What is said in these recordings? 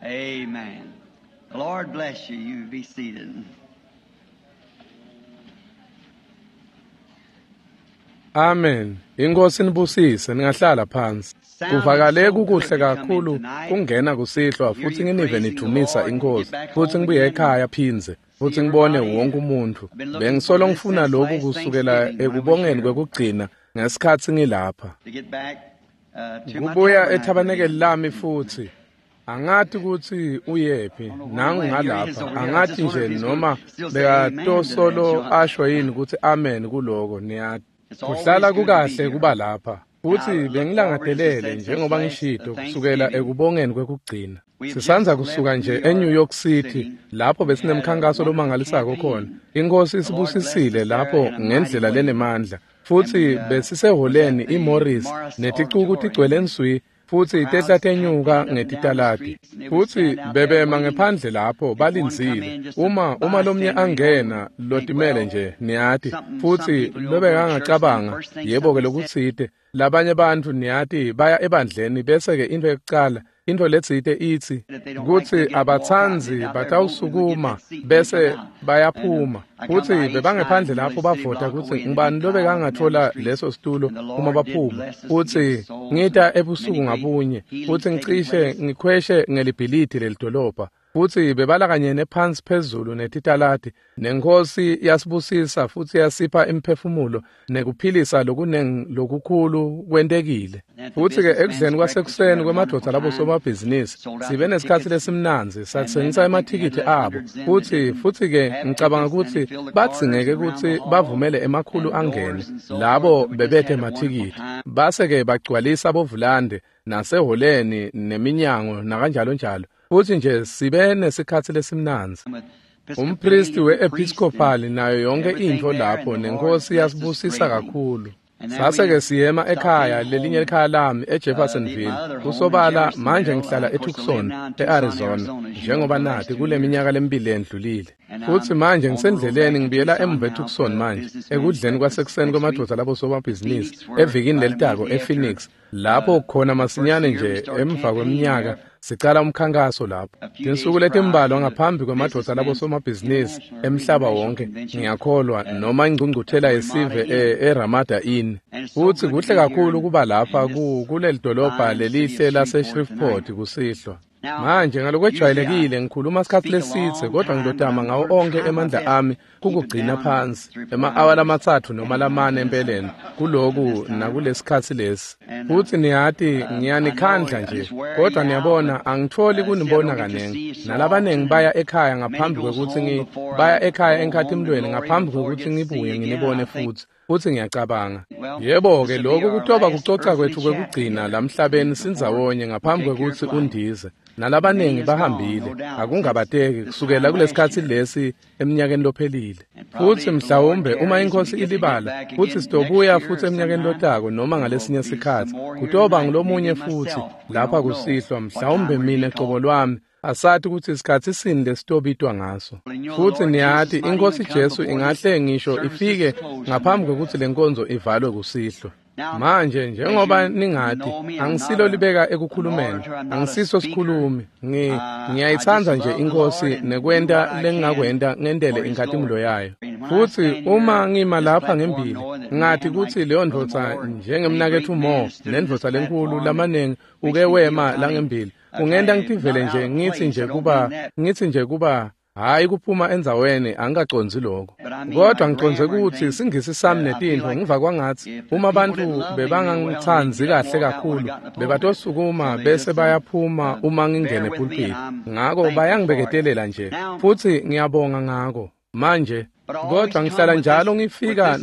Amen. The Lord bless you. You be seated. Amen. Inkosi nibusise ningahlala phansi. Kuvakale kukuhle kakhulu kungena kusihlwa futhi nginive nidumisa inkosi futhi ngibuye ekhaya phindze futhi ngibone wonke umuntu. Bengisolo ngifuna lokhu kusukela ekubongeni kwekugcina ngesikhathi ngilapha. To get back to my Kubuya tabernacle ethabanekeli lami futhi angathi ukuthi uyephi nangu ngalapha angathi nje noma bekatosolo asho yini ukuthi amen kuloko niyathi kuhlala kukahle kuba lapha futhi bengilangadelele njengoba ngishito kusukela ekubongeni kwekugcina sisanza kusuka nje eNew York City lapho besinemkhankaso lomangalisako khona inkosi isibusisile lapho ngendlela lenemandla futhi besiseholeni iMorris neticuku tigcwele nswi futhi tehla tenyuka ngetitaladi futhi bebema ngephandle lapho balindzile uma lomnye angena lotimele nje niyati futhi lobekangacabanga yebo-ke lokutsite labanye bantfu niyati baya ebandleni bese-ke into yekucala into letsite itsi kutsi abatsandzi batawusukuma bese bayaphuma futhi bebangephandle lapho bavota kutsi ngubani lobekangatfola leso situlo uma baphuma futhi ngita ebusuku ngabunye futhi ngicishe ngikhweshe ngelibhilidi lelidolobha futhi bebalakanyene phansi phezulu netitaladi nenkosi yasibusisa futhi yasipha imiphefumulo nekuphilisa lokunengi lokukhulu kwentekile futhi-ke ekudleni kwasekuseni kwemadvodza labo somabhizinisi sibe nesikhathi lesimnandzi satsengisa emathikithi abo futhi-ke ngicabanga ukuthi badzingeke kutsi bavumele emakhulu angene labo bebethe emathikithi base-ke bagcwalisa bovulande naseholeni neminyango nakanjalo njalo futhi nje sibe nesikhathi lesimnandzi umpristi we-episcopal nayo yonke intfo lapho nenkosi yasibusisa kakhulu sase-ke siyema ekhaya lelinye likhaya lami eJeffersonville kusobala manje ngihlala eTucson e-Arizona njengoba nathi kule minyaka lemibili endlulile futhi manje ngisendleleni ngibuyela emuva eTucson manje ekudleni kwasekuseni kwemadvodza labo somabhizinisi evikini lelitako ePhoenix lapho khona masinyane nje emva kweminyaka sicala umkhankaso lapho tinsuku letimbalwa ngaphambi kwemadvodza labo somabhizinisi emhlaba wonke ngiyakholwa noma ingcungcuthela yesive eRamada Inn futhi kuhle kakhulu kuba lapha kuleli dolobha lelihle lase-Shreveport kusihlwa manje ngalokwejwayelekile ngikhuluma isikhathi lesitse kodwa ngilotama ngawo onke emandla ami kukugcina phansi ema-awa lamathathu noma lamane empeleni kuloku nakulesikhathi lesi futhi niyati ngiyanikhandla nje kodwa niyabona angitholi kunibona kaningi nalabaningi baya ekhaya ngaphambi kwekuthi baya ekhaya enkhathimlweni ngaphambi kwekuthi ngibuye nginibone futhi ngiyacabanga yebo-ke lokhu kutoba kucoca kwethu kwekugcina lamhlabeni sindzawonye ngaphambi kwekuthi undize nalabaningi bahambile akungabateki kusukela kulesikhathi lesi eminyakeni lophelile futhi mhlawumbe uma inkosi ilibala futhi sitobuya futhi eminyakeni lotako noma ngalesinye sikhathi kutoba ngulomunye futhi lapha kusihlwa mhlawumbe mina cobo lwami asathi ukuthi isikhathi sini lesitobitwa ngaso futhi niyati inkosi Jesu ingahle ngisho ifike ngaphambi kokuthi lenkonzo ivalwe kusihlwa manje njengoba ningathi angisilo libeka ekukhulumeni angisiso sikhulumi ngiyayithanda nje inkosi nekwenta lengingakwenta ngendele inkhatimulo yayo futhi uma ngima lapha ngembili ngathi kuthi leyo ndvodza njengemnaketfu Mo nendvodza lenkulu lamaningi uke wema langembili kungenta ngitivele nje ngithi nje kuba hayi kuphuma endzaweni angikacondzi lokho kodwa ngicondze ukuthi singisi sami netintfo ngiva kwangathi uma abantu bebangangitsandzi kahle kakhulu bebatosukuma bese bayaphuma uma ngingene epulpiti ngako bayangibeketelela nje futhi ngiyabonga ngako manje kodwa ngihlala njalo ngifika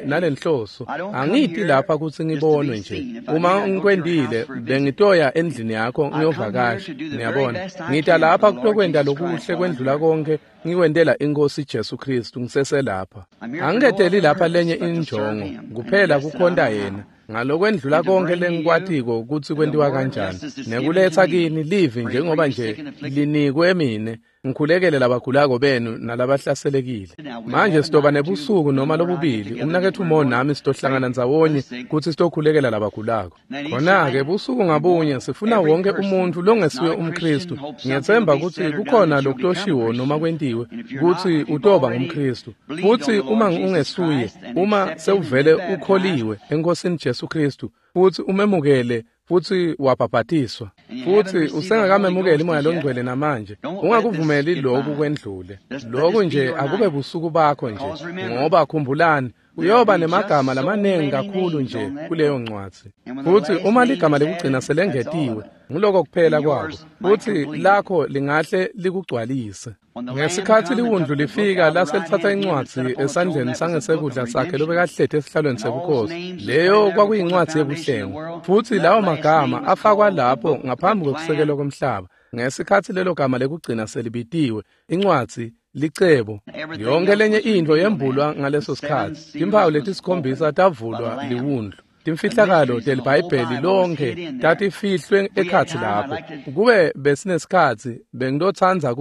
nalenhloso angiti lapha ukuthi ngibonwe nje uma ngikwendile bengitoya endlini yakho ngiyovakasha ngiyabona ngita lapha kutokwenda lokuhle kwendlula konke ngikwendela inkosi Jesu Kristu ngiseselapha angiketeli lapha lenye injongo kuphela kukhonta yena ngalokwendlula konke lengikwatiko ukuthi kwentiwa kanjani nekuletha kini livi njengoba nje linikwe mine. ngikhulekele labagulako benu nalabahlaselekile. Manje sitoba nebusuku noma lobubili, umnaketfu Mo nami sitohlangana ndzawonye kutsi sitokhulekela labagulako. Khona-ke busuku ngabunye sifuna wonke umuntfu longesiwe umKhristu. Ngiyetsemba kutsi kukhona lokutoshiwo noma kwentiwe kutsi utoba ngumKhristu. Futsi uma ungesuye, uma sewuvele ukholiwe eNkosini Jesu Khristu futsi umemukele futsi wabhabhatiswa, futsi usengakamemukeli Moya Longcwele namanje, ungakuvumeli lokhu kwendlule. Lokhu nje akube busuku bakho nje, ngoba khumbulani, uyoba nemagama lamaningi kakhulu nje kuleyo ncwadzi. Futsi uma ligama lekugcina selengetiwe, nguloko kuphela kwako, futsi lakho lingahle likugcwalise. Ngesikhatsi liwundlu lifika lase lithatha incwadzi esandleni sangesekudla sakhe lobekahleti esihlalweni sebukhosi, leyo kwakuyincwadzi yebuhlengo. Futsi lawo magama afakwa lapho ngaphambi kwekusekelwa komhlaba. Ngesikhatsi lelo gama lekugcina selibitiwe, incwadzi licebo, yonke lenye intfo yembulwa ngaleso sikhatsi. Timphawu letisikhombisa tavulwa liwundlu. Timfihlakalo teliBhayibheli lonke tatifihlwe ekhatsi lapho. Kube besinesikhatsi bengitotsandza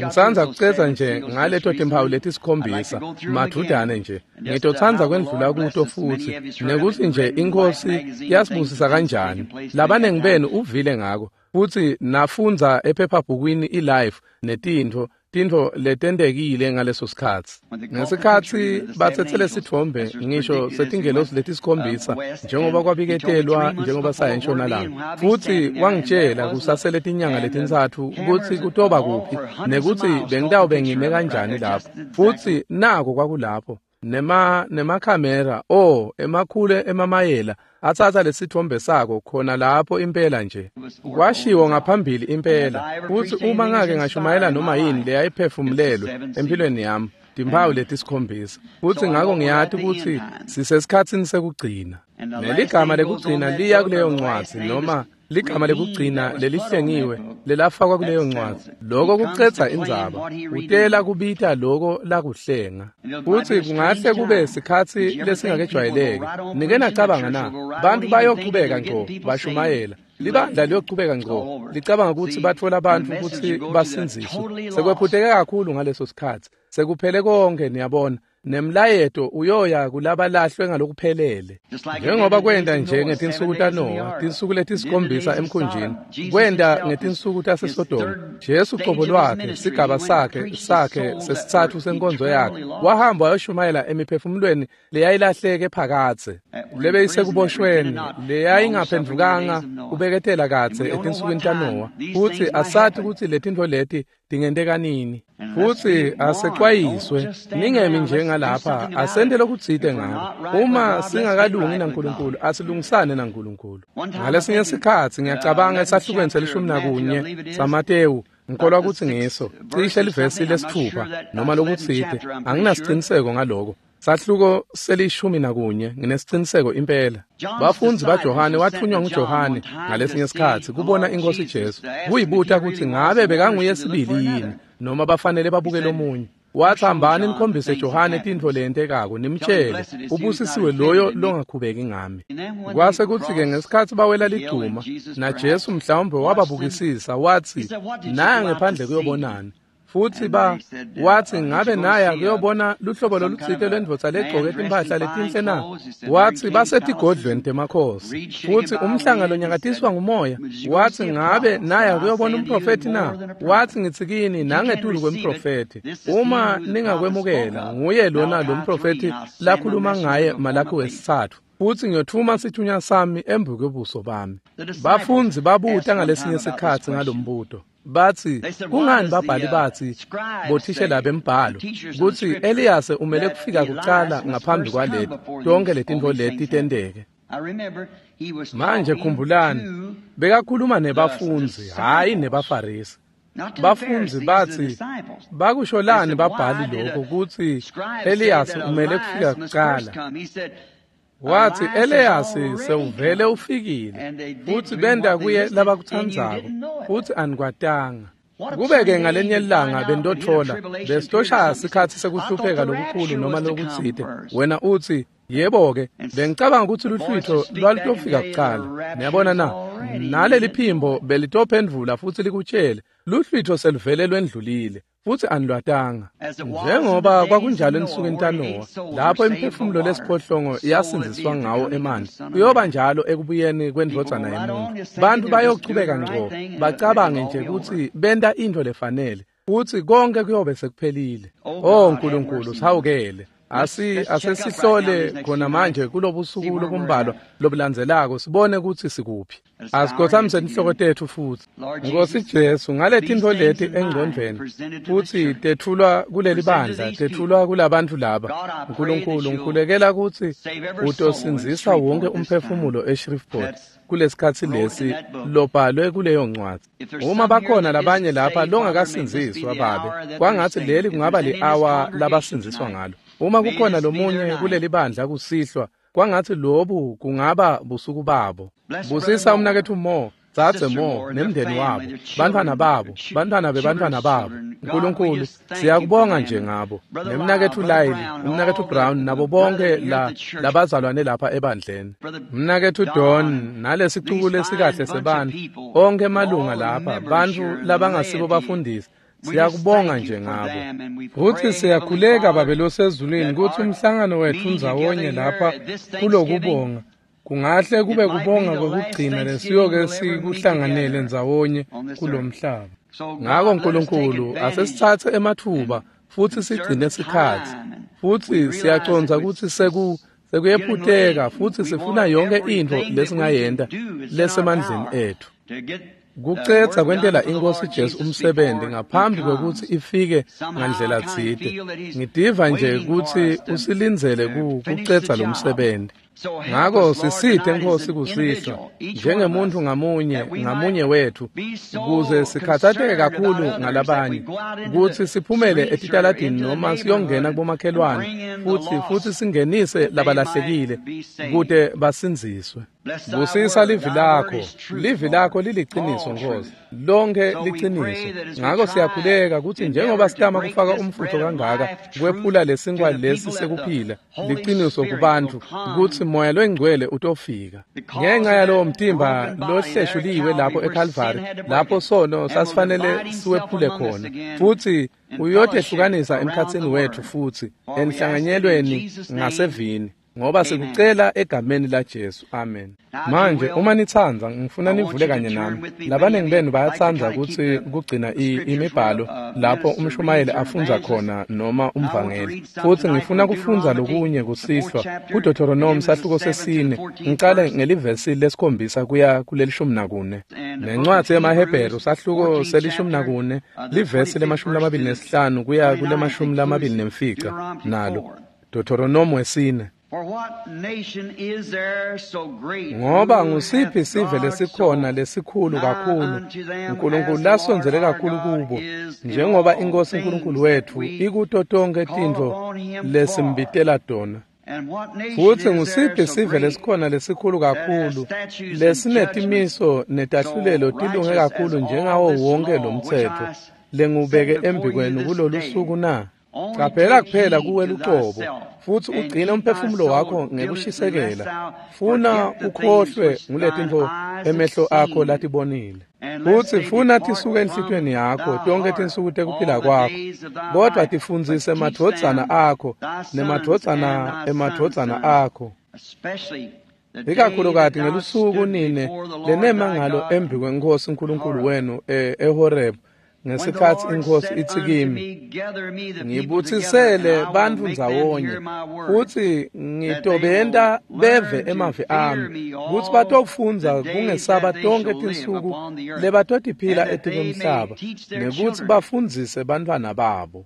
ngisandza kucedza nje ngaleto timphawu letisikhombisa madvudane nje. Ngitotsandza kwendlula kuto futsi nekutsi nje iNkhosi yasibusisa kanjani. Labanengi benu uvile ngako futsi nafundza ephephabhukwini iLife netintfo tintfo letentekile ngaleso sikhatsi. Ngesikhatsi batsetse sitfombe ngisho setingelosi letisikhombisa njengoba kwabiketelwa njengoba saya entshonalanga, futsi wangitshela kusasele tinyanga letintsatfu kutsi kutoba kuphi nekutsi bengitawube ngime kanjani lapho. Futsi nako kwakulapho nemakhamera emakhulu emamayela atsatsa lesitfombe sako khona lapho impela nje. Kwashiwo ngaphambili impela. Futsi uma ngake ngashumayela noma yini leyayiphefumulelwe empilweni yami, timphawu letisikhombisa. Futsi ngako ngiyati kutsi sisesikhatsini sekugcina. Neligama lekugcina liya kuleyo ncwadzi, noma ligama lekugcina lelihlengiwe lelafakwa kuleyo ncwadzi. Loko kucedza indzaba. Utela kubita loko lakuhlenga. Futsi kungahle kube sikhatsi lesingakejwayeleki. Nike nacabanga na? Bantu bayochubeka ngco bashumayela. Libandla liyochubeka ngco licabanga kutsi batfola bantfu kutsi basindziswe. Sekwephuteke kakhulu ngaleso sikhatsi. Sekuphele konke, niyabona. Nemlayeto uyoya kulabalahlwe ngalokuphelele. Njengoba kwenta nje ngetinsuku taNowa, tinsuku letisikhombisa emkhunjini, kwenta ngetinsuku taseSodoma. Jesu cobo lwakhe, sigaba sakhe sesitsatfu senkonzo yakhe, wahamba wayoshumayela emiphefumulweni leyayilahleke phakadze, lebeyisekuboshweni, leyayingaphendvukanga kubeketela kadze etinsukwini taNowa. Futsi asati kutsi letintfo leti tingenteka nini. Futsi asexwayiswe, ningemi njengalapha, asente lokutsite ngako. Uma singakalungi naNkulunkulu, asilungisane naNkulunkulu. Ngalesinye sikhatsi ngiyacabanga esahlukweni se-11 saMatewu, ngikholwa kutsi ngiso, cishe livesi lesithupha noma lokutsite, anginasiciniseko ngaloko. Sahluko se-11, nginesiciniseko impela. Bafundzi baJohane wathunywa nguJohane ngalesinye sikhatsi kubona iNkhosi Jesu, kuyibuta kutsi ngabe bekanguye sibili yini noma bafanele babuke lomunye. Wathi, hambani nikhombise Johane tintfo leyentekako, nimtshele ubusisiwe loyo longakhubeki ngami. Kwase kutsi-ke ngesikhatsi bawela ligcuma, naJesu mhlawumbe wababukisisa wathi, naya ngephandle kuyobonani. Futsi wathi, ngabe naya kuyobona luhlobo lolutsite lwendvodza legcoke timphahla letinhle na? Wathi, basetigodlweni temakhosi. Futsi umhlanga lonyakatiswa ngumoya. Wathi, ngabe naya kuyobona umprofethi na? Wathi, ngitsi kini nangetulu kwemprofethi. Uma ningakwemukela, nguye lona lo mprofethi lakhuluma ngaye Malakhi wesitsatfu. Futsi ngiyotfuma sithunywa sami embi kwebuso bami. Bafundzi babuta ngalesinye sikhatsi ngalombuto. Bathi, kungani babhali bathi bothishela bembhalo kutsi Eliyase umele kufika kucala ngaphambi kwaleti tonke letintfo leti tenteke? Manje khumbulani, bekakhuluma nebafundzi, hhayi nebaFarisi. Bafundzi bathi, bakusholani babhali lokho kutsi Eliyase umele kufika kucala? Wathi, Eliyasi sewuvele ufikile, futsi benta kuye labakutsandzako, futsi anikwatanga. Kube-ke ngalenye ilanga bentotfola besitoshaya sikhatsi sekuhlupheka lokukhulu noma lokutsite, wena utsi, yebo-ke, bengicabanga kutsi luhlwitfo lwalutofika kucala. Niyabona na? Naleli phimbo belitophendvula futsi likutshele luhlwitho seluvele lwendlulile futsi anilwatanga. Njengoba kwakunjalo ensukwini taNowa, lapho imiphefumulo lesiphohlongo yasindziswa ngawo emanti, kuyoba njalo ekubuyeni kwendvodzana yemuntu. Bantu bayochubeka ngco bacabange nje kutsi benta intfo lefanele, futsi konke kuyobe sekuphelile. Oh Nkulunkulu, sihawukele. Asesihlole khona manje kulobusuku lobumbalwa lobulandzelako sibone kutsi sikuphi. Asikhothamise inhloko tetfu futsi. Nkosi Jesu, ngaletintfo leti engcondvweni futsi tetfulwa kuleli bandla, tetfulwa kulabantu laba. Nkulunkulu, ngikhulekela kutsi utosindzisa wonke umphefumulo eShreveport kulesikhatsi lesi lobhalwe kuleyo ncwadzi. Uma bakhona labanye lapha longakasindziswa, Babe, kwangatsi leli kungaba li-awa labasindziswa ngalo. Uma kukhona lomunye kuleli bandla kusihlwa, kwangatsi lobu kungaba busuku babo. Busisa umnaketfu Mo, dzadze Mo, nemndeni wabo, bantfwana babo, bantfwana bebantfwana babo. Nkulunkulu, siyakubonga nje ngabo. Nemnaketfu Lyle, umnaketfu Brown, nabo bonke labazalwane lapha ebandleni. Umnaketfu Don, nalesicuku lesikahle sebantfu, onkhe emalunga lapha, bantfu labangasibo bafundisi. Siyakubonga nje ngabo. Futsi siyakhuleka, Babe losezulwini, kutsi umhlangano wetfu ndzawonye lapha kulokubonga kungahle kube kubonga kwekugcina lesiyoke sikuhlanganele ndzawonye kulomhlaba. Ngako Nkulunkulu, asesitsatse ematfuba futsi sigcine sikhatsi. Futsi siyacondza kutsi sekuyephuteka futsi sifuna yonke intfo lesingayenta lesemandleni etfu. Kucedza kwentela iNkosi Jesu umsebenzi ngaphambi kwekutsi ifike ngandlela tsite. Ngitiva nje kutsi usilindzele kucedza lo msebenzi. Ngako sisite Nkosi kusihlwa njengemuntu ngamunye ngamunye wethu, ukuze sikhathatheke kakhulu ngalabanye, kutsi siphumele etitaladini noma siyongena kubomakhelwane futsi singenise labalahlekile kute basindziswe. Busisa livi lakho, livi lakho liliciniso Nkosi, lonke liciniso. Ngako siyakhuleka kutsi njengoba sitama kufaka umfutho kangaka kwephula lesinkwa lesi sekuphila, liciniso kubantfu, kutsi Moya loyingcwele utofika. Ngenxa yalowo mtimba lohleshuliwe lapho eCalvary, lapho sono sasifanele siwephule khona, futsi uyotehlukanisa emkhatsini wetfu futsi enhlanganyelweni ngasevini. Ngoba sikucela egameni la Jesu. Amen. Manje uma nitsandza, ngifuna nivule kanye nami. Labanengi benu bayatsandza kutsi kugcina imibhalo lapho umshumayeli afundza khona noma umvangeli. Futsi ngifuna kufundza lokunye kusihlwa kuDeuteronomy sahluko sesine, ngicale ngelivesi lesikhombisa kuya kulelishumi nakune. Nencwadzi yemaHebheru sahluko selishumi nakune, livesi le-25 kuya kule-25 nalo. Deuteronomy wesine. Ngoba ngusiphi sive lesikhona lesikhulu kakhulu, Nkulunkulu lasondzele kakhulu kubo, njengoba iNkosi Nkulunkulu wetfu ikuto tonkhe tintfo lesimbitela tona. Futsi ngusiphi sive lesikhona lesikhulu kakhulu, lesinetimiso netahlulelo tilunge kakhulu njengawo wonke lo mtsetfo lengubeke embikwenu kulolu suku na? Caphela kuphela kuwe lucobo, futsi ugcine umphefumulo wakho ngekushisekela, funa ukhohlwe nguletintfo emehlo akho latibonile. Futsi funa tisuke enhlitiyweni yakho tonkhe tinsuku tekuphila kwakho, kodwa tifundzise emadvodzana akho nemadvodzana emadvodzana akho. Ikakhulukati ngelusuku nine lenema ngalo embi kweNkhosi Nkulunkulu wenu eHoreb, ngesikhatsi iNkhosi itsi kimi, ngibutsisele bantfu ndzawonye, futsi ngitobenta beve emavi ami, kutsi batofundza kungesaba tonkhe tinsuku lebatotiphila etikwemhlaba, nekutsi bafundzise bantfwana babo.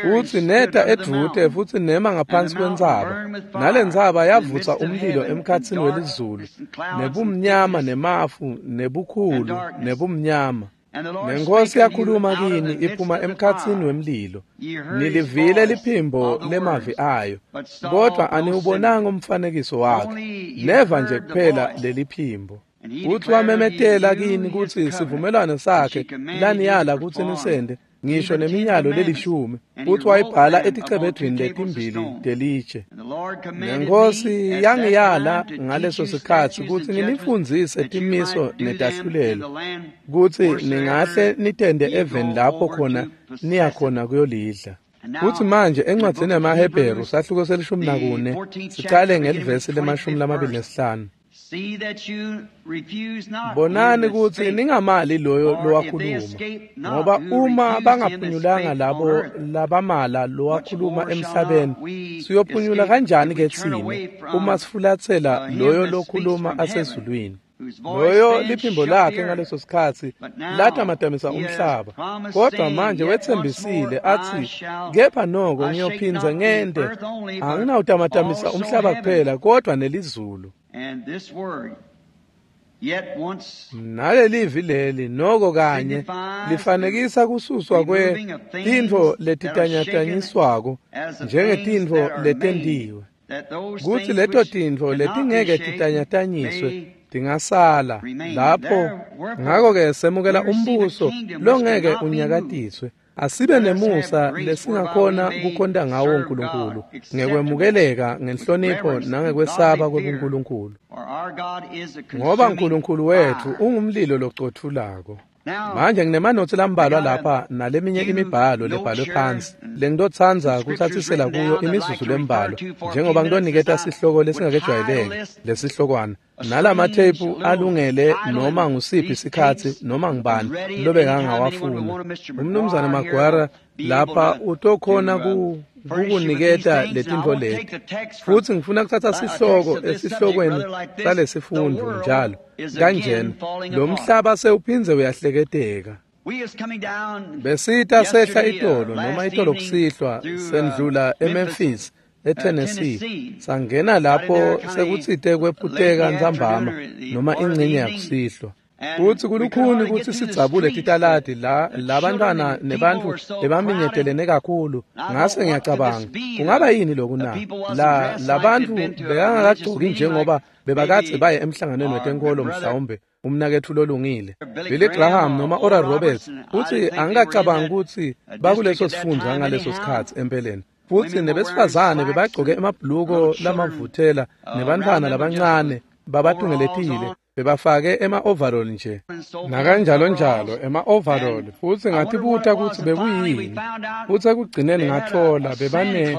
Futsi neta edvute futsi nema ngaphansi kwentsaba, nalentsaba yavutsa umlilo emkhatsini welizulu, nebumnyama nemafu, nebukhulu nebumnyama. Nenkosi yakhuluma kini iphuma emkhatsini wemlilo. Nilivile liphimbo lemavi ayo, kodwa aniwubonanga umfanekiso wakhe, neva nje kuphela leliphimbo. Uthi wamemetela kini kutsi sivumelwano sakhe laniyala kutsi nisende, ngisho nemiyalo lelishumi, futhi wayibhala eticebedvwini letimbili telitshe. Nenkosi yangiyala ngaleso sikhatsi kutsi nginifundzise timiso netahlulelo, kutsi ningahle nitende eveni lapho khona niyakhona kuyolidla. Futhi manje encwadzini yamaHebheru sahluko se-14 sicale ngelivesi le-25. Bonani kutsi ningamali loyo lowakhuluma, ngoba uma bangaphunyulanga labo labamala lowakhuluma emhlabeni, siyophunyula kanjani ke tsine uma sifulatsela loyo lokhuluma asezulwini? Loyo liphimbo lakhe ngaleso sikhatsi latamatamisa umhlaba, kodwa manje wetsembisile athi, kepha noko ngiyophindze ngente, anginawutamatamisa umhlaba kuphela kodwa nelizulu. Nalelivi leli noko kanye lifanekisa kususwa kwetintfo letitanyatanyiswako njengetintfo letentiwe, kutsi leto tintfo letingeke titanyatanyiswe tingasala lapho. Ngakho-ke semukela umbuso longeke unyakatiswe. Asibe nemusa lesingakhona kukhonta ngawo uNkulunkulu ngekwemukeleka ngenhlonipho nangekwesaba kwebuNkulunkulu, ngoba uNkulunkulu wethu ungumlilo locothulako. Manje nginemanotsi lambalwa lapha naleminye imibhalo lebhalwe phansi lengitotsandza kutsatsisela kuyo imizuzu lembalwa, njengoba ngitoniketa sihloko lesingakejwayeleki lesihlokwana, nalamatheyiphu alungele noma ngusiphi sikhatsi noma ngubani lobekangawafuna. Umnumzane Magwara lapha utokhona kukuniketa letintfo leti. Futhi ngifuna kuthatha sihloko esihlokweni salesifundo njalo kanjena, lo mhlaba sewuphindze uyahleketeka. Besita sehla itolo noma itolo kusihlwa sendlula eMemphis eTennessee, sangena lapho sekutsite kwephuteka ntsambama noma ingcenye yakusihlwa. Futhi kulukhuni kutsi sidzabule titaladi la labantwana nebantfu lebaminyetelene kakhulu. Ngase ngiyacabanga, kungaba yini loku na? La labantfu bekangakagcoki njengoba bebakadze baye emhlanganweni wetenkolo, mhlawumbe umnaketfu lolungile Billy Graham noma Oral Roberts. Futhi angikacabangi kutsi bakuleso sifundza ngaleso sikhatsi empeleni. Futhi nebesifazane bebagcoke emabhuluko lamavuthela, nebantfwana labancane babatungeletile bebafake ema-overall nje nakanjalo njalo ema-overall. Futhi ngatibuta kutsi bekuyini, futhi ekugcineni ngathola bebane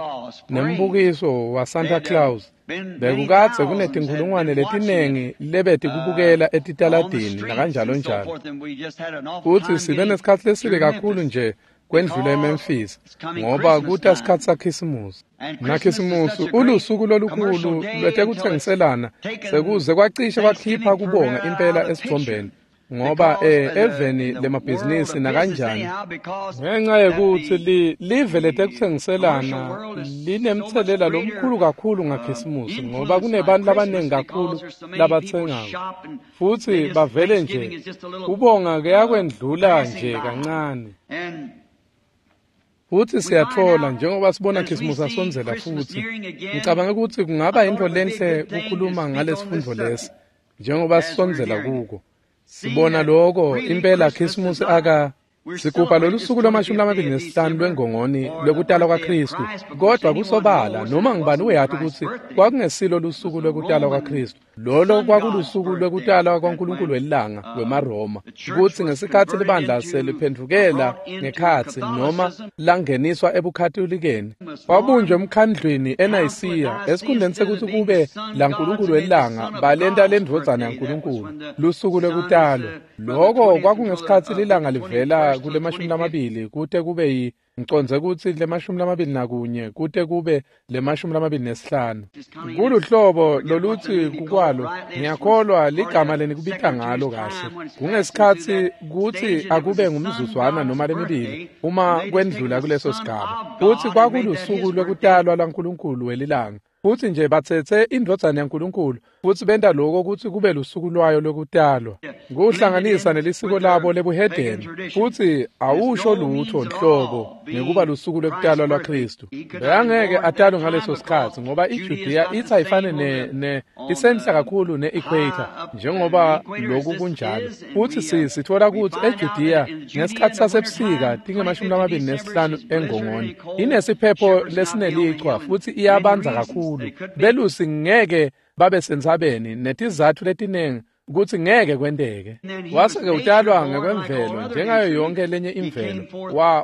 nembukiso wa-Santa Claus. Bekukadze kunetinkhulungwane letinengi lebetikubukela etitaladini nakanjalo njalo. Futhi sibe nesikhatsi lesibi kakhulu nje kwendlula eMemphis, ngoba kuta sikhatsi saKhisimusi. NaKhisimusi ulusuku lolukhulu lwetekutsengiselana, sekuze kwacishe kwakhipha kubonga impela esithombeni, ngoba eveni lemabhizinisi nakanjani, ngenxa yekutsi live letekutsengiselana linemtselela lomkhulu kakhulu ngaKhisimusi, ngoba kunebantu labaningi kakhulu labatsengako, futhi bavele nje kubonga kuyakwendlula nje kancane. Futhi siyathola njengoba sibona Khisimusi asondzela, futhi ngicabanga ukuthi kungaba into lenhle kukhuluma ngalesifundo lesi njengoba sisondzela kuko. Sibona lokho impela Khisimusi aka sigubha lolu suku lwama-25 lwengongoni lwekutalwa kwaKristu, kodwa kusobala noma ngubani uyati kutsi kwakungesilo lusuku lwekutalwa kwaKristu. Lolo kwakulusuku lwekutalwa kwaNkulunkulu welilanga wemaRoma, kutsi ngesikhatsi libandla seliphendvukela ngekhatsi noma langeniswa ebukatolikeni, wabunjwa emkhandlwini eNayisiya, esikhundleni sekutsi kube laNkulunkulu welilanga balenta lendvodzana yaNkulunkulu lusuku lwekutalwa. Loko kwakungesikhatsi lilanga livela kule-20 kute kube ngicondze kutsi le-21 kute kube le-25. Kuluhlobo lolutsi kukwalo, ngiyakholwa ligama lenikubita ngalo kahle. Kungesikhatsi kutsi akube ngumzuzwana noma lemibili uma kwendlula kuleso sigaba. Futsi kwakulusuku lwekutalwa lwaNkulunkulu welilanga. Futsi nje batsetse indvodzana yaNkulunkulu futsi benta lokho kutsi kube lusuku lwayo lokutalwa, kuhlanganisa nelisiko labo lebuhedeni, futsi awusho lutho nhlobo ngekuba lusuku lwekutalwa lwaKhristu. Bekangeke atalwe ngaleso sikhatsi ngoba iJudiya ithi ayifane ne isenhla kakhulu ne-equator njengoba loku kunjalo. Futsi sitfola kutsi eJudiya ngesikhatsi sasebusika tinge-25 engongoni inesiphepho lesinelichwa futsi iyabandza kakhulu. Belusi ngeke babe sentsabeni netizatfu letiningi kutsi ngeke kwenteke. Wase-ke utalwa ngekwemvelo njengayo yonke lenye imvelo.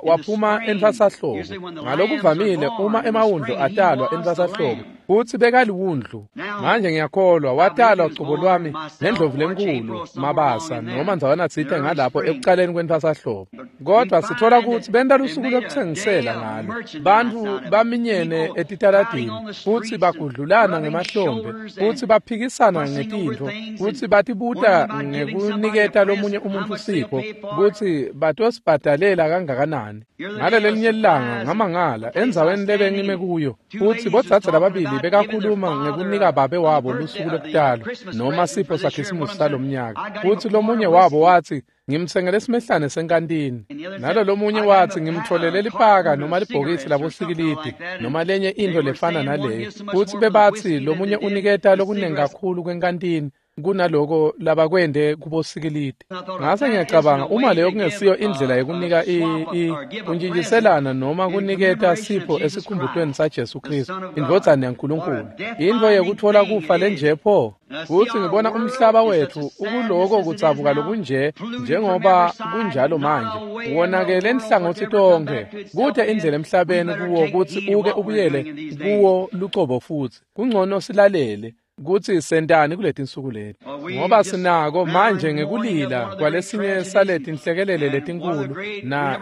Waphuma entfwasahlobo. Ngalokuvamile uma emawundlu atalwa entfwasahlobo futsi bekaliwundlu. Manje ngiyakholwa watalwa cobo lwami ngendlovu lenkulu Mabasa noma ndzawana tsite ngalapho ekucaleni kwentfwasahlobo. Kodwa sitfola kutsi benta lusuku lwekutsengisela ngalo. Bantfu baminyene etitaladini futsi bagudlulana ngemahlombe futsi baphikisana ngetintfo futsi batibuta ngekuniketa lomunye umuntfu sipho kutsi batosibhadalela kangakanani. Ngalelelinye lilanga ngamangala endzaweni lebengime kuyo futsi bodzadze lababili bekakhuluma ngekunika babe wabo lusuku lokutalwa noma sipho saKhisimusi salomnyaka. Futsi lomunye wabo watsi ngimtsengele simehlane senkantini, nalo lomunye watsi ngimtfolele lipaka noma libhokisi labosikilidi noma lenye intfo lefana naleyo. Futsi bebatsi lomunye uniketa lokunengi kakhulu kwenkantini kunaloko labakwende kubosikilidi. Ngase ngiyacabanga uma leyo kungesiyo indlela yekunika kuntjintjiselana noma kuniketa sipho esikhumbutweni saJesu Khristu indvodzana yaNkulunkulu, intfo yekutfola kufa lenje pho. Futsi ngibona umhlaba wetfu ukuloko kudzabuka lokunje njengoba kunjalo manje, wonakele nhlangothi tonkhe. Kute indlela emhlabeni kuwo kutsi uke ubuyele kuwo lucobo futsi. Kungcono silalele kutsi sentani kuletinsuku leti, ngoba sinako manje ngekulila kwalesinye saletinhlekelele letinkhulu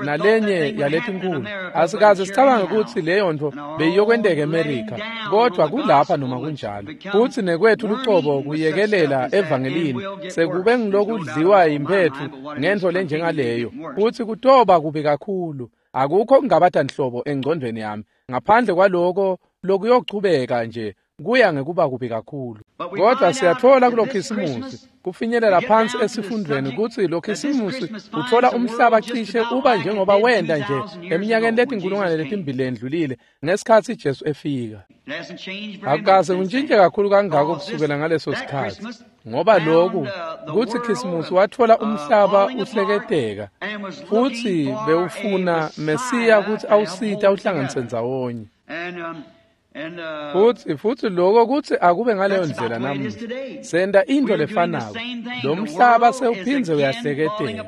nalenye yaletinkulu. Asikaze sicabange kutsi leyo ntfo beyiyokwenteka eMerika, kodwa kulapha noma kunjalo. Futsi nekwethu lucobo kuyekelela evangelini sekube ngilokudliwa yimphetfu ngentfo lenjengaleyo, futsi kutoba kubi kakhulu. Akukho kungabata nhlobo engcondvweni yami ngaphandle kwaloko lokuyochubeka nje kuya ngekuba kubi kakhulu. Kodwa siyatfola kuloKhisimusi kufinyelela phansi esifundvweni kutsi loKhisimusi utfola umhlaba cishe uba njengoba wenda nje eminyakeni letinkulungwane letimbili lendlulile ngesikhatsi Jesu efika. Akukaze kuntjintje kakhulu kangako kusukela ngaleso sikhatsi, ngoba loku kutsi Khisimusi watfola umhlaba uhleketeka futsi bewufuna Mesiya kutsi awusite awuhlanganise ndzawonye. Futsi lokho kutsi akube ngaleyo ndlela namuhla. Senta intfo lefanako. Lo mhlaba sewuphindze uyahleketeka.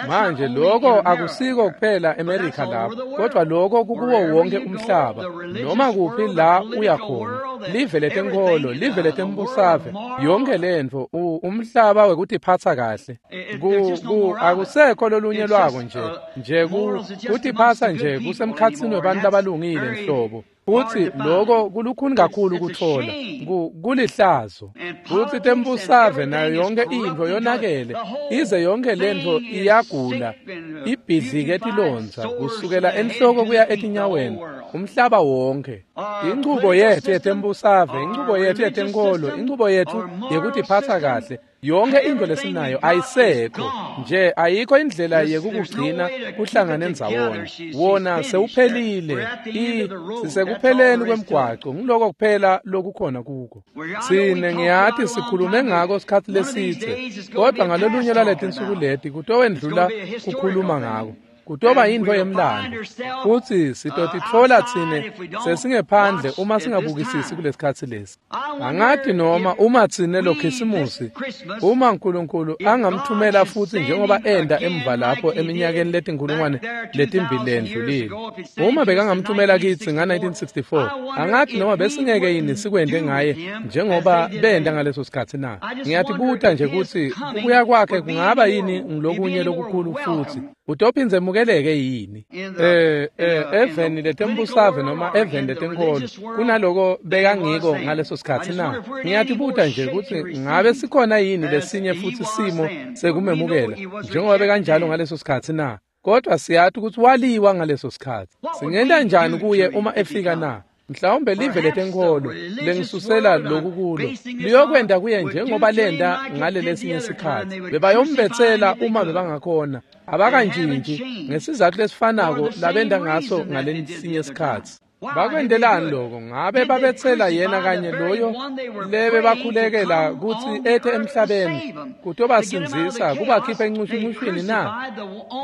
Manje lokho akusiko kuphela eMerika lapho, kodwa lokho kukuwo wonke umhlaba. Noma kuphi la uya khona, live letenkholo, live letembusave, yonke lentfo, umhlaba wekutiphatsa kahle. Akusekho lolunye lwako nje kutiphatsa nje kusemkhatsini webantfu labalungile nhlobo. Futsi lokho kulukhuni kakhulu kutfola, kulihlazo. Futsi tembusave nayo yonke intfo yonakele, ize yonke lentfo iyagula, ibhidlike tilondza kusukela enhloko kuya etinyaweni, umhlaba wonke. Inchubo yethu yetembusave, inchubo yethu yetenkholo, inchubo yethu yekutiphatsa kahle, yonke intfo lesinayo ayisekho nje, ayikho indlela yekukugcina kuhlangane ndzawonye. Wona sewuphelile, sisekupheleni kwemgwaco, ngiloko kuphela lokukhona kuko. Sine ngiyati sikhulume ngako sikhatsi lesitse, kodwa ngalolunye lwaletinsuku leti kutowendlula kukhuluma ngako. Kutoba yintfo yemlando, futsi sitotitfola tsine sesingephandle uma singabukisisi kulesikhatsi lesi. Angati noma uma tsine loKhisimusi, uma Nkulunkulu angamthumela futsi njengoba enda emva lapho eminyakeni letinkulungwane letimbili lendlulile. Uma bekangamthumela kitsi nga-1964, angati noma besingeke yini sikwente ngaye njengoba benda ngaleso sikhatsi na. Ngiyatibuta nje kutsi kubuya kwakhe kungaba yini ngilokunye lokukhulu futsi. Utophindze emukeleke yini eveni letembusave noma eveni letenkholo kunaloko bekangiko ngaleso sikhatsi na? Ngiyatibuta nje kutsi ngabe sikhona yini lesinye futsi simo sekumemukela njengoba bekanjalo ngaleso sikhatsi na? Kodwa siyati kutsi waliwa ngaleso sikhatsi. Singenta njani kuye uma efika na? Mhlawumbe live letenkholo lengisusela loku kulo liyokwenta kuye njengoba lenta ngalelesinye sikhatsi. Bebayombetsela uma bebangakhona. Abakantshintshi ngesizatfu lesifanako labenta ngaso ngalesinye sikhatsi. Bakwentelani lokho? Ngabe babetsela yena kanye loyo lebe bakhulekela kutsi ete emhlabeni kutobasindzisa kubakhipha encushuncushwini na?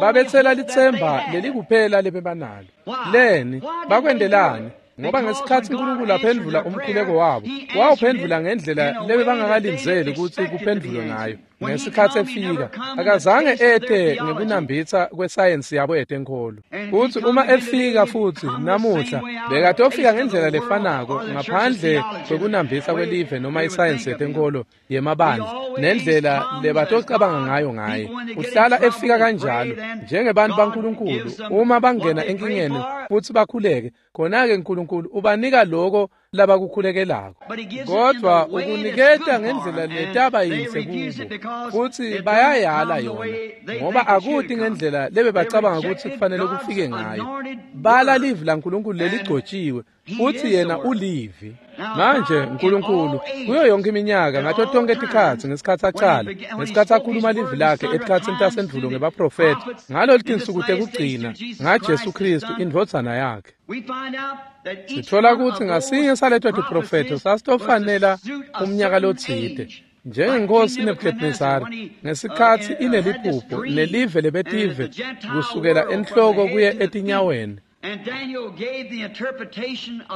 Babetsela litsemba lelikuphela lebebanalo. Leni bakwentelani? Ngoba ngesikhatsi uNkulunkulu aphendvula umkhuleko wabo, wawuphendvula ngendlela lebebangakalindzeli kutsi kuphendvulwe ngayo. Ngesikhatsi efika, akazange ete ngekunambitsa kwesayensi yabo yetenkholo. Futsi uma efika futsi namuhla, bekatofika ngendlela lefanako ngaphandle kwekunambitsa kwelive noma isayensi yetenkholo yemabandla nendlela lebatocabanga ngayo ngaye. Uhlala efika kanjalo njengebantu baNkulunkulu uma bangena enkingeni futsi bakhuleke, khona-ke uNkulunkulu ubanika loko labakukhulekelako. Kodwa ukuniketa ngendlela letaba yinhle kubo, futsi bayayala yona ngoba akuti ngendlela lebebacabanga kutsi kufanele kufike ngayo. Bala livi laNkulunkulu leligcotshiwe, futsi yena ulivi. Manje uNkulunkulu kuyo yonke iminyaka ngato tonke tikhatsi ngesikhatsi acala, ngesikhatsi akhuluma livi lakhe etikhatsini tasendvulo ngebaprofethi, ngalolu tinsuku tekugcina ngaJesu Kristu indvodzana yakhe. Sithola kutsi ngasinye saleto tiprofetho sasitofanela umnyaka lotsite. Njengenkosi Nebuchadnezzar ngesikhatsi ineliphupho nelive lebetive kusukela enhloko kuye etinyaweni.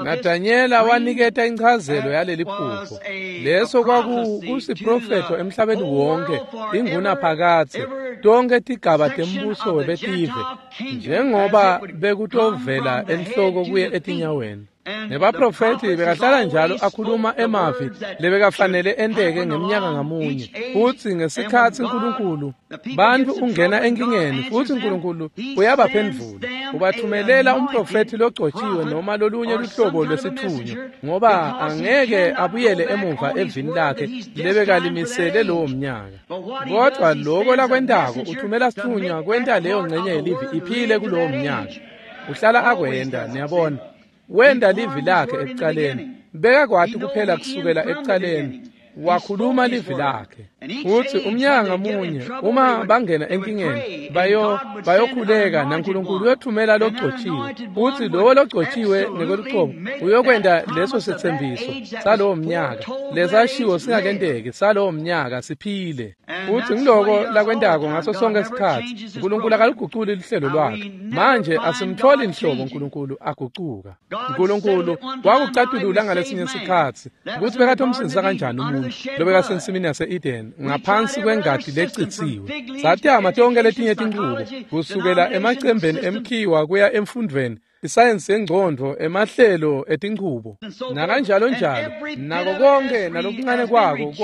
NaDanyela waniketa inchazelo yaleli phupho. Leso kwakusiprofetho emhlabeni wonke, ingunaphakadze, tonke tigaba tembuso webetive, njengoba bekutovela enhloko kuye etinyaweni. Nebaprofethi bekahlala njalo akhuluma emavi lebekafanele enteke ngemnyaka ngamunye. Futsi ngesikhatsi uNkulunkulu bantfu ungena enkingeni, futsi uNkulunkulu uyabaphendvula, ubathumelela umprofethi logcotshiwe noma lolunye luhlobo lwesitfunywa, ngoba angeke abuyele emuva evini lakhe lebekalimisele lowo mnyaka. Kodwa loko lakwentako, uthumela sitfunywa kwenta leyo ngcenye yelivi iphile kulowo mnyaka. Uhlala akwenta, niyabona. Wenda livi lakhe ekucaleni, bekakwati kuphela kusukela ekucaleni, wakhuluma livi lakhe. Futsi umnyaka ngamunye uma bangena enkingeni bayokhuleka naNkulunkulu uyothumela logcotshiwe, futsi lowo logcotshiwe ngekwelucobo uyokwenta leso setsembiso salowo mnyaka lesashiwo singakenteki salowo mnyaka siphile. Futsi ngiloko lakwentako ngaso sonke sikhatsi. uNkulunkulu akaluguculi luhlelo lwakhe. Manje asimtholi nhlobo uNkulunkulu agucuka. uNkulunkulu wakucatulula ngalesinye sikhatsi kutsi bekatomsindzisa kanjani umuntu lobekasensimini yase-Eden ngaphansi kwengati lecitsiwe. Satama tonke letinye tinchubo kusukela emacembeni emkhiwa kuya emfundvweni, isayensi yengcondvo, emahlelo etinchubo nakanjalo njalo, nako konke nalokuncane kwako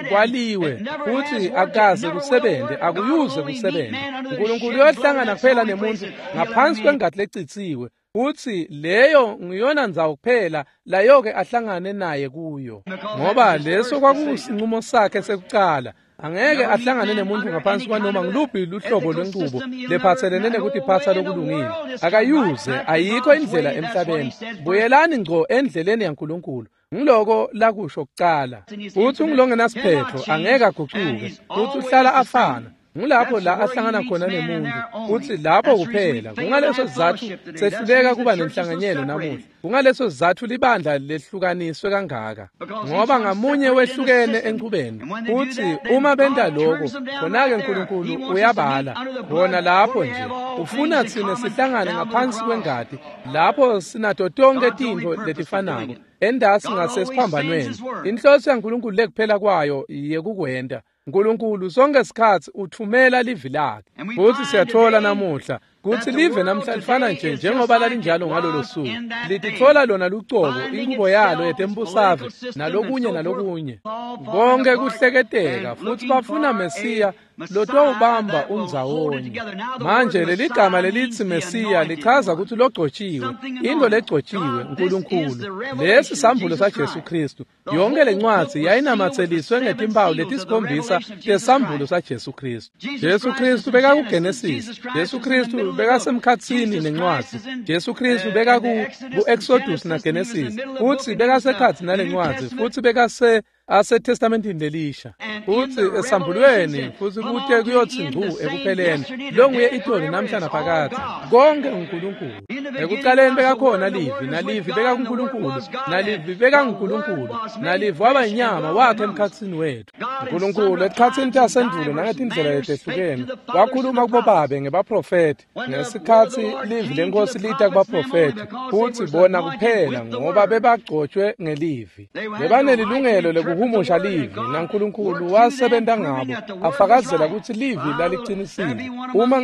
kwaliwe futsi akaze kusebente, akuyuze kusebente. uNkulunkulu uyohlangana kuphela nemuntu ngaphansi kwengati lecitsiwe, futsi leyo ngiyona ndzawo kuphela layoke ahlangane naye kuyo, ngoba leso kwakusinqumo sakhe sekucala. Angeke ahlangane nemuntu ngaphansi kwanoma ngiluphi luhlobo lwenchubo lephatselene nekutiphatsa lokulungile. Akayuze, ayikho indlela emhlabeni. Buyelani ngco endleleni yaNkulunkulu. Ngiloko lakusho kucala. Futsi ungulongenasiphetho, angeke agucuke, futsi uhlala afana. Ngulapho la ahlangana khona nemuntu, futsi lapho kuphela. Kungaleso sizatfu sehluleka kuba nenhlanganyelo namuhla. Kungaleso sizatfu libandla lehlukaniswe kangaka, ngoba ngamunye wehlukene enchubeni. Futsi uma benta lokho, khona-ke uNkulunkulu uyabala khona lapho nje. Ufuna tsine sihlangane ngaphansi kwengati, lapho sinato tonke tintfo letifanako endasi ngasesiphambanweni. Inhloso yaNkulunkulu lekuphela kwayo yekukwenta. uNkulunkulu sonke sikhatsi uthumela livi lakhe. Futsi siyathola namuhla kutsi live namhla lifana nje njengoba lalinjalo ngalolo suku. Lititfola lona lucobo, inkubo yalo yetembusave nalokunye nalokunye, konke kuhleketeka, futsi bafuna Mesiya lotowubamba undzawonye. Manje leligama lelithi Mesiya lichaza kutsi logcotshiwe, into legcotshiwe uNkulunkulu. Lesi sambulo saJesu Kristu. Yonke lencwadzi yayinamatseliswe ngetimpawu letisikhombisa tesambulo saJesu Kristu. Jesu Kristu bekakuGenesis, Jesu Kristu bekasemkhatsini nencwadzi, Jesu Kristu bekaku-Exodus naGenesis, futsi bekasekhatsi nalencwadzi, futsi bekase aseTestamentini lelisha, futsi esambulweni, futsi kute kuyotsi ngcu ekupheleni, longuye itolo namhla naphakadze. Konke uNkulunkulu. Ekucaleni bekakhona Livi, naLivi bekakuNkulunkulu, naLivi bekanguNkulunkulu, naLivi waba inyama wakhe emkhatsini wethu. Nkulunkulu etikhatsini tasendulo nangetindlela letehlukene wakhuluma kubobabe ngebaprofethi. Ngesikhatsi livi lenkosi lita kubaprofethi, futsi bona kuphela ngoba bebagcotshwe ngelivi. Bebanelilungelo lekuhumusha livi, naNkulunkulu wasebenta ngabo afakazela kutsi livi lalicinisile. Uma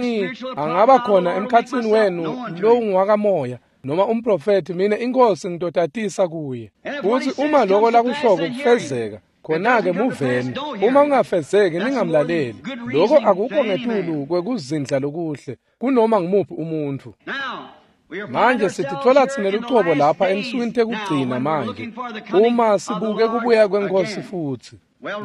angaba khona emkhatsini wenu lowungwakamoya noma umprofethi, mina inkosi ngitotatisa kuye. Futsi uma loko lakushoko kufezeka, khona-ke muveni. Uma kungafezeki ningamlaleli. Loko akukho ngetulu kwekuzindla lokuhle kunoma ngumuphi umuntfu. Manje sititfola tsine lucobo lapha ensukwini tekugcina manje, uma sibuke kubuya kwenkosi futsi.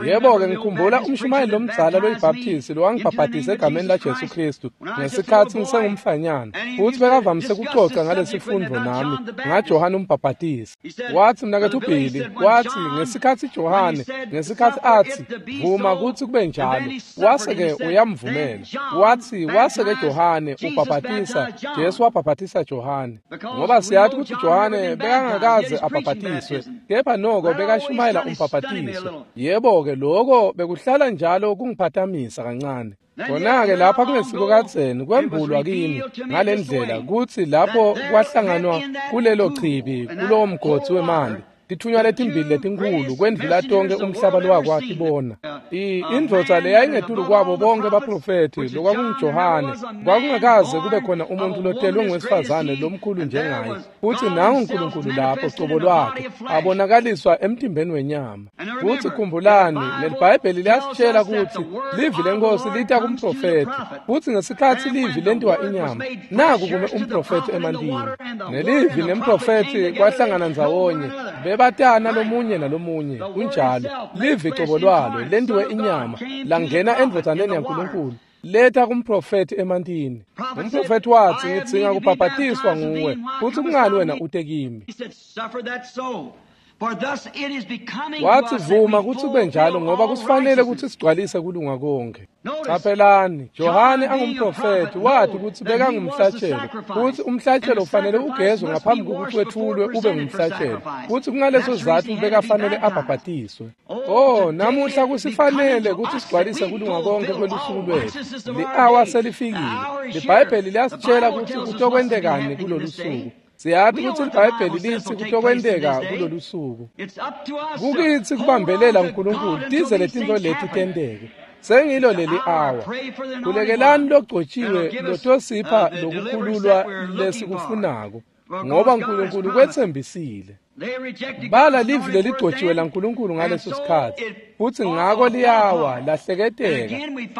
Yebo-ke, ngikhumbula umshumayeli lomdzala loyibhaptisi lowangibhabhatisa egameni laJesu Kristu ngesikhatsi ngisengumfanyana, futsi bekavamise kucoca ngalesifundvo nami ngaJohane umbhabhatisi. Watsi, mnaketfu Billy, watsi ngesikhatsi Johane, ngesikhatsi atsi vuma kutsi kube njalo, wase-ke uyamvumela. Watsi wase-ke Johane ubhabhatisa, Jesu wabhabhatisa Johane, ngoba siyati kutsi Johane bekangakaze abhabhatiswe, kepha noko bekashumayela umbhabhatiso. Yebo-ke, lokho bekuhlala njalo kungiphatamisa kancane. Khona-ke lapha kungesiko kadzeni kwembulwa kimi ngalendlela kutsi lapho kwahlanganwa kulelo chibi kulowo mgodzi wemanti, tithunywa letimbili letinkhulu kwendlula tonke umhlaba lowakwatibona. Indvodza leyayingetulu kwabo bonke baprofethi lokwakunguJohane, kwakungakaze kube khona umuntu lotelwe ngowesifazane lomkhulu njengaye, futsi nangu uNkulunkulu lapho cobo lwakhe abonakaliswa emtimbeni wenyama. Futsi khumbulani, leliBhayibheli liyasitshela kutsi livi lenkosi lita kumprofethi, futsi ngesikhatsi livi lentiwa inyama, naku kume umprofethi emantini. Nelivi nemprofethi kwahlangana ndzawonye, bebatana lomunye nalomunye. Kunjalo, livi cobo lwalo lentiwe inyama langena endvodzaneni yaNkulunkulu, letha kumprofethi emantini. Umprofethi watsi, ngidzinga kubhabhatiswa nguwe, futsi kungani wena ute kimi? Watsi, vuma kutsi kube njalo, ngoba kusifanele kutsi sigcwalise kulunga konke. Qaphelani, Johane angumprofethi wathi kutsi bekangumhlatshelo, futsi umhlatshelo ufanele ugezwe ngaphambi kokuthi wethulwe ube ngumhlatshelo, futsi kungaleso sizatfu bekafanele abhabhatiswe. Oh, namuhla kusifanele kutsi sigcwalise kulunga konke kwelusuku lwetfu. Li-awa selifikile. LiBhayibheli liyasitshela kutsi kutokwentekani kulolu suku. Siyati kutsi liBhayibheli litsi kutokwenteka kulolu suku. Kukitsi kubambelela uNkulunkulu tize letintfo leti tenteke. Sengilo leli awa. Khulekelani logcotshiwe lotosipha lokukhululwa lesikufunako, ngoba uNkulunkulu kwetsembisile. Bala livi leligcotshiwe laNkulunkulu ngaleso sikhatsi, futsi ngako liyawa lahleketeka.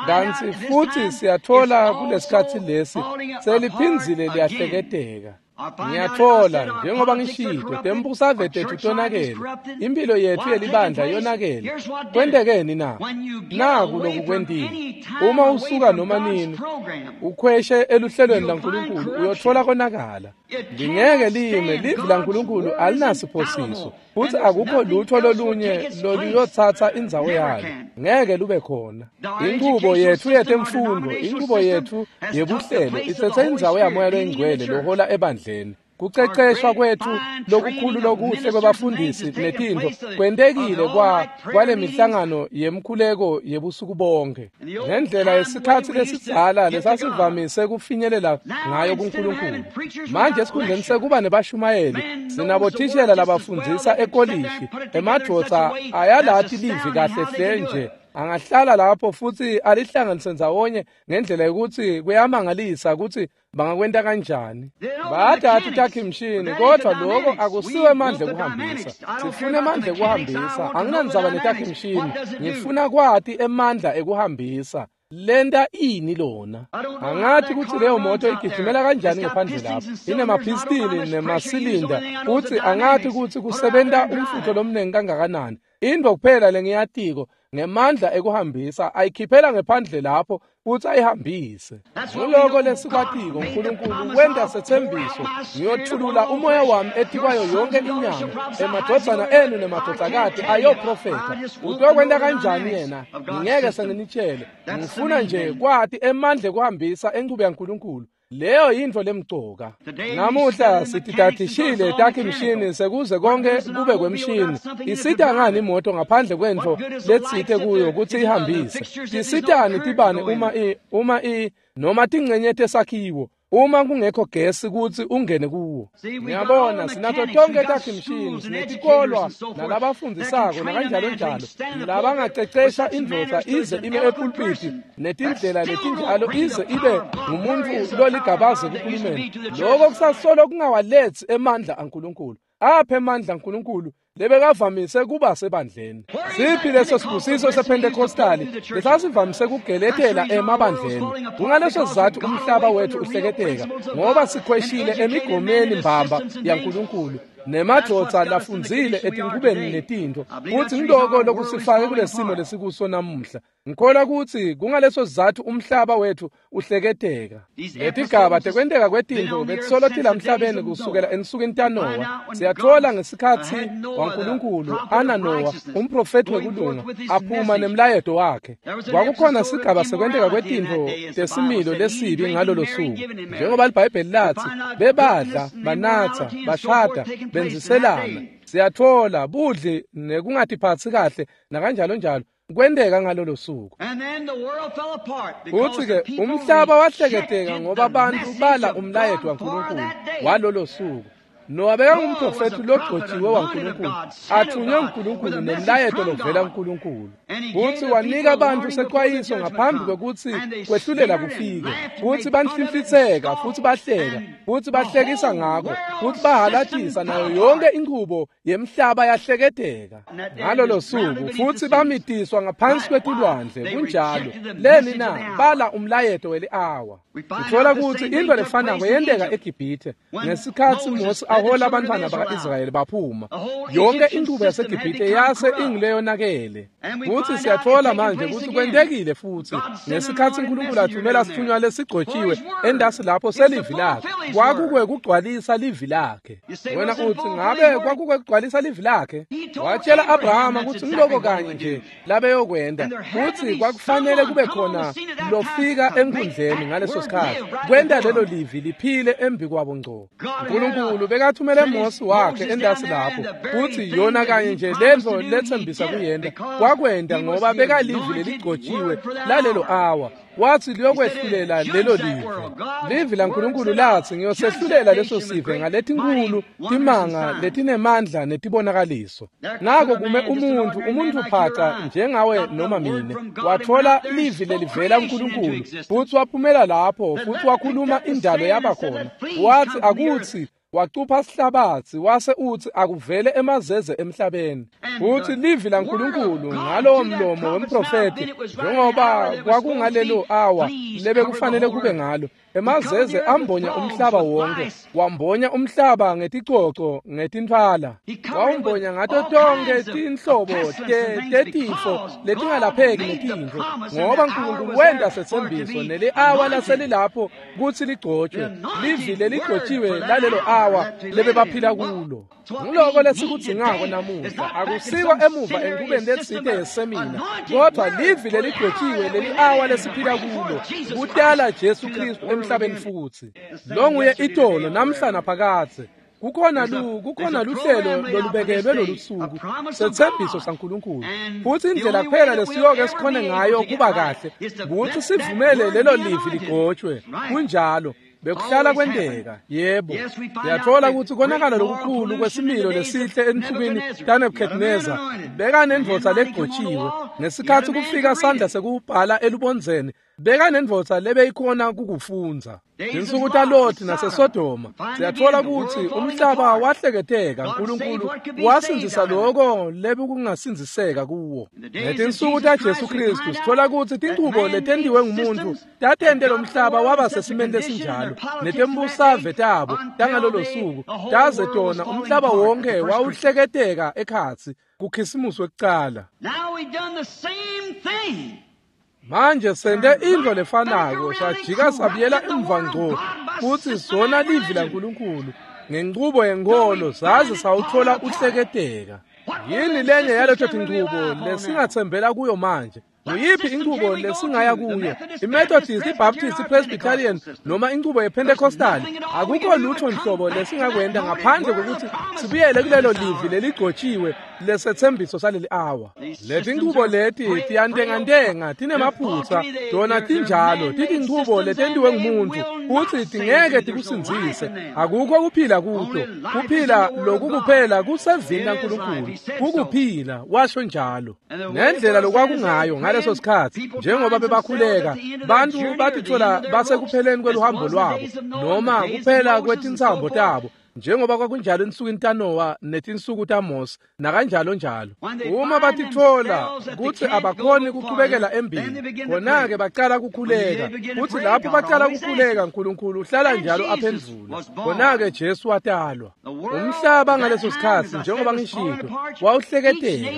Kantsi futsi siyatfola kulesikhatsi lesi seliphindzile liyahleketeka. Ngiyatfola njengoba ngishilo, tembusave tetfu tonakele, impilo yetfu yelibandla yonakele. Kwentekeni na? Naku lokukwentile. Uma usuka noma nini ukhweshe eluhlelweni laNkulunkulu, uyotfola konakala. Lingeke lime, livi laNkulunkulu alinasiphosiso, futsi akukho lutho lolunye loluyotsatsa indzawo yalo. Ngeke lube khona. Inchubo yetfu yetemfundo, inchubo yetfu yebuhlelo itsetse indzawo yaMoya loyiNgcwele lohola ebandleni. Kuceceshwa kwetfu lokukhulu lokuhle kwebafundisi netintfo kwentekile kwalemihlangano yemkhuleko yebusuku bonke, ngendlela yesikhatsi lesidzala lesasivamise kufinyelela ngayo kuNkulunkulu. Manje esikhundleni sekuba nebashumayeli, sinabothishela labafundzisa ekolishi. Emadvodza ayalati livi kahle hle nje, angahlala lapho futsi alihlanganise ndzawonye ngendlela yokuthi kuyamangalisa kutsi bangakwenta kanjani. Bayadati takhimshini, kodvwa lokho akusiwe emandla ekuhambisa. Sifuna emandla ekuhambisa. Anginandzaba netakhimshini, ngifuna kwati emandla ekuhambisa. Lenta ini lona? Angathi kutsi leyo moto igijimela kanjani ngephandle lapho. Inemaphistili nemasilinda futsi angathi kutsi kusebenta umfutho lomnengi kangakanani. Intfo kuphela lengiyatiko ngemandla ekuhambisa ayikhiphela ngephandle lapho futsi ayihambise. Nguloko lesikwatiko uNkulunkulu wenta setsembiso, ngiyothulula umoya wami etikwayo yonke inyama, emadvodzana enu nemadvodzakati ayoprofetha. Utokwenta kanjani yena? Ngingeke senginitshele. Ngifuna nje kwati emandla ekuhambisa enchubo yaNkulunkulu. Leyo yintfo lemcoka. Namuhla sitidadishile takhe imishini sekuze konke kube kwemishini. Isita ngani imoto ngaphandle kwentfo letsite kuyo kutsi ihambise? Tisitani tibane uma noma tingcenye tesakhiwo uma kungekho gesi kutsi ungene kuwo? Ngiyabona sinato tonke takhe imishini, sinetikolwa nalabafundisako nakanjalo njalo, labangacecesha indvodza ize ime epulpiti netindlela letinjalo ize ibe ngumuntu loligabaze kuhulumeni. Lokho kusasolo kungawaletsi emandla aNkulunkulu. Aphe emandla aNkulunkulu lebekavamise kuba sebandleni. Siphi leso sibusiso sePentecostali lesasivamise kugeletela emabandleni? Kungaleso sizatfu umhlaba wethu uhleketeka, ngoba sikhweshile emigomeni mbamba yaNkulunkulu nemadvodza lafundzile etinkubeni netintfo. Futsi ngiloko lokusifake kulesimo lesikuso namuhla. Ngikholwa kutsi kungaleso sizatfu umhlaba wethu uhleketeka. Letigaba tekwenteka kwetintfo betisolo tilamhlabeni kusukela ensukwini taNowa. Siyatfola ngesikhatsi waNkulunkulu ana Nowa, umprofethi wekulunga, aphuma nemlayeto wakhe. Kwakukhona sigaba sekwenteka kwetintfo tesimilo lesibi ngalolo suku. Njengoba liBhayibheli latsi, bebadla, banatsa, bashada, benziselana. Siyatfola budli nekungatiphatsi kahle nakanjalo njalo kwenteka ngalolo suku. Futsi-ke umhlaba wahleketeka ngoba bantu bala umlayeto waNkulunkulu walolo suku. Nowa bekangumprofethi logcotshiwe waNkulunkulu, athunywe nguNkulunkulu nemlayeto lovela kuNkulunkulu. Futsi wanika bantu sexwayiso ngaphambi kwekutsi kwehlulela kufike. Futsi banhlinhlitseka, futsi bahleka, futsi bahlekisa ngako, futsi bahalatisa nayo yonke inchubo yemhlaba yahleketeka ngalolo suku. Futsi bamitiswa ngaphansi kwetilwandle. Kunjalo. Leni na? Bala umlayeto weli-awa. Uthola kutsi intfo lefanako yenteka eGibhithe ngesikhatsi Mose ahola abantwana baka-Israyeli baphuma. Yonke inchubo yaseGibhithe yase ingileyonakele. Futsi siyatfola manje kutsi kwentekile futsi ngesikhatsi uNkulunkulu athumela sithunywa lesigcotjiwe endasi lapho selivi lakhe. Kwakukwekugcwalisa livi lakhe. Wena utsi ngabe kwakukwekugcwalisa livi lakhe? Watshela Abrahama kutsi ngiloko kanye nje labeyokwenta. Futsi kwakufanele kube khona lofika enkundleni ngaleso sikhatsi kwenta lelo livi liphile embi kwabo ngco. uNkulunkulu bekathumele Mose wakhe endasi lapho, futsi yona kanye nje lentfo letsembisa kuyenta kwakwenta, ngoba bekalivi leligcotjiwe lalelo awa. Wathi liyokwehlulela lelo livi. Livi laNkulunkulu latsi ngiyosehlulela leso sive ngaletinkulu timanga letinemandla netibonakaliso. Nako kume umuntfu phaca njengawe noma mine, watfola livi lelivela kuNkulunkulu, futsi waphumela lapho, futsi wakhuluma indalo yabakhona. Wathi akutsi wacupha sihlabatsi wase utsi akuvele emazeze emhlabeni. Futsi livi laNkulunkulu ngalowo mlomo wemprofethi, njengoba kwakungalelo awa lebekufanele kube ngalo, emazeze ambonya umhlaba wonke, wambonya umhlaba ngeticoco ngetintfwala, wawumbonya ngato tonkhe tinhlobo tetifo letingalapheki netintfo, ngoba uNkulunkulu wenta setsembiso neli-awa laselilapho kutsi ligcotshwe, livi leligcotjiwe lalelo awa lebebaphila kulo. Nguloko lesikudzingako namuhla. Akusiko emuva enkubeni letsite yesemina, kodwa livi leligcotjiwe leli-awa lesiphila kulo, kutala Jesu Kristu emhlabeni futsi. Lo nguye itolo namhla naphakadze. Kukhona luhlelo lolubekelwe lolusuku, setsembiso saNkulunkulu. Futsi indlela kuphela lesiyoke sikhone ngayo kuba kahle kutsi sivumele lelo livi ligcotshwe. Kunjalo. Bekuhlala kwenteka. Yebo. Siyatfola kutsi konakala lokukhulu kwesimilo lesihle ensukwini taNebuchadnezzar bekanendvodza legcotjiwe. Ngesikhatsi kufika sandla sekubhala elubondzeni, Bekanendvodza lebeyikhona kukufundza. Tinsuku taLoti naseSodoma siyatfola kutsi umhlaba wahleketeka, Nkulunkulu wasindzisa loko lebekungasindziseka kuwo. Ngetinsuku taJesu Khristu sitfola kutsi tinchubo letentiwe ngumuntfu tatente lomhlaba waba sesimeni lesinjalo, netembusave tabo tangalolo suku taze tona umhlaba wonke wawuhleketeka ekhatsi kukhisimusi wekucala. Manje sente intfo lefanako, sajika sabuyela emva ngco futsi sona livi laNkulunkulu ngenchubo yenkholo saze sawutfola uhleketeka. Yini lenye yaleto tinchubo lesingatsembela kuyo manje? Nguyiphi inchubo lesingaya kuyo? IMethodist, iBaptist, iPresbyterian noma inchubo yePentecostal? Akukho lutho nhlobo lesingakwenta ngaphandle kokuthi sibuyele kulelo livi leligcotshiwe lesethembiso saleli awa. Letinchubo leti tiyantengantenga, tinemaphutsa, tona tinjalo, titinchubo letentiwe ngumuntu futsi tingeke tikusindzise. Akukho kuphila kuto. Kuphila lokukuphela kusevini laNkulunkulu. Kukuphila, washo njalo. Ngendlela lokwakungayo ngaleso sikhatsi, njengoba bebakhuleka, bantfu batitfola basekupheleni kweluhambo lwabo noma kuphela kwetintsambo tabo, njengoba kwakunjalo ensukwini taNowa netinsuku taMose nakanjalo njalo. Uma batitfola kutsi abakhoni kuchubekela embili, khona-ke bacala kukhuleka, futsi lapho bacala kukhuleka Nkulunkulu uhlala njalo aphendvula. Khona-ke Jesu watalwa. Umhlaba ngaleso sikhatsi, njengoba ngishito, wawuhleketeka.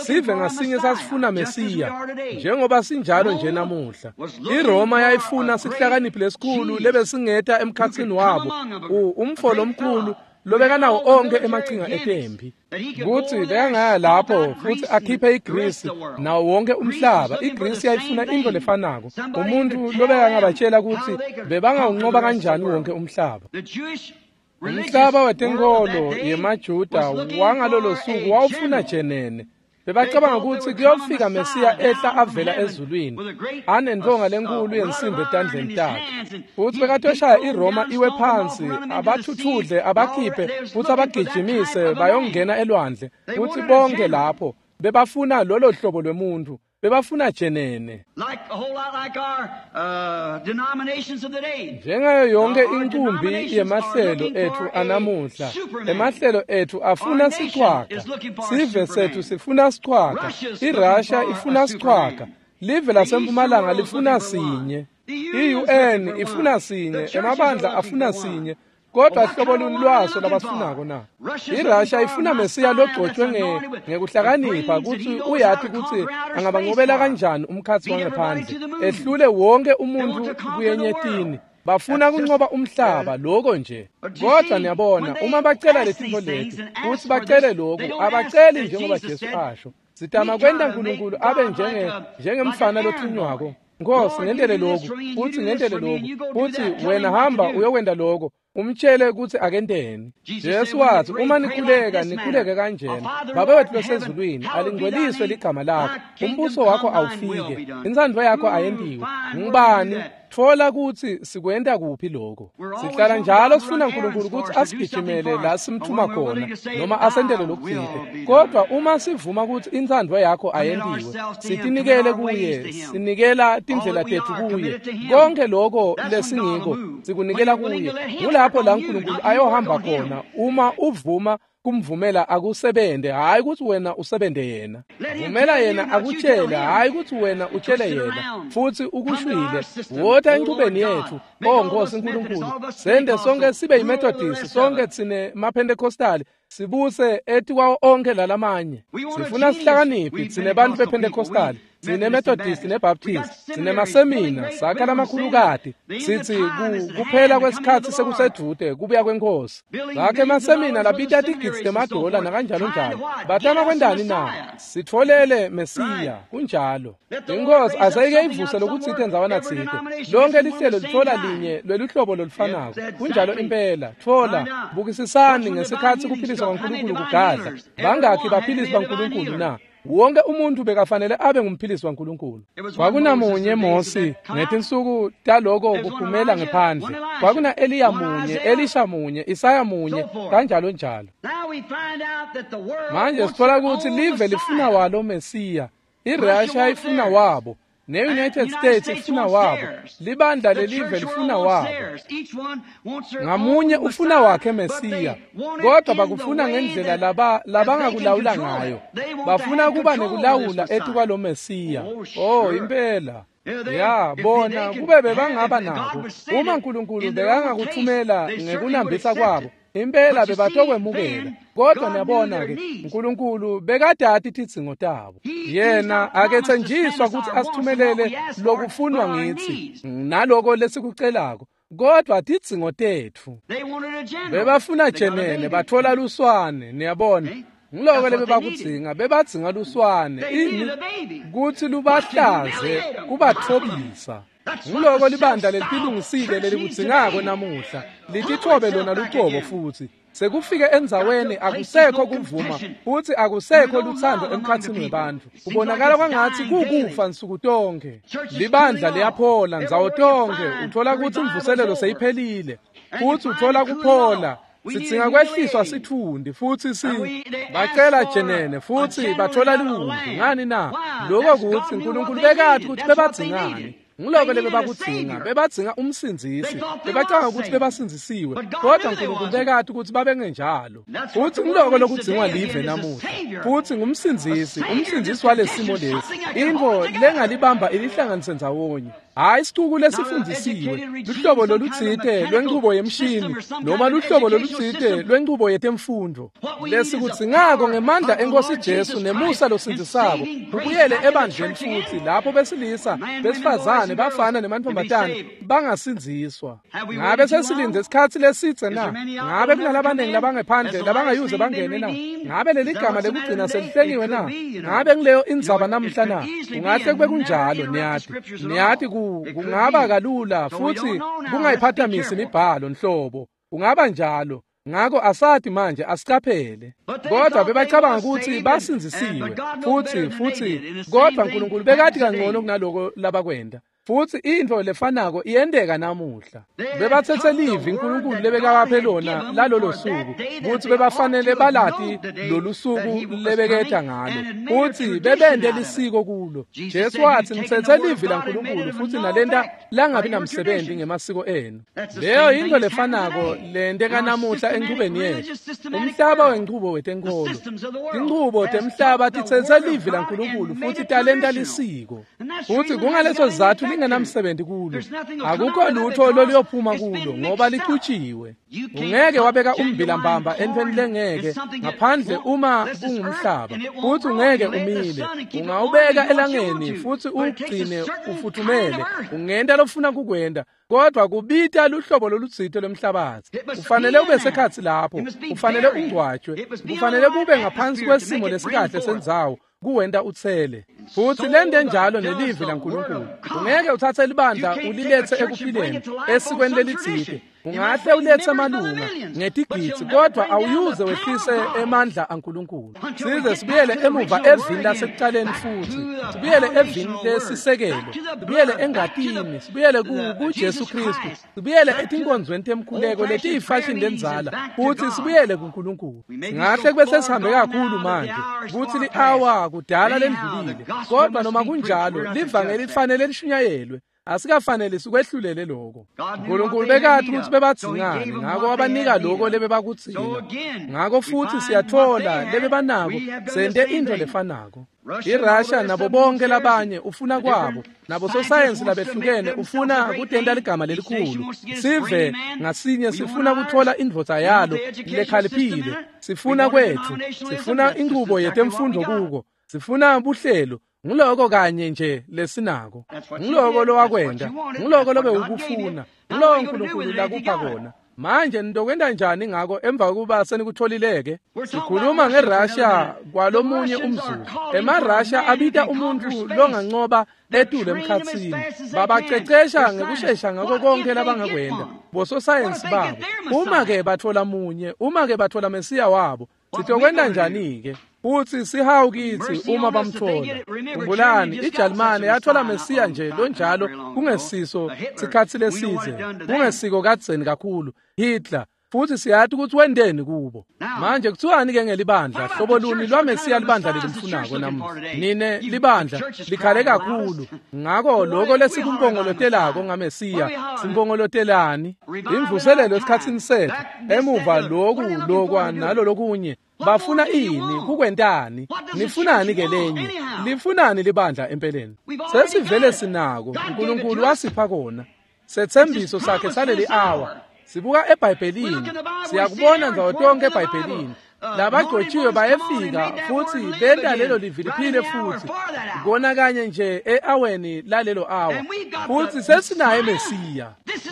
Sive ngasinye sasifuna Mesiya, njengoba sinjalo nje namuhla. IRoma yayifuna sihlakaniphi lesikhulu lebesingeta emkhatsini wabo, umfo lomkhulu lobekanawo onke emachinga etempi, kutsi bekangaya lapho futsi akhiphe iGrisi nawo wonke umhlaba. IGrisi yayifuna intfo lefanako, umuntu lobekangabatshela kutsi bebangawunqoba kanjani wonke umhlaba. Umhlaba wetenkholo yemaJuda wangalolo suku wawufuna jenene. Bebacabanga kutsi kuyofika Mesiya ehla avela ezulwini anentonga lenkulu yensimbi etandleni takhe, futsi bekatoshaya iRoma iwe phansi, abathuthudle, abakhiphe futsi abagijimise bayongena elwandle. Futsi bonke lapho bebafuna lolo hlobo lwemuntu, bebafuna jenene. Njengayo yonke inkumbi yemahlelo etfu anamuhla, emahlelo etfu afuna sichwaga. Sive setfu sifuna sichwaga. IRussia ifuna sichwaga. Live lasempumalanga lifuna sinye. I-UN ifuna sinye. Emabandla afuna sinye. Kodwa hlobo luni lwaso labasifunako na? IRussia ifuna Mesiya logcotshwe ngekuhlakanipha kutsi uyati kutsi angabancobela kanjani umkhatsi wangephandle, ehlule wonke umuntfu kuyenyetini. Bafuna kunqoba umhlaba, lokho nje. Kodwa niyabona, uma bacela letintfo leti, futsi bacele lokhu, abaceli njengoba Jesu asho. Sitama kwenta Nkulunkulu abe njengemfana lothunywako. Nkosi, ngentele lokhu, futsi ngentele lokhu, futsi wena hamba uyokwenta lokho, umtshele kutsi akenteni. Jesu wathi, uma nikhuleka, nikhuleke kanjena: Baba wethu losezulwini, alingcweliswe ligama lakho, umbuso wakho awufike, intsandvo yakho ayentiwe. Ngubani? Tfola kutsi sikwenta kuphi lokho. Sihlala njalo sifuna Nkulunkulu kutsi asigijimele la simthuma khona noma asentele lokutsite. Kodwa uma sivuma kutsi intsandvo yakho ayentiwe, sitinikele kuye, sinikela tindlela tetfu kuye, konke lokho lesingiko sikunikela kuye. Kulapho la Nkulunkulu ayohamba khona uma uvuma kumvumela akusebente, hhayi kutsi wena usebente yena. Vumela yena akutshele, hhayi kutsi wena utshele yena. Futsi ukushwile, wota enchubeni yetfu, O Nkosi Nkulunkulu, sente sonke sibe yiMethodist, sonke tsine maPentecostal, sibuse etikwawo onke lalamanye. Sifuna sihlakaniphi tsine bantfu bePentecostal, sine Methodist neBaptist, sine masemina, sakha lamakhulukati, sitsi kuphela kwesikhatsi sekusedvute kubuya kwenkosi. Sakhe emasemina labita tigidzi temadola nakanjalo njalo. Batama kwentani na? Sitfolele Mesiya, kunjalo. Inkosi asayike ivuse lokutsite ndzawana tsite. Lonke lihlelo litfola linye lweluhlobo lolufanako. Kunjalo impela. Tfola, bukisisani ngesikhatsi kuphiliswa kwaNkulunkulu kugadla. Bangakhi baphilisi baNkulunkulu na? Wonke umuntu bekafanele abe ngumphilisi waNkulunkulu. Kwakunamunye Mosi ngetinsuku taloko kuphumela ngephandle. Kwakuna Eliya munye, Elisha munye, Isaya munye, kanjalo njalo. Manje sitfola kutsi live lifuna walo Mesiya. IRussia ifuna wabo. Ne-United States ifuna wabo, libandla lelive lifuna wabo. Ngamunye ufuna wakhe Mesiya, kodwa bakufuna ngendlela labangakulawula ngayo. Bafuna kuba nekulawula etukwalo Mesiya. Oh, impela. Ya, bona kube bebangaba nako. Uma uNkulunkulu bekangakuthumela ngekunambitha kwabo, impela bebatokwemukela. Kodwa niyabona-ke, uNkulunkulu bekadati tidzingo tabo. Yena akethenjiswa ukuthi asithumelele lokufunwa ngithi naloko lesikucelako, kodwa tidzingo tetfu. Bebafuna jenene, bathola luswane, niyabona. Ngiloko lebebakudzinga, bebadzinga luswane, ini kutsi lubahlaze, kubathobisa. Ngiloko libandla lelitilungisile lelikudzingako namuhla, litithobe lona lucobo futsi. Sekufike endzaweni akusekho kuvuma futhi akusekho luthando emkhatsini webantfu. Kubonakala kwangatsi kukufa nsuku tonke. Libandla liyaphola ndzawo tonke, uthola kutsi imvuselelo seyiphelile, futhi uthola kuphola. Sidzinga kwehliswa sitfundi futhi bacela jenene futhi bathola liwundlu. Ngani na? Lokho kutsi uNkulunkulu bekati ukuthi bebadzingani. Ngiloko lebebakudzinga, bebadzinga umsindzisi. Bebacanga ukuthi bebasindzisiwe, kodwa uNkulunkulu bekati ukuthi babengenjalo. Futhi ngiloko lokudzingwa live namuhla. Futhi ngumsindzisi, umsindzisi walesimo lesi. Intfo lengalibamba ilihlanganise ndzawonye. Hayi isicuku lesifundisiwe, luhlobo lolutsite lwenchubo yemshini noma luhlobo lolutsite lwenchubo yetemfundo. Lesikudzingako ngemandla enkosi Jesu nemusa losindzisako, kubuyele ebandleni futhi lapho besilisa, besifazane, bafana nemantfombatane bangasindziswa. Ngabe sesilindze isikhatsi lesidze na? Ngabe kunalabanengi labangephandle labangayuze bangene na? Ngabe leli gama lekugcina selihlengiwe na? Ngabe ngileyo indzaba namhla na? Kungahle kube kunjalo, niyati. Niyati kungaba kalula futhi kungayiphathamisi imibhalo nhlobo. Kungaba njalo. Ngako asati manje, asicaphele. Kodwa bebacabanga ukuthi basindzisiwe futhi kodwa uNkulunkulu bekati kangcono kunaloko labakwenda. Futhi intfo lefanako iyenteka namuhla. Bebatsetse livi uNkulunkulu lebekabaphe lona lalolo suku, kutsi bebafanele balati lolu suku lebeketa ngalo, futhi bebente lisiko kulo. Jesu watsi, nitsetse livi laNkulunkulu futhi nalenta langabi namsebenzi ngemasiko enu. Leyo yintfo lefanako lenteka namuhla enchubeni yetfu. Umhlaba wenchubo wetenkholo, tinchubo temhlaba titsetse livi laNkulunkulu futhi talenta lisiko. Futhi kungaleso sizatfu lingenamsebenzi kulo. Akukho lutho loluyophuma kulo ngoba lichutshiwe. Ungeke wabeka ummbila mbamba entfweni lengeke ngaphandle uma kungumhlaba, futhi ungeke umile. Ungawubeka elangeni futhi uwugcine ufuthumele, ungenta lofuna kukwenta, kodwa kubita luhlobo lolutsite lwemhlabatsi. Ufanele ube sekhatsi lapho, ufanele ungcwatshwe, kufanele kube ngaphansi kwesimo lesikahle sendzawo kuwenta utsele. Futhi lente njalo nelivi laNkulunkulu. Ungeke uthathe libandla uliletse ekuphileni esikweni lelitsite. Ungahle uletse amalunga ngetigidzi, kodwa awuyuze wehlise emandla aNkulunkulu. Size sibuyele emuva evini lasekucaleni futhi, sibuyele evini lesisekelo, sibuyele engatini, sibuyele kuJesu Kristu, sibuyele etinkonzweni temkhuleko letiyifashini lenzala, futhi sibuyele kuNkulunkulu. Ngahle kube sesihambe kakhulu manje, kutsi li-awa kudala lendlulile, kodwa noma kunjalo livangeli lifanele lishunyayelwe. Asikafanele sikwehlulele lokho. uNkulunkulu bekati ukuthi bebadzingani, ngako wabanika lokho lebebakudzinga. Ngako futhi siyathola lebebanako, sente intfo lefanako. IRussia nabo bonke labanye ufuna kwabo, nabo sosayensi labehlukene ufuna kutenta ligama lelikhulu. Sive ngasinye sifuna kuthola indvodza yalo lekhaliphile, sifuna kwetfu, sifuna inchubo yetemfundo kuko, sifuna buhlelo. Nguloko kanye nje lesinako. Nguloko lowakwenta, nguloko lobewukufuna, nguloko uNkulunkulu lakupha kona. Manje nitokwenta njani ngako emva kokuba senikutholileke? Sikhuluma ngeRussia kwalomunye umzuzu. EmaRussia abita umuntfu longancoba etulu emkhatsini. Babacecesha ngekushesha ngako konke labangakwenta, bososayensi babo. Uma-ke bathola munye, uma-ke bathola Mesiya wabo, sitokwenta njani-ke? Futhi sihawu kitsi uma bamthola. Khumbulani, iJalimane yathola Mesiya nje lonjalo kungesiso sikhatsi lesidze, kungesiko kadzeni kakhulu. Hitler, Futhi siyathi ukuthi wendeni kubo. Manje kuthiwani ke ngelibandla? Hlobo luni lwaMesiya libandla lelimfunako namuhla? Nine libandla likhale kakhulu. Ngako lokho lesikumpongolotelako ngaMesiya, simpongolotelani? Imvuselelo esikhatsini sethu, emuva loku lokwa nalo lokunye. Bafuna ini? Kukwentani? Nifunani ke lenye? Lifunani libandla empeleni? Sesivele sinako. uNkulunkulu wasipha kona. Setsembiso sakhe saleli hour. Sibuka eBhayibhelini, siyakubona ndzawo tonke eBhayibhelini. Labagcotshiwe bayefika futhi benta lelo livi liphile futhi. Kona kanye nje e-aweni lalelo hour. Futhi sesinaye Mesiya.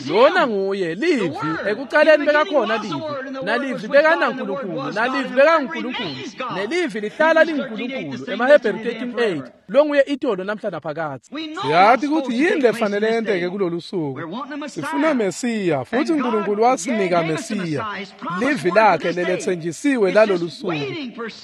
Lona nguye livi, ekuqaleni bekakhona livi, nalivi bekanaNkulunkulu, nalivi bekanguNkulunkulu, nelivi lihlala linguNkulunkulu. EmaHebheru 13:8 longuye itolo namhla naphakadze. Siyathi ukuthi yini lefanele yenteke kulolu suku. Sifuna Mesiya futhi uNkulunkulu wasinika Mesiya. Livi lakhe lelethenjisiwe lalolu suku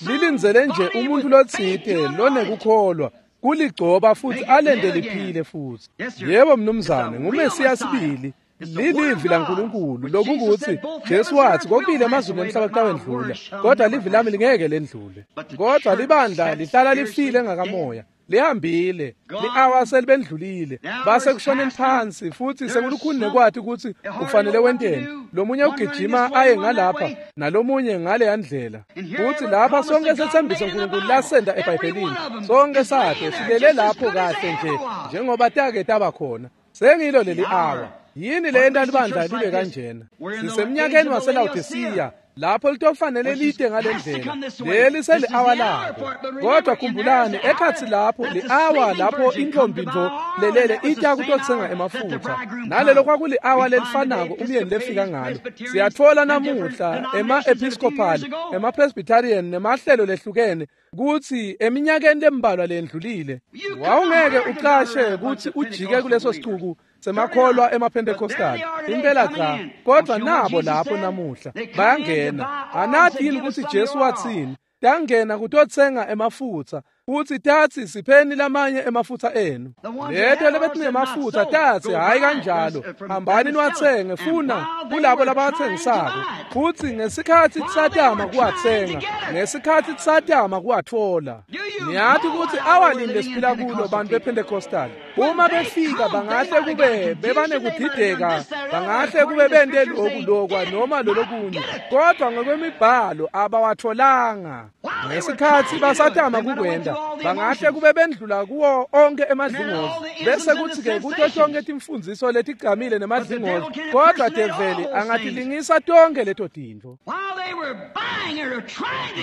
lilindzele nje umuntu lotsite lonekukholwa kuligcoba futhi alende liphile futhi. Yebo mnumzane, nguMesiya sibili. Lilivi laNkulunkulu lokukuthi Jesu wathi kokubili emazulu nomhlaba kutawendlula, kodwa livi lami lingeke lendlule. Kodwa libandla lihlala lifile ngakamoya, lihambile, li-awa selibendlulile, base kushoneni phansi futhi sekulukhuni nekwathi ukuthi ufanele wenteni. Lomunye ugijima aye ngalapha nalomunye ngale ndlela. Futhi lapha sonke sethembiso uNkulunkulu lasenda eBhayibhelini, sonke sakhe silele lapho kahle nje njengoba take taba khona. Sengilo leli awa. Yini le nto libandla libe kanjena? Sisemnyakeni waseLawodisiya lapho litofanele lide ngale ndlela. Leli seli-awa labo. Kodwa khumbulani, ekhatsi lapho li-awa lapho intombi nto lelele ita kutotsenga emafutha. Nalelo kwakuli-awa lelifanako umyeni lefika ngalo. Siyatfola namuhla ema-Episcopal, ema-Presbyterian nemahlelo lehlukene kutsi eminyakeni lembalwa lendlulile wawungeke ucashe kutsi ujike kuleso sicuku semakholwa emaPentecostal. Impela cha, kodwa nabo lapho namuhla bayangena. Anathi yini ukuthi Jesu wathini? Tangena kutotsenga emafutha futhi tatsi sipheni lamanye emafutha enu. Leto lebetinemafutha tatsi hayi kanjalo, hambani niwatsenge funa kulabo labathengisako. Futhi ngesikhathi tisatama kuwatsenga, ngesikhathi tisatama kuwatfola. Niyathi ukuthi awalini lesiphila kulo bantu bePentecostal. Uma befika bangahle kube bebanekudideka, bangahle kube bente lokhu lokwa noma lolokunye, kodwa ngokwemibhalo abawatholanga. Ngesikhathi basatama kukwenda, bangahle kube bendlula kuwo onke emadlingozi, bese kuthi-ke kuto tonke timfundziso letigcamile nemadlingozi, kodwa develi angatilingisa tonke leto tintfo.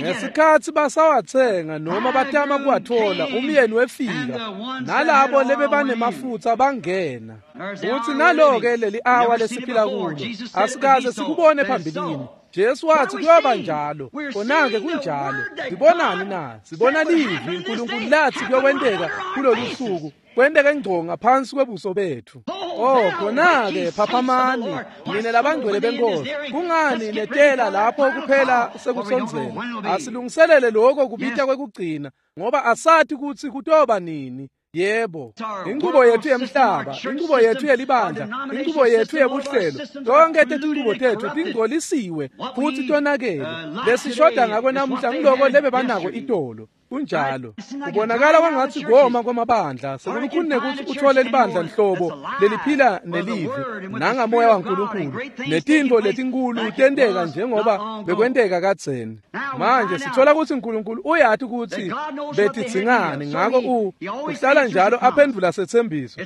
Ngesikhathi basawatsenga noma batama kuwathola, umyeni wefika nalabo lebebanemafutha bangena. Futhi nalo-ke leli awa lesiphila kulo asikaze sikubone phambilini. Jesu wathi kuyoba njalo, khona-ke kunjalo. Sibonani na? Sibona livi uNkulunkulu lathi kuyokwenteka kulolu suku, kwenteke ngco ngaphansi kwebuso bethu. Oh, khona-ke phaphamani nine labangcwele benkosi. Kungani netela lapho kuphela sekusondzela? Asilungiselele lokho kubita kwekugcina, ngoba asathi kutsi kutoba nini. Yebo, inqubo yethu yemhlaba, inqubo yethu yelibandla, inqubo yethu yebuhlelo, tonke tetinqubo tethu tingcolisiwe futhi tonakele. Lesishoda ngako namuhla ngiloko lebebanako itolo. Kunjalo. Kubonakala kwangathi koma kwamabandla sekulukhuni nekuthi uthole libandla nhlobo leliphila nelivi nangamoya waNkulunkulu, netintfo letinkulu tenteka njengoba bekwenteka kadzeni. Manje sithola ukuthi uNkulunkulu uyathi ukuthi betidzingani, ngako uhlala njalo aphendvula setsembiso.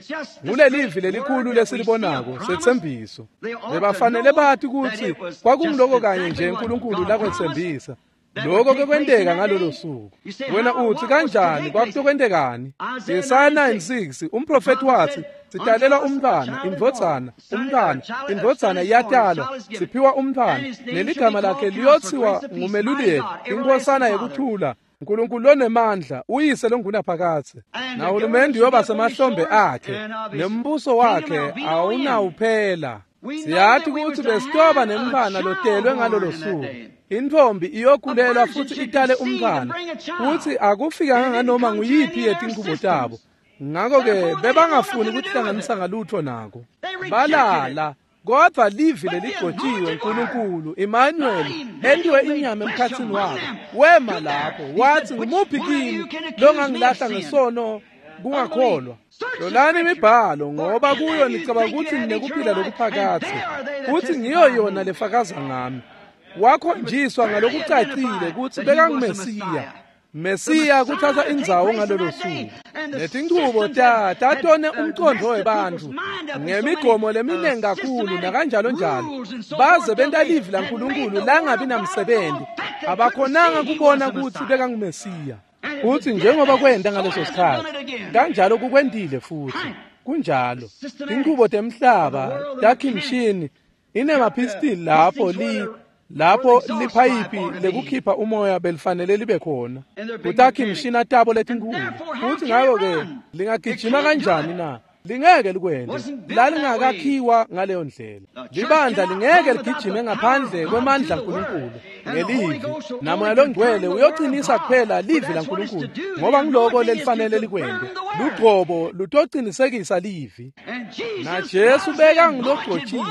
Ngulelivi lelikhulu lesilibonako setsembiso. Bebafanele bathi ukuthi kwakungiloko kanye nje uNkulunkulu lakwetsembisa. Lokho kekwenteka ngalolo suku. Wena uthi kanjani kwakutokwentekani? Yesaya 9:6 umprofeti wathi sitalelwa umntwana, indvodzana, umntwana, indvodzana iyatalwa, siphiwa umntwana, neligama lakhe liyothiwa nguMeluleki, inkosana yekuthula, uNkulunkulu lonemandla, uyise longunaphakadze. Nahulumende uyoba semahlombe akhe, nembuso wakhe awunawuphela. Siyathi ukuthi besitoba nemntwana lotelwe ngalolo suku. Intfombi iyokhulelwa futhi itale umntwana, futhi akufikanga nganoma nguyiphi yetinqubo tabo. Ngakho-ke bebangafuni ukuhlanganisa ngalutho nako. Balala. Kodwa livi leligcotshiwe uNkulunkulu Emmanuel entiwe inyama emkhatsini wabo wema lapho wathi ngumuphi kini longangilahla ngesono kungakholwa. Hlolani imibhalo ngoba kuyo nicabanga ukuthi ninekuphila lokuphakadze futhi ngiyo yona lefakaza ngami. Wakhonjiswa ngalokucacile kutsi bekanguMesiya. Mesiya kuthatha indzawo ngalolo suku. Letinchubo tatone umcondvo webantfu ngemigomo leminingi kakhulu nakanjalo njalo baze benta livi laNkulunkulu langabi namsebenzi. Abakhonanga kubona kutsi bekanguMesiya. Futsi njengoba kwenta ngaleso sikhatsi kanjalo kukwentile futhi. Kunjalo tinchubo temhlaba takhimshini inemaphistili lapho lapho liphayiphi lekukhipha umoya belifanele libe khona kutakhimshina tabo letinkulu. Futhi ngako-ke lingagijima kanjani na? Lingeke likwente. Lalingakakhiwa ngaleyo ndlela. Libandla lingeke ligijime ngaphandle kwemandla aNkulunkulu ngelivi. Namoya longcwele uyoqinisa kuphela livi laNkulunkulu ngoba ngiloko lelifanele likwente. Lugcobo lutocinisekisa livi. Na Jesu bekangulogcotshiwe,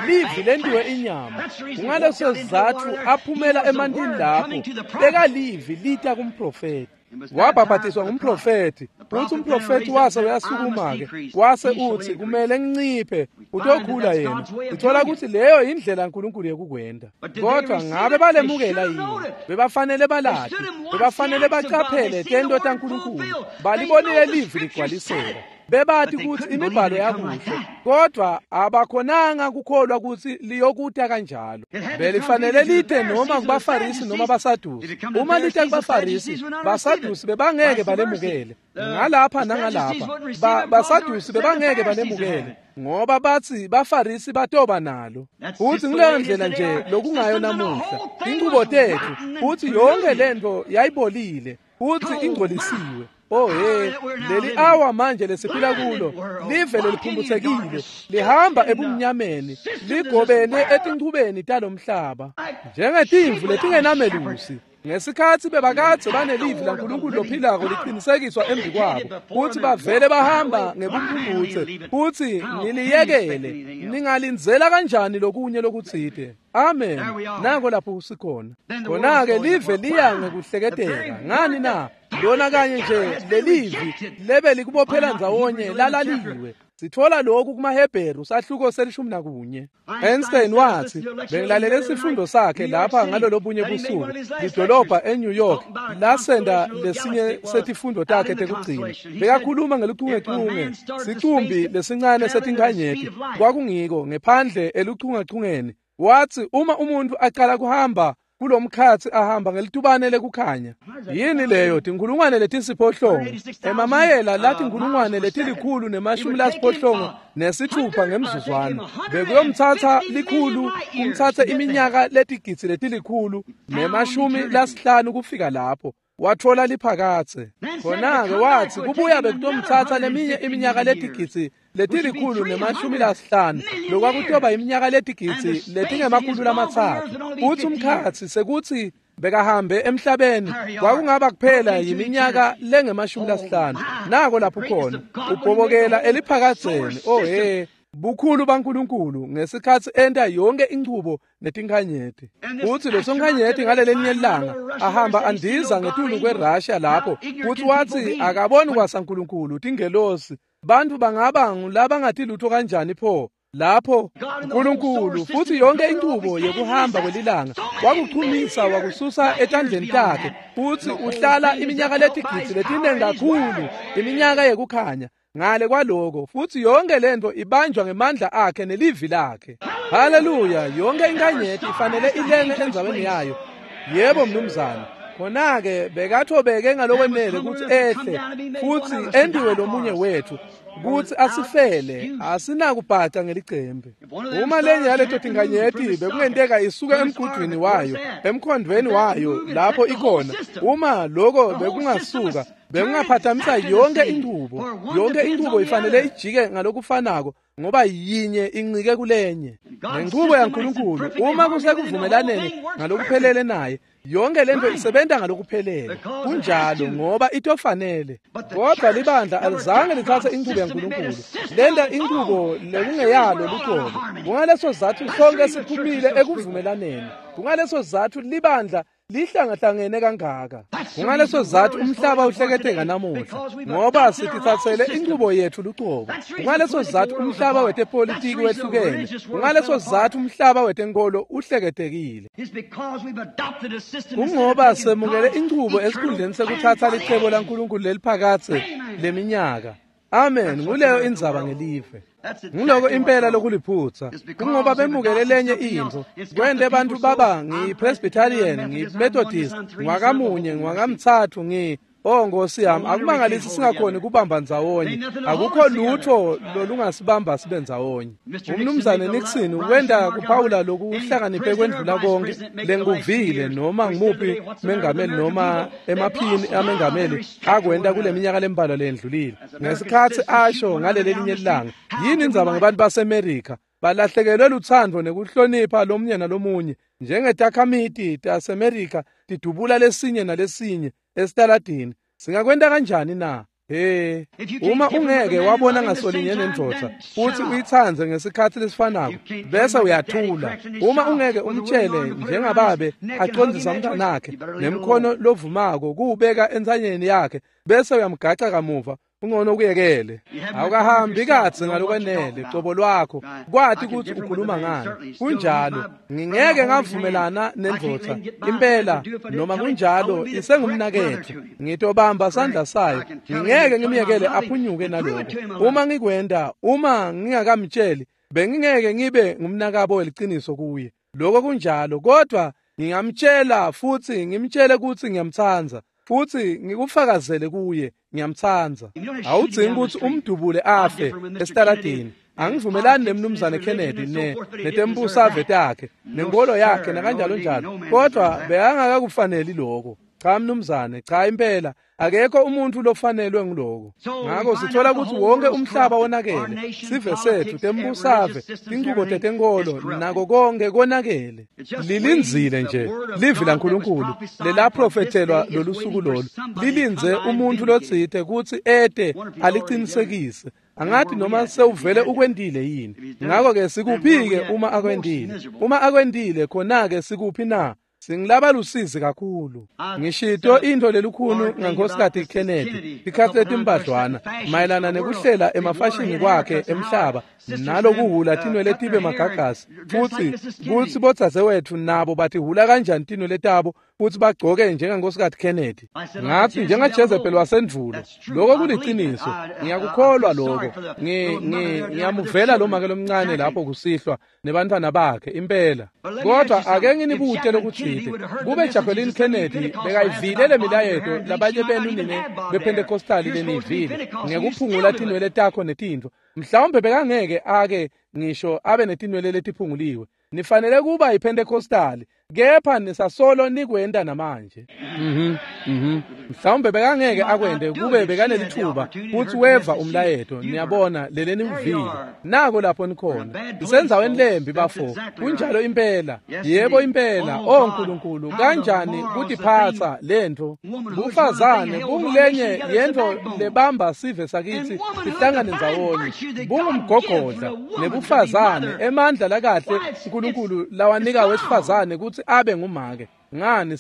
livi lentiwe inyama. Kungaleso sizatfu aphumela emantini lapho bekalivi lita kumprofeti. Wabhabhatiswa ngumprofethi futhi umprofethi wase uyasukuma-ke wase uthi kumele nginciphe utokhula yena. Sithola ukuthi leyo indlela uNkulunkulu yekukwenta. Kodwa ngabe balemukela yini? Bebafanele balati, bebafanele bacaphele tento taNkulunkulu. Balibonile livi ligcwaliseka. Bebati kutsi imibhalo yakuhle, kodwa abakhonanga kukholwa kutsi liyokuta kanjalo. Belifanele lite noma kubaFarisi noma baSadusi. Uma lite kubaFarisi, baSadusi bebangeke balemukele. Ngalapha nangalapha, baSadusi bebangeke balemukele ngoba batsi baFarisi batoba nalo. Futsi nguleyo ndlela nje lokungayo namuhla. Inchubo tetfu futsi yonke lento yayibolile futsi ingcolisiwe. Oh hey, leli awa manje lesiphila kulo live leliphumbuthekile lihamba ebumnyameni ligobene etinchubeni talomhlaba njengetimvu letingenamelusi. Ngesikhatsi bebakadze banelivi laNkulunkulu lophilako liqinisekiswa embi kwabo futsi bavele bahamba ngebumphumphutse futsi niliyekele ningalindzela kanjani lokunye lokutsite. Amen. Nako lapho sikhona. Khona-ke live liya ngekuhleketeka. Ngani na? Lona kanye nje lelivi lebe likubophela ndzawonye lalaliwe. Sithola lokhu kumaHebheru sahluko se-11. Einstein wathi bengilalele isifundo sakhe lapha ngalolobunye busuku lidolobha eNew York lasenda lesinye setifundo takhe tekugcina. Bekakhuluma ngeluchungechunge sicumbi lesincane setinkhanyeti kwakungiko ngephandle eluchungechungeni. Wathi uma umuntu aqala kuhamba kulomkhatsi ahamba ngelitubane lekukhanya. Yini leyo? Tinkhulungwane letisiphohlongo emamayela latinkhulungwane letilikhulu nemashumi lasiphohlongo nesithupha ngemzuzwana. Bekuyomthatha likhulu kumthathe iminyaka letigidzi letilikhulu nemashumi lasihlanu kufika lapho. Watfola liphakatse. Khona-ke wathi kubuya bekutomthatha leminye iminyaka letigidzi letilikhulu nemashumi lasihlanu lokwakutoba iminyaka letigidzi letingemakhulu lamatsatfu. Futsi umkhatsi sekutsi bekahambe emhlabeni kwakungaba kuphela yiminyaka lengemashumi lasihlanu. Nako lapho khona ubhobokela eliphakadzeni. Oh he, bukhulu baNkulunkulu ngesikhatsi enta yonke inchubo netinkhanyeti. Futsi leso nkhanyeti ngalelinye ilanga ahamba andiza ngetulu kweRussia lapho futsi wathi akaboni kwasaNkulunkulu tingelosi. Bantfu bangaba ngulabangati lutho kanjani pho lapho uNkulunkulu futhi yonke inchubo yekuhamba kwelilanga wakuchumisa wakususa etandleni takhe futhi uhlala iminyaka letigidzi letiningi kakhulu iminyaka yekukhanya ngale kwaloko futhi yonke lento ibanjwa ngemandla akhe nelivi lakhe. Haleluya! Yonke inkanyeti ifanele ilenge endzaweni yayo. Yebo mnumzane. Khona-ke bekathobeke ngalokwenele kutsi ehle futsi entiwe lomunye wethu kutsi asifele asinakubhaca ngelicembe. Uma lenye yaleto tinkhanyeti bekungenteka isuke emgudwini wayo emkhondvweni wayo lapho ikhona, uma loko bekungasuka bekungaphathamisa yonke inchubo. Yonke inchubo ifanele ijike ngalokufanako ngoba yinye incike kulenye. Nenchubo yaNkulunkulu uma kusekuvumelaneni ngalokuphelele naye yonke lento isebenta ngalokuphelele. Kunjalo ngoba itofanele. Kodwa libandla alizange lithathe inchubo yaNkulunkulu lenda inqubo lekungeyalo luqobo. Kungaleso sizatfu sonke siphumile ekuvumelaneni. Kungaleso sizatfu libandla lihlangahlangene kangaka. Kungaleso sizatfu umhlaba uhleketeka namuhla, ngoba sititsatsele inqubo yetfu luqobo. Kungaleso sizatfu umhlaba wetepolitiki wehlukene. Kungaleso sizatfu umhlaba wetenkolo uhleketekile. Kungoba semukele inqubo esikhundleni sekutsatsa licebo laNkulunkulu leliphakadze leminyaka. Amen. Nguleyo indzaba ngelive. Nguloko impela lokuliphutsa. Kungoba bemukele lenye intfo. Kwente bantfu baba ngiyi-Presbyterian, ngiyi-Methodist, ngwakamunye, ngwakamtsatfu, Oh Nkosi yami, akumangalisi singakhoni kubamba ndzawonye. Akukho lutho lolungasibamba sibe ndzawonye. Umnumzane Nixon wenta kuphawula lokuhlakaniphe kwendlula konke lengikuvile noma ngimuphi mengameli noma emaphini amengameli akwenta kule minyaka lembalwa lendlulile. Ngesikhatsi asho ngaleli linye ilanga, yini indzaba ngebantu baseMerika? Balahlekelwe lutsandvo nekuhlonipha lomunye nalomunye njengetakhamiti taseMerika tidubula lesinye nalesinye esitaladini. Singakwenta kanjani na? He, uma ungeke wabona ngasolinye nendvodza futhi uyitsandze ngesikhatsi lesifanako bese uyathula. Uma ungeke umtshele njengababe acondzisa umntanakhe nemkhono lovumako kuwubeka entsanyeni yakhe bese uyamgaca kamuva, ungcono kuyekele. Awukahambi kadze ngalokwenele cobo lwakho kwati kutsi ukhuluma ngani. Kunjalo, ngingeke ngavumelana nendvodza impela noma kunjalo isengumnaketfu. Ngitobamba sandla sayo, ngingeke ngimyekele aphunyuke naloko. Uma ngikwenta, uma ngingakamtsheli, bengingeke ngibe ngumnakabo weliciniso kuye. Lokho kunjalo, kodwa ngingamtshela futhi ngimtshele kutsi ngiyamtsandza. Futhi ngikufakazele kuye ngiyamtsandza. Awudzingi kutsi umdubule afe esitaladini. Angivumelani nemnumzane Kennedy netembusave takhe nenkolo yakhe nakanjalo njalo, kodwa bekangakakufaneli lokho. Cha mnumzane, cha impela akekho umuntu lofanelwe nguloko. Ngakho sithola ukuthi wonke umhlaba wonakele, sive sethu, tembusave, tinchubo tetenkolo nako konke konakele. Lilindzile nje livi laNkulunkulu lelaprofethelwa lolusuku lolu, lilindze umuntu lotsite kutsi ete alicinisekise. Angathi noma sewuvele ukwentile yini. Ngakho-ke sikuphi-ke uma akwentile? Uma akwentile khona-ke sikuphi na? Singilaba lusizi kakhulu. Ngishito intfo lelukhulu ngaNkosikazi Kennedy tikhatsi letimbadlwana mayelana nekuhlela emafashini kwakhe emhlaba nalokuhula tinwele tibe magagasi, futsi kutsi bodzadzewetfu nabo batihula kanjani tinwele tabo futsi bagcoke njengaNkosikazi Kennedy. Ngatsi njengaJezebel wasendvulo. Lokho kuliciniso, ngiyakukholwa lokho. Ngiyamuvela lo make lomncane lapho kusihlwa nebantfwana bakhe impela. Kodwa ake nginibute lokutsite. Kube Jacqueline Kennedy bekayivile le milayeto labanye benu nine bePentecostali leniyivile ngekuphungula tinwele takho netintfo, mhlawumbe bekangeke ake ngisho abe netinwele letiphunguliwe. Nifanele kuba yiPentecostali, kepha nisasolo nikwenta namanje. Mhlawumbe bekangeke akwente kube bekanelithuba futsi weva umlayeto. Niyabona lele nimvile. Nako lapho nikhona. Isendzaweni lembi bafo. Kunjalo impela. Yebo impela. Oh Nkulunkulu, kanjani kutiphatsa lentfo? Bufazane bungulenye yentfo lebamba sive sakitsi sihlangane ndzawonye. Bungumgogodla nebufazane, emandla lakahle uNkulunkulu lawanika wesifazane kutsi abe ngumake. Ngani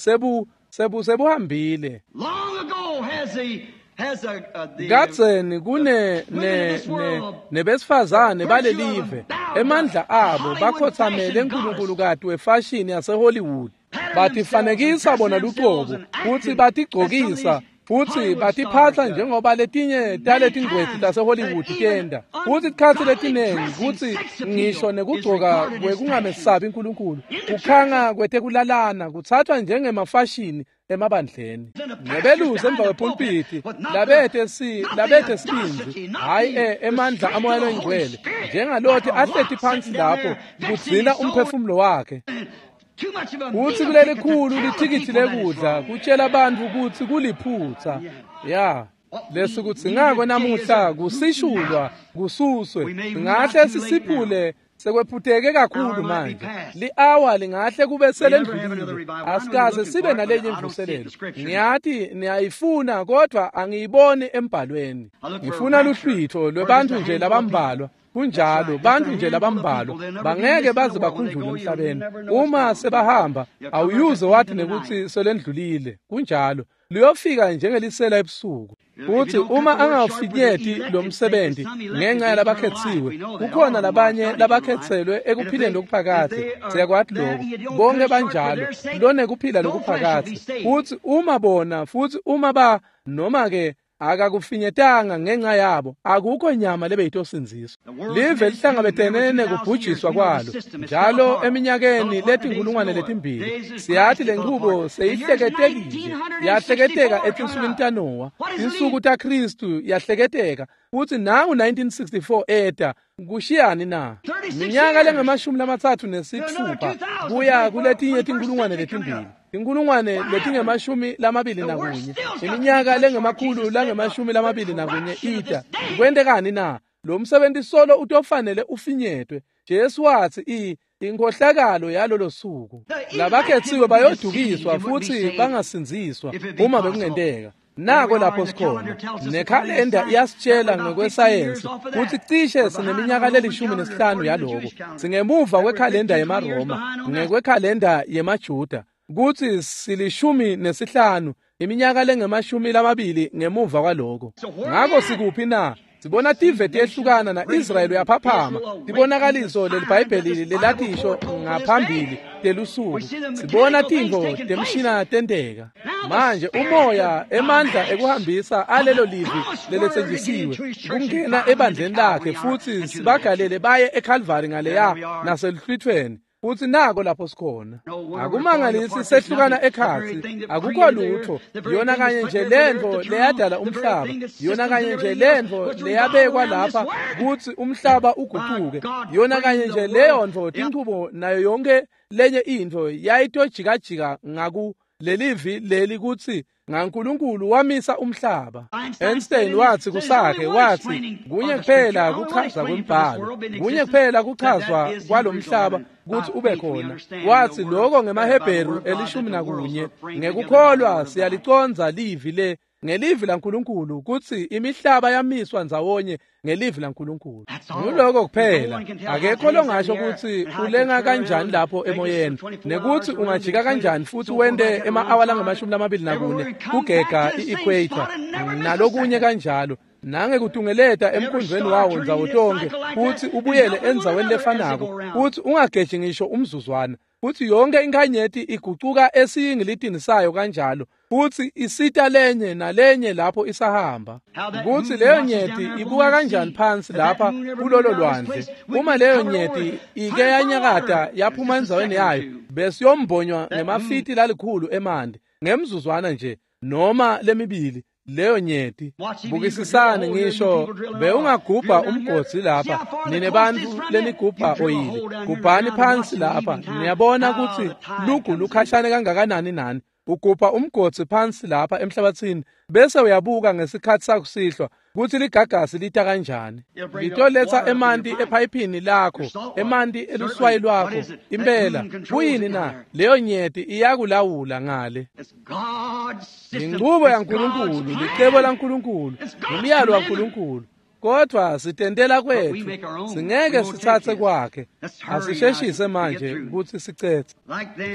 sebuhambile. Kadzeni kune nebesifazane balelive emandla abo bakhothamele uNkulunkulu wefashini yaseHollywood. Batifanekisa bona luqobo futsi batigcokisa futsi batiphatsa njengoba letinye taletingcweti taseHollywood tenta. Futsi tikhatsi letinengi kutsi ngisho nekugcoka kwekungamesabi uNkulunkulu, kukhanga kwetekulalana kuthathwa njengemafashini emabandleni. Nebelusi emva kwepulpiti labete sibindzi, hhayi emandla amoya loyingcwele, njengalothi ahleti phansi lapho kugcina umphefumulo wakhe. Kutsi kulelikhulu lithikithi lekudla kutshela bantfu kutsi kuliphutsa. Ya, lesikudzingako namuhla kusishulwa kususwe. Singahle sisiphule Sekwephuteke kakhulu manje. Li-awa lingahle kube selendlulile. Asikaze sibe nalenye imvuselelo. Ngiyati niyayifuna kodwa angiyiboni embhalweni. Ngifuna luhlwitho lwebantu nje labambalwa. Kunjalo, bantu nje labambalwa bangeke baze bakhunjulwe emhlabeni. Uma sebahamba awuyuze wathi nekuthi selendlulile. Kunjalo, liyofika njengelisela ebusuku. Futhi uma angawufinyeti lo msebenzi ngenxa yalabakhethiwe, kukhona labanye labakhethelwe ekuphileni lokuphakadze. Siyakwati lokho, bonke banjalo, lonekuphila lokuphakadze. Futhi uma bona, futhi uma ba noma ke akakufinyetanga ngenxa yabo, akukho nyama lebeyitosindziswa. Live lihlangabetene nekubhujiswa kwalo njalo eminyakeni letinkulungwane letimbili. Siyathi lenchubo seyihleketekile, yahleketeka etinsukwini taNowa, tinsuku taKhristu yahleketeka, futhi nangu 1964 eta. Kushiyani na? Minyaka lengamashumi lamatsatfu nesitfupha kuya kuletinye tinkulungwane letimbili, tinkulungwane letingemashumi lamabili nakunye, iminyaka lengemakhulu langemashumi lamabili nakunye ita. Kwentekani na? Lo msebenzi solo utofanele ufinyetwe. Jesu wathi inkhohlakalo yalolo suku, labakhethiwe bayodukiswa futhi bangasindziswa uma bekungenteka. Nako lapho sikhona. Nekhalenda iyasitshela ngokwesayensi kutsi cishe sineminyaka le15 yaloko. Singemuva kwekhalenda yemaRoma, ngekwekhalenda yemaJuda, kutsi silishumi-nesihlanu, iminyaka lengemashumi lamabili ngemuva kwaloko. Ngako sikuphi na? Sibona tive tiyehlukana na-Israyeli uyaphaphama. Tibonakaliso leliBhayibheli lelatisho ngaphambili telusuku. Sibona tintfo temshina tenteka. Manje umoya emandla ekuhambisa alelo livi leletsenjisiwe kungena ebandleni lakhe, futhi sibagalele baye eCalvary ngaleya naseluhlwithweni. Futhi nako lapho sikhona. Akumangalisi sehlukana ekhatsi, akukho lutho. Yona kanye nje lentfo leyadala umhlaba, yona kanye nje lentfo leyabekwa lapha kutsi umhlaba uguquke, yona kanye nje leyo ntfo tinchubo nayo yonke lenye intfo yayitojikajika ngaku lelivi leli kutsi ngaNkulunkulu wamisa umhlaba. Einstein wathi kusakhe, wathi kunye kuphela kuchaza kwembhalo, kunye kuphela kuchazwa kwalomhlaba kutsi ube khona. Wathi lokho ngemaHebheru 11, ngekukholwa siyaliconza livi le ngelivi laNkulunkulu kutsi imihlaba yamiswa ndzawonye ngelivi laNkulunkulu. Nguloko kuphela. Akekho longasho kutsi ulenga kanjani lapho emoyeni, nekuthi ungajika kanjani futhi wente ema-awa langamashumi-24 kugega i-equator nalokunye kanjalo, nangekutungeleta emkhundlweni wawo ndzawo tonke, futhi ubuyele endzaweni lefanako, futhi ungageji ngisho umzuzwana. Futhi yonke inkanyeti igucuka esiyingilitini sayo kanjalo, futhi isita lenye nalenye lapho isahamba. Kuthi leyo nyeti ibuka kanjani phansi lapha kulolo lwandle. Uma leyo nyeti ike yanyakata yaphuma endzaweni yayo, besiyombonywa ngemafiti lalikhulu emanti ngemzuzwana nje noma lemibili. Leyo nyeti, bukisisani ngisho bewungagubha umgodzi lapha, nine bantfu lenigubha oyili, gubhani phansi lapha, niyabona kutsi lugu lukhashane kangakanani nani. Ugubha umgodzi phansi lapha emhlabathini, bese uyabuka ngesikhathi sakusihlwa kutsi ligagasi lita kanjani. Litoletsa emanti ephayiphini lakho, emanti eluswayi lwakho. Impela, kuyini na? Leyo nyeti iyakulawula ngale. Inchubo yaNkulunkulu, licebo laNkulunkulu, umyalo waNkulunkulu. Kodwa sitentela kwethu, singeke sitsatse kwakhe. Asisheshise manje kutsi sicetse.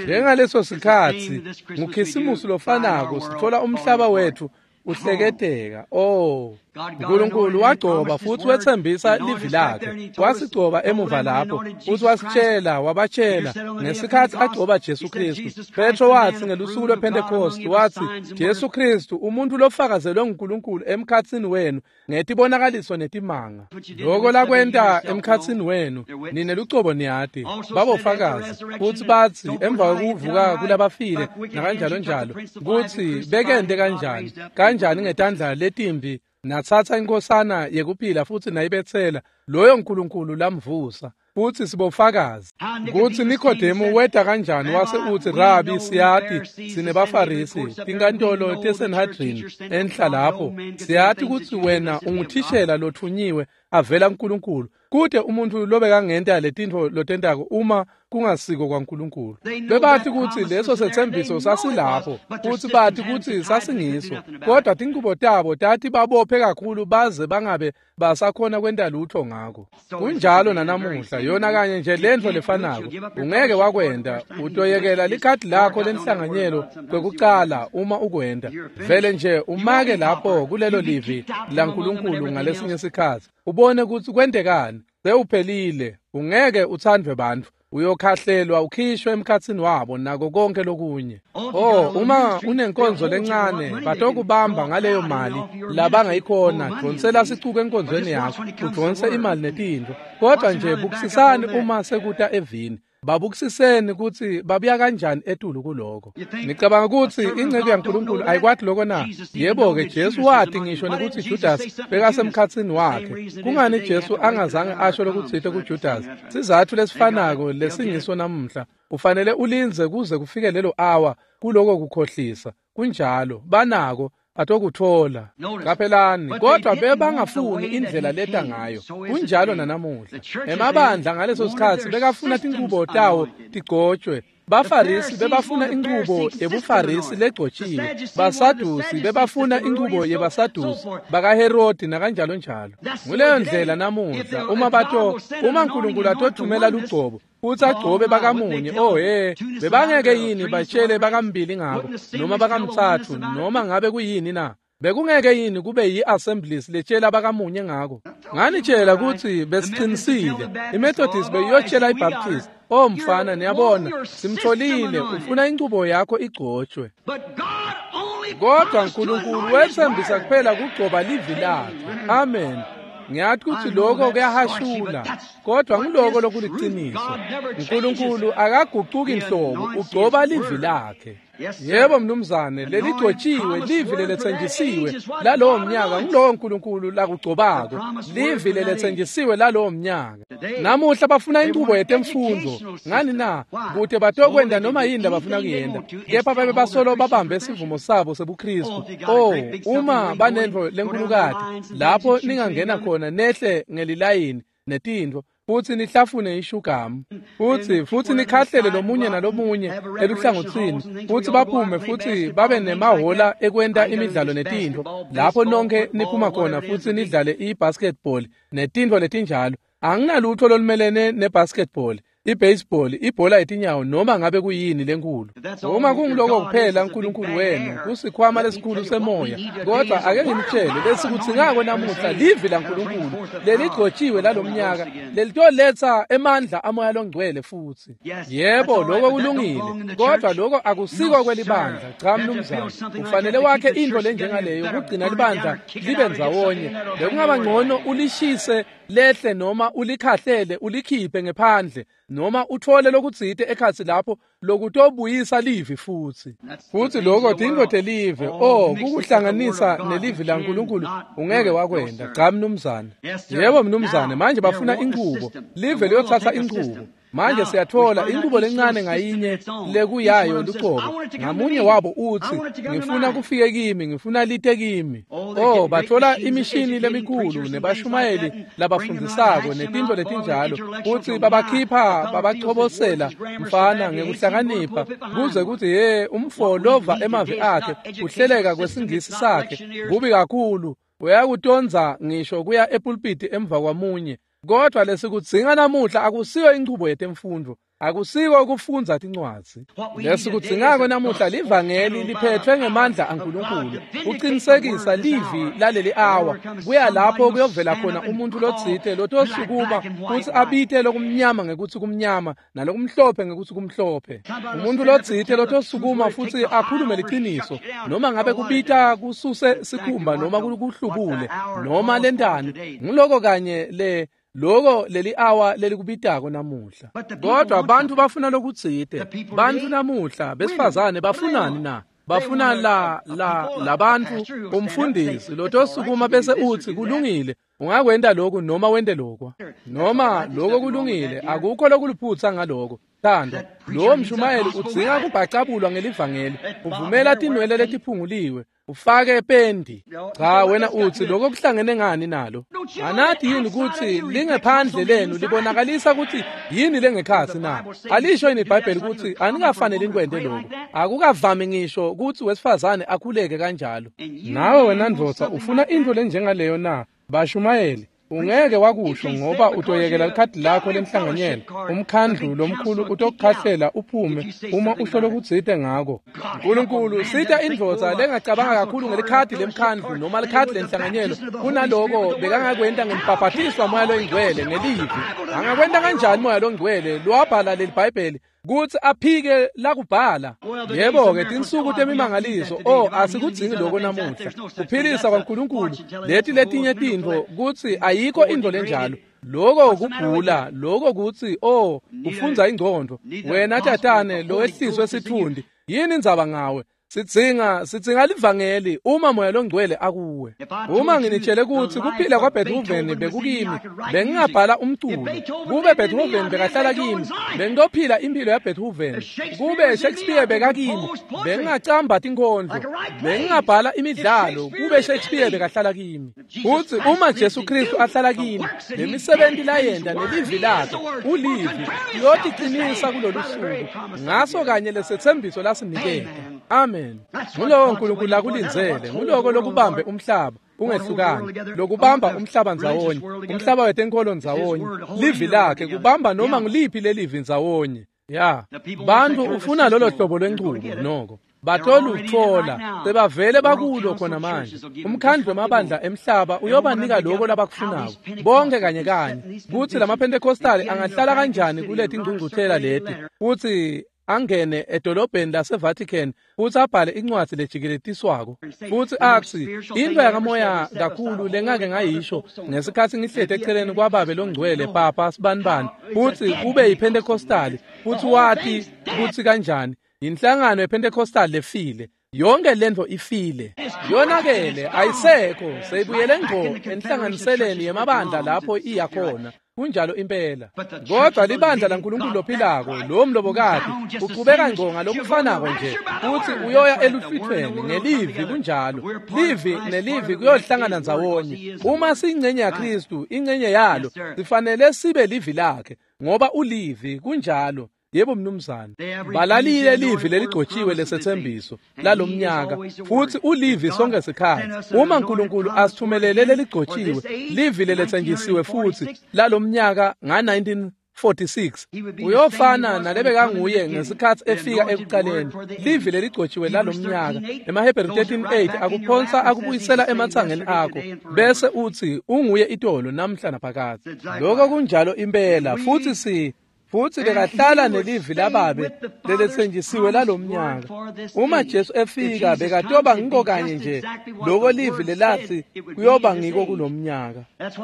Njengaleso sikhatsi, nguKhisimusi lofanako, sithola umhlaba wethu uhleketeka. Oh, uNkulunkulu wagcoba futhi wethembisa livi lakhe, wasigcoba emuva lapho futhi wasitshela, wabatshela ngesikhathi agcoba Jesu Kristu. Petro wathi ngelusuku lwePentecost, wathi Jesu Kristu umuntu lofakazelwe nguNkulunkulu emkhatsini wenu ngetibonakaliso netimanga. Lokho lakwenta emkhatsini wenu nine lucobo niyati, babofakazi. Futhi bathi emva kokuvuka kulabafile nakanjalo njalo, kutsi bekente kanjani kanjani ngetandla letimbi natsatsa inkosana yekuphila futhi nayibetsela loyo nkulunkulu lamvusa. Futsi sibofakazi kutsi Nikodemu weta kanjani wase utsi, Rabi, siyati sinebafarisi, tinkantolo teSanhedrin enhla lapho, siyati kutsi wena unguthishela lothunyiwe avela kuNkulunkulu. Kute umuntfu lobekangenta letintfo lotentako uma kungasiko kwaNkulunkulu. Bebati kutsi leso setsembiso sasilapho, futsi bati kutsi sasingiso, kodwa tingubo tabo tati babophe kakhulu baze bangabe basakhona kwenta lutho ngako. Kunjalo nanamuhla, yona kanye nje lentfo lefanako. Ungeke wakwenta, utoyekela likhadi lakho lenhlanganyelo kwekucala uma ukwenta. Vele nje umake lapho kulelo livi laNkulunkulu ngalesinye sikhatsi, ubone kutsi kwentekani. Sewuphelile, ungeke utsandvwe bantfu, uyokhahlelwa ukhishwe emkhatsini wabo nako konke lokunye. Oh, uma unenkonzo lencane batokubamba ngaleyo mali labangayikhona, dvonsela sicuku enkonzweni yakho, udvonse imali netintfo. Kodwa nje bukisisani uma sekuta evini, babukisiseni kutsi babuya kanjani etulu kuloko. Nicabanga kutsi inceku yaNkulunkulu ayikwati loko na? Yebo-ke, Jesu wati ngisho nekutsi Judas bekasemkhatsini wakhe. Kungani Jesu angazange asho lokutsite kuJudas? Sizatfu lesifanako lesingiso namuhla. Ufanele ulindze kuze kufike lelo awa kuloko kukhohlisa. Kunjalo, banako atokutfola. Qaphelani, kodwa bebangafuni indlela leta ngayo. Kunjalo nanamuhla. Emabandla ngaleso sikhatsi bekafuna tingubo tawo tigcotshwe. Bafarisi bebafuna ingubo yebuFarisi legcotshiwe. Basadusi bebafuna ingubo yebaSadusi, bakaHerodi nakanjalo njalo. Nguleyo ndlela namuhla uma uNkulunkulu atothumela lugcobo futsi agcobe bakamunye, oh he, bebangeke yini batshele bakambili ngako noma bakamtsatfu noma ngabe kuyini na? Bekungeke yini kube yi-assemblies letshela bakamunye ngako? Nganitshela kutsi besicinisile. IMethodist beyiyotshela iBaptist, oh mfana, niyabona, simtholile, ufuna inchubo yakho igcotshwe. Kodwa uNkulunkulu wetsembisa kuphela kugcoba livi lakhe. Amen. Ngiyathi kutsi lokho kuyahashula, kodwa ngiloko lokuliciniso. uNkulunkulu akagucuki nhlobo, ugcoba livi lakhe. Yebo mnumzane, leligcotshiwe livi leletsenjisiwe lalowo mnyaka ngulowo uNkulunkulu lakugcobako, livi leletsenjisiwe lalowo mnyaka. Namuhla bafuna inchubo yetemfundvo. Ngani na? Kute batokwenta noma yini labafuna kuyenta, kepha babe basolo babambe sivumo sabo sebuKristu. Oh, uma banentfo lenkulukati lapho ningangena khona nehle ngelilayini netintfo, futsi nihlafune ishugamu, futsi nikhahlele lomunye nalomunye eluhlangotsini, futsi baphume futsi babe nemahola ekwenta imidlalo netintfo lapho nonke niphuma khona futsi nidlale i-basketball netintfo letinjalo. Anginalutho lolumelene ne-basketball, i-baseball, ibhola yetinyawo noma ngabe kuyini lenkulu. Uma kungiloko kuphela uNkulunkulu wenu kusikhwama lesikhulu semoya. Kodwa ake ngimtshele lesikudzingako namuhla livi laNkulunkulu leligcotshiwe lalomnyaka lelitoletsa emandla amoya longcwele futsi. Yebo, lokho kulungile, kodwa lokho akusiko kwelibandla. Cha mnumzane, ufanele wakhe intfo lenjengaleyo kugcina libandla libe ndzawonye. Bekungaba ngcono ulishise lehle noma ulikhahlele ulikhiphe ngephandle noma uthole lokutsite ekhatsi lapho lokutobuyisa livi futsi. Futsi lokho tintfo telive, oh, kukuhlanganisa nelivi laNkulunkulu ungeke wakwenta. Cha mnumzane. Yebo mnumzane, manje bafuna inchubo, live liyotsatsa inchubo. Manje siyatfola inchubo lencane ngayinye lekuyayo lucobo. Ngamunye wabo utsi, ngifuna kufike kimi, ngifuna lite kimi. Oh, batfola imishini lemikhulu nebashumayeli labafundzisako netintfo letinjalo, futsi babakhipha babachobosela mfana ngekuhlakanipha kuze kutsi he umfo lova emavi akhe kuhleleka kwesingisi sakhe kubi kakhulu, uyakutonza ngisho kuya epulpiti emva kwamunye. Kodwa lesikudzinga namuhla akusiyo inchubo yetemfundvo, akusiko kufundza tincwadzi. Lesikudzingako namuhla livangeli liphethwe ngemandla aNkulunkulu, kuqinisekisa livi laleli awa. Kuya lapho kuyovela khona umuntu lotsite lotosukuma futsi abite lokumnyama ngekutsi kumnyama nalokumhlophe ngekutsi kumhlophe. Umuntu lotsite lotosukuma futsi akhulume liciniso, noma ngabe kubita kususe sikhumba noma kuhlubule noma lentani. Nguloko kanye le loko leli awa lelikubitako namuhla. Kodwa bantfu bafuna lokutsite. Bantfu namuhla besifazane bafunani na? Bafuna la labantfu, umfundisi lotosukuma bese utsi, "Kulungile, ungakwenta lokhu noma wente lokwa noma lokho. Kulungile, akukho lokuliphutsa ngaloko." Thando, lowo mshumayeli udzinga kubhacabulwa ngelivangeli. Uvumela tinwele letiphunguliwe, ufake pendi. Cha, wena utsi, "Lokho kuhlangene ngani nalo?" Anati yini kutsi lingephandle lenu libonakalisa kutsi yini lengekhatsi na? Alisho yini iBhayibheli kutsi aningafaneli nikwente lokho? Akukavami ngisho kutsi wesifazane akhuleke kanjalo. Nawe wena ndvodza ufuna intfo lenjengaleyo na? Bashumayeli, ungeke wakusho ngoba utoyekela likhadi lakho lenhlanganyelo. Umkhandlu lomkhulu utokukhahlela uphume uma usho lokutsite ngako. Nkulunkulu sita indvodza lengacabanga kakhulu ngelikhadi lemkhandlu noma likhadi lenhlanganyelo kunaloko bekangakwenta ngembhabhatiswa Moya Loyingcwele ngelivi. Angakwenta kanjani Moya Longcwele lowabhala leli Bhayibheli kutsi aphike lakubhala? Yebo-ke, tinsuku temimangaliso, oh, asikudzingi loko namuhla. Kuphilisa kwaNkulunkulu, leti letinye tintfo, kutsi ayikho intfo lenjalo. Loko kugula, loko kutsi, oh, ufundza ingcondvo. Wena tatane lowehliswe sitfundi, yini indzaba ngawe? Sidzinga livangeli uma Moya Longcwele akuwe. Uma nginitshele kutsi kuphila kwaBeethoven bekukimi, bengingabhala umculo. Kube Beethoven bekahlala kimi, bengitophila impilo yaBeethoven. Kube Shakespeare bekakimi, bengingacamba tinkhondlo, bengingabhala imidlalo. Kube Shakespeare bekahlala kimi. Futsi uma Jesu Kristu ahlala kimi, lemisebenti layenta nelivi lakhe, ulivi, liyoticinisa kulolu suku ngaso kanye lesethembiso lasiniketa. Amen. Ngulowo Nkulunkulu lakulindzele. Nguloko lokubambe umhlaba ungehlukani, lokubamba umhlaba ndzawonye, umhlaba wetenkholo ndzawonye, livi lakhe. Kubamba noma nguliphi lelivi ndzawonye. Ya, bantfu ufuna lolo hlobo lwenchubo, noko batolutfola. Sebavele bakulo khona manje. Umkhandlu wemabandla emhlaba uyobanika loko labakufunako bonke kanye kanye. Kutsi lamaPentecostali angahlala kanjani kuleti ngcungcuthela leti futsi angene edolobheni laseVatican futsi abhale incwadzi lejikeletiswako futsi atsi, "Intfo yakamoya kakhulu lengake ngayisho ngesikhatsi ngihleti eceleni kwababe longcwele Papa Sibanibani," futsi kube yiPentecostali, futsi wati kutsi kanjani yinhlangano yePentecostal lefile. Yonke lentfo ifile, yonakele, ayisekho, seyibuyele ngco enhlanganiseleni yemabandla lapho iyakhona. Kunjalo impela. Kodwa libandla laNkulunkulu lophilako, lo mlobokati, uqhubeka ngco ngalokufanako nje, futsi uyoya eluhlwithweni ngelivi. Kunjalo, livi nelivi kuyohlangana ndzawonye. Uma siyingcenye yaKhristu, ingcenye yalo, sifanele sibe livi lakhe ngoba ulivi. Kunjalo. Yebo mnumzane. Balalile livi leligcotshiwe lesethembiso lalomnyaka, futsi ulivi sonke sikhatsi. Uma uNkulunkulu asithumelele leligcotshiwe livi leletsenjisiwe futhi lalomnyaka nga-1946, uyofana nalebekanguye ngesikhatsi efika ekuqaleni, livi leligcotshiwe lalomnyaka. EmaHebheru 13:8 akuphonsa akubuyisela ematsangeni akho bese utsi, "Unguye itolo, namhla, naphakadze." Lokho kunjalo impela. Futsi bekahlala nelivi lababe leletsenjisiwe lalomnyaka. Uma Jesu efika, bekatoba ngiko kanye nje loko livi lelathi kuyoba ngiko kulomnyaka.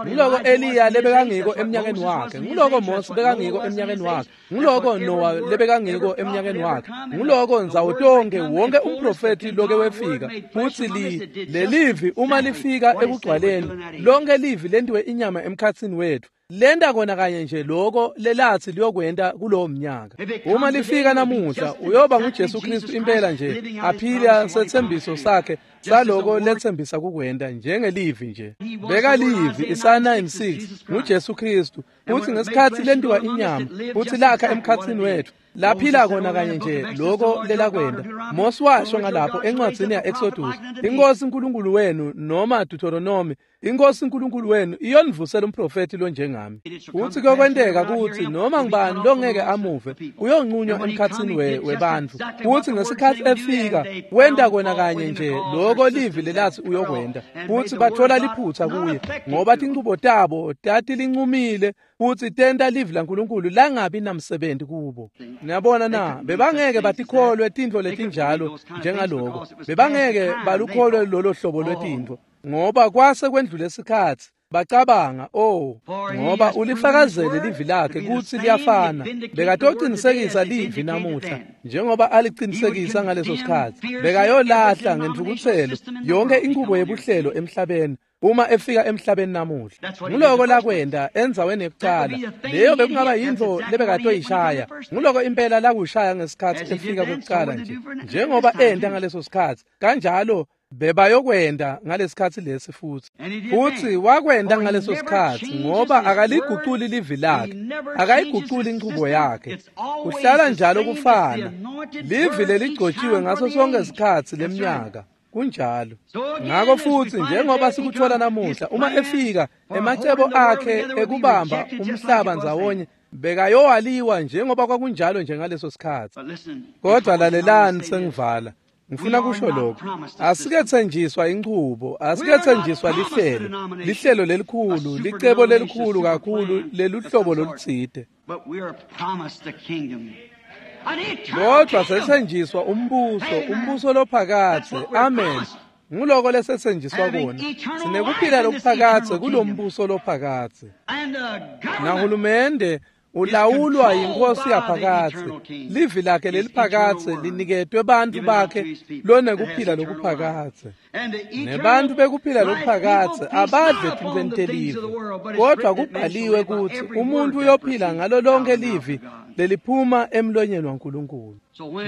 Nguloko Eliya lebekangiko emnyakeni wakhe, nguloko Mose bekangiko emnyakeni wakhe, nguloko Noah lebekangiko emnyakeni wakhe, nguloko ndzawo tonke wonke umprofethi loke wefika. Futsi li lelivi uma lifika ekugcwaleni, lonke livi lentiwe inyama emkhatsini wethu, lenta kona kanye nje loko lelathi liyokwenta kulowo mnyaka. Uma lifika namuhla, uyoba nguJesu Kristu impela nje, aphila sethembiso sakhe saloko lethembisa kukwenta, njengelivi nje. Bekalivi. Isaya 9:6 nguJesu Kristu. Futsi ngesikhatsi lentiwa inyama futsi lakha emkhatsini wethu, laphila kona kanye nje loko lelakwenta. Mose washo ngalapho encwadzini ya-Exodus, "Inkosi uNkulunkulu wenu," noma Deuteronomy, "Inkosi uNkulunkulu wenu iyonivusela umprofethi lonjengami. Futsi kuyokwenteka kutsi noma ngubani longeke amuve uyonqunywa emkhatsini webantfu." Futsi ngesikhatsi efika, wenta kona kanye nje loko livi lelathi uyokwenta, futsi bathola liphutsa kuye ngoba tinchubo tabo tatilincumile futsi tenta livi laNkulunkulu langabi namsebenzi kubo. Niyabona na? Bebangeke batikholwe tintfo letinjalo njengaloko. Bebangeke balukholwe lolo hlobo lwetintfo ngoba kwase kwendlule isikhatsi. Bacabanga, oh, ngoba ulifakazele livi lakhe kutsi liyafana. Bekatocinisekisa livi namuhla njengoba alicinisekisa ngaleso sikhatsi. Bekayolahla ngentfukutselo yonke inqubo yebuhlelo emhlabeni uma efika emhlabeni namuhla. Nguloko lakwenta endzaweni yekucala. Leyo bekungaba yintfo lebekatoyishaya. Nguloko impela lakushaya ngesikhatsi efika kokucala nje. Njengoba enta ngaleso sikhatsi, kanjalo bebayokwenda ngalesikhatsi lesi futhi. Futhi wakwenda ngaleso sikhatsi ngoba akaliguculi livi lakhe, akayiguculi inchubo yakhe. Kuhlala njalo kufana. Livi leligcotshiwe ngaso sonke isikhatsi leminyaka. Kunjalo. Ngakho futhi njengoba sikuthola namuhla, uma efika emacebo akhe ekubamba umhlaba ndzawonye bekayowaliwa njengoba kwakunjalo nje ngaleso sikhatsi. Kodwa lalelani, sengivala. Ngifuna kusho lokhu. Asikethenjiswa inchubo, asikethenjiswa lihlelo, lihlelo lelikhulu, licebo lelikhulu kakhulu leluhlobo lolutsite. Kodwa sethenjiswa umbuso, umbuso lophakadze. Amen. Nguloko lesethenjiswa kona. Sinekuphila lokuphakadze kulombuso lophakadze. Nahulumende ulawulwa yinkosi yaphakadze. Livi lakhe leliphakadze liniketwe bantfu bakhe lonekuphila lokuphakadze. Nebantfu bekuphila lokuphakadze abadle tintfweni telive, kodwa kubhaliwe kutsi umuntfu uyophila ngalo lonke livi leliphuma emlonyeni waNkulunkulu.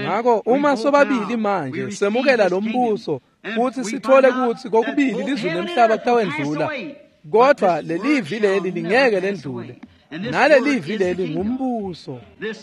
Ngakho uma sobabili manje semukela lo mbuso futhi sithole kutsi kokubili lizulu nemhlaba kutawendlula, kodwa lelivi leli lingeke lendlule. Nalelivi leli ngumbuso.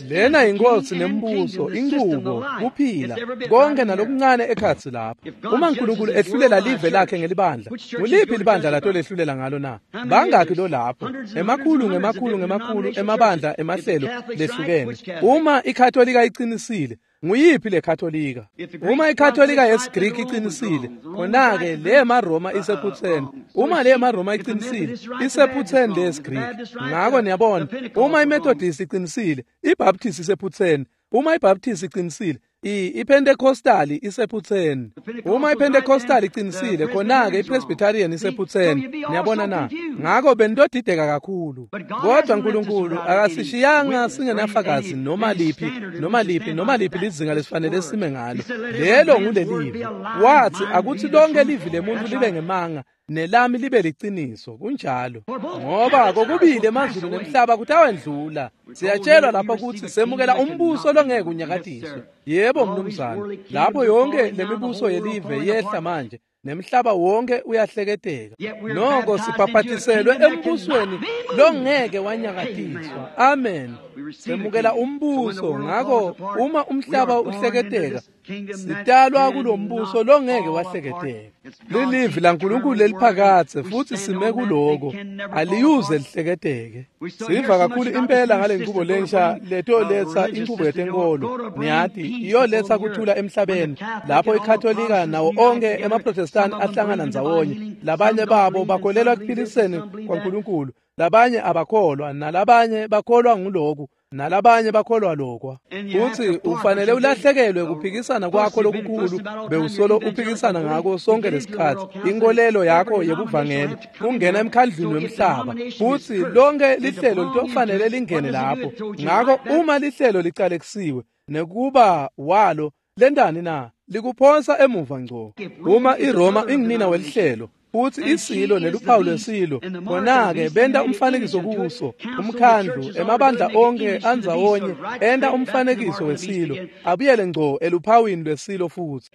Lena yinkosi nembuso, inqubo, kuphila, konke nalokuncane ekhatsi lapha. Uma uNkulunkulu ehlulela live lakhe ngelibandla, nguliphi libandla latolehlulela ngalo na? Bangakhi lo lapho? Emakhulu ngemakhulu ngemakhulu emabandla emahlelo lehlukene. Uma iKatolika iqinisile, nguyiphi le Katolika? Uma iKatolika yesiGriki iqinisile, khona-ke le maRoma isephutheni. Uma le maRoma iqinisile, isephutheni le yesiGriki. Ngakho niyabona, uma iMethodist iqinisile, iBaptist isephutheni. Uma iBaptist iqinisile, iPentecostali isephutheni. Uma iPentecostali iqinisile, khona-ke iPresbyterian isephutheni. Niyabona na? Ngakho benitodideka kakhulu. Kodwa uNkulunkulu akasishiyanga singenafakazi noma liphi, noma liphi, noma liphi lizinga lesifanele sime ngalo. Lelo ngulelivi. Wathi akuthi lonke livi lemuntu libe ngemanga, nelami libe liciniso. Kunjalo. Ngoba kokubili emazulu nemhlaba kutawendlula. Siyatshelwa lapha kutsi semukela umbuso longeke unyakatiswe. Yebo mnumzane, lapho yonke lemibuso yelive yehla manje, nemhlaba wonke uyahleketeka. Noko sibhabhatiselwe embusweni longeke wanyakatiswa. Amen. Semukela umbuso. Ngakho uma umhlaba uhleketeka, sitalwa kulombuso longeke wahleketeka. Lilivi laNkulunkulu leliphakadze futhi sime kuloko, aliyuze lihleketeke. Siva kakhulu impela ngale nqubo lensha letoletsa inqubo yetenkolo. Niyati, iyoletsa kuthula emhlabeni lapho iKatolika nawo onke emaProtestant ahlangana ndzawonye. Labanye babo bakholelwa ekuphiliseni kwaNkulunkulu, labanye abakholwa, nalabanye bakholwa nguloku, nalabanye bakholwa lokwa. Futhi ufanele ulahlekelwe kuphikisana kwakho lokukhulu bewusolo uphikisana ngako sonke lesikhatsi, inkolelo yakho yebuvangeli, kungena emkhandlwini wemhlaba. Futhi lonke lihlelo litofanele lingene lapho. Ngakho uma lihlelo licalekisiwe nekuba walo, lentani na? Likuphonsa emuva ngco. Uma iRoma ingunina welihlelo futhi isilo neluphawu lwesilo, khona-ke benta umfanekiso kuso, umkhandlu, emabandla onke andzawonye enta umfanekiso wesilo, abuyele ngco eluphawini lwesilo futhi.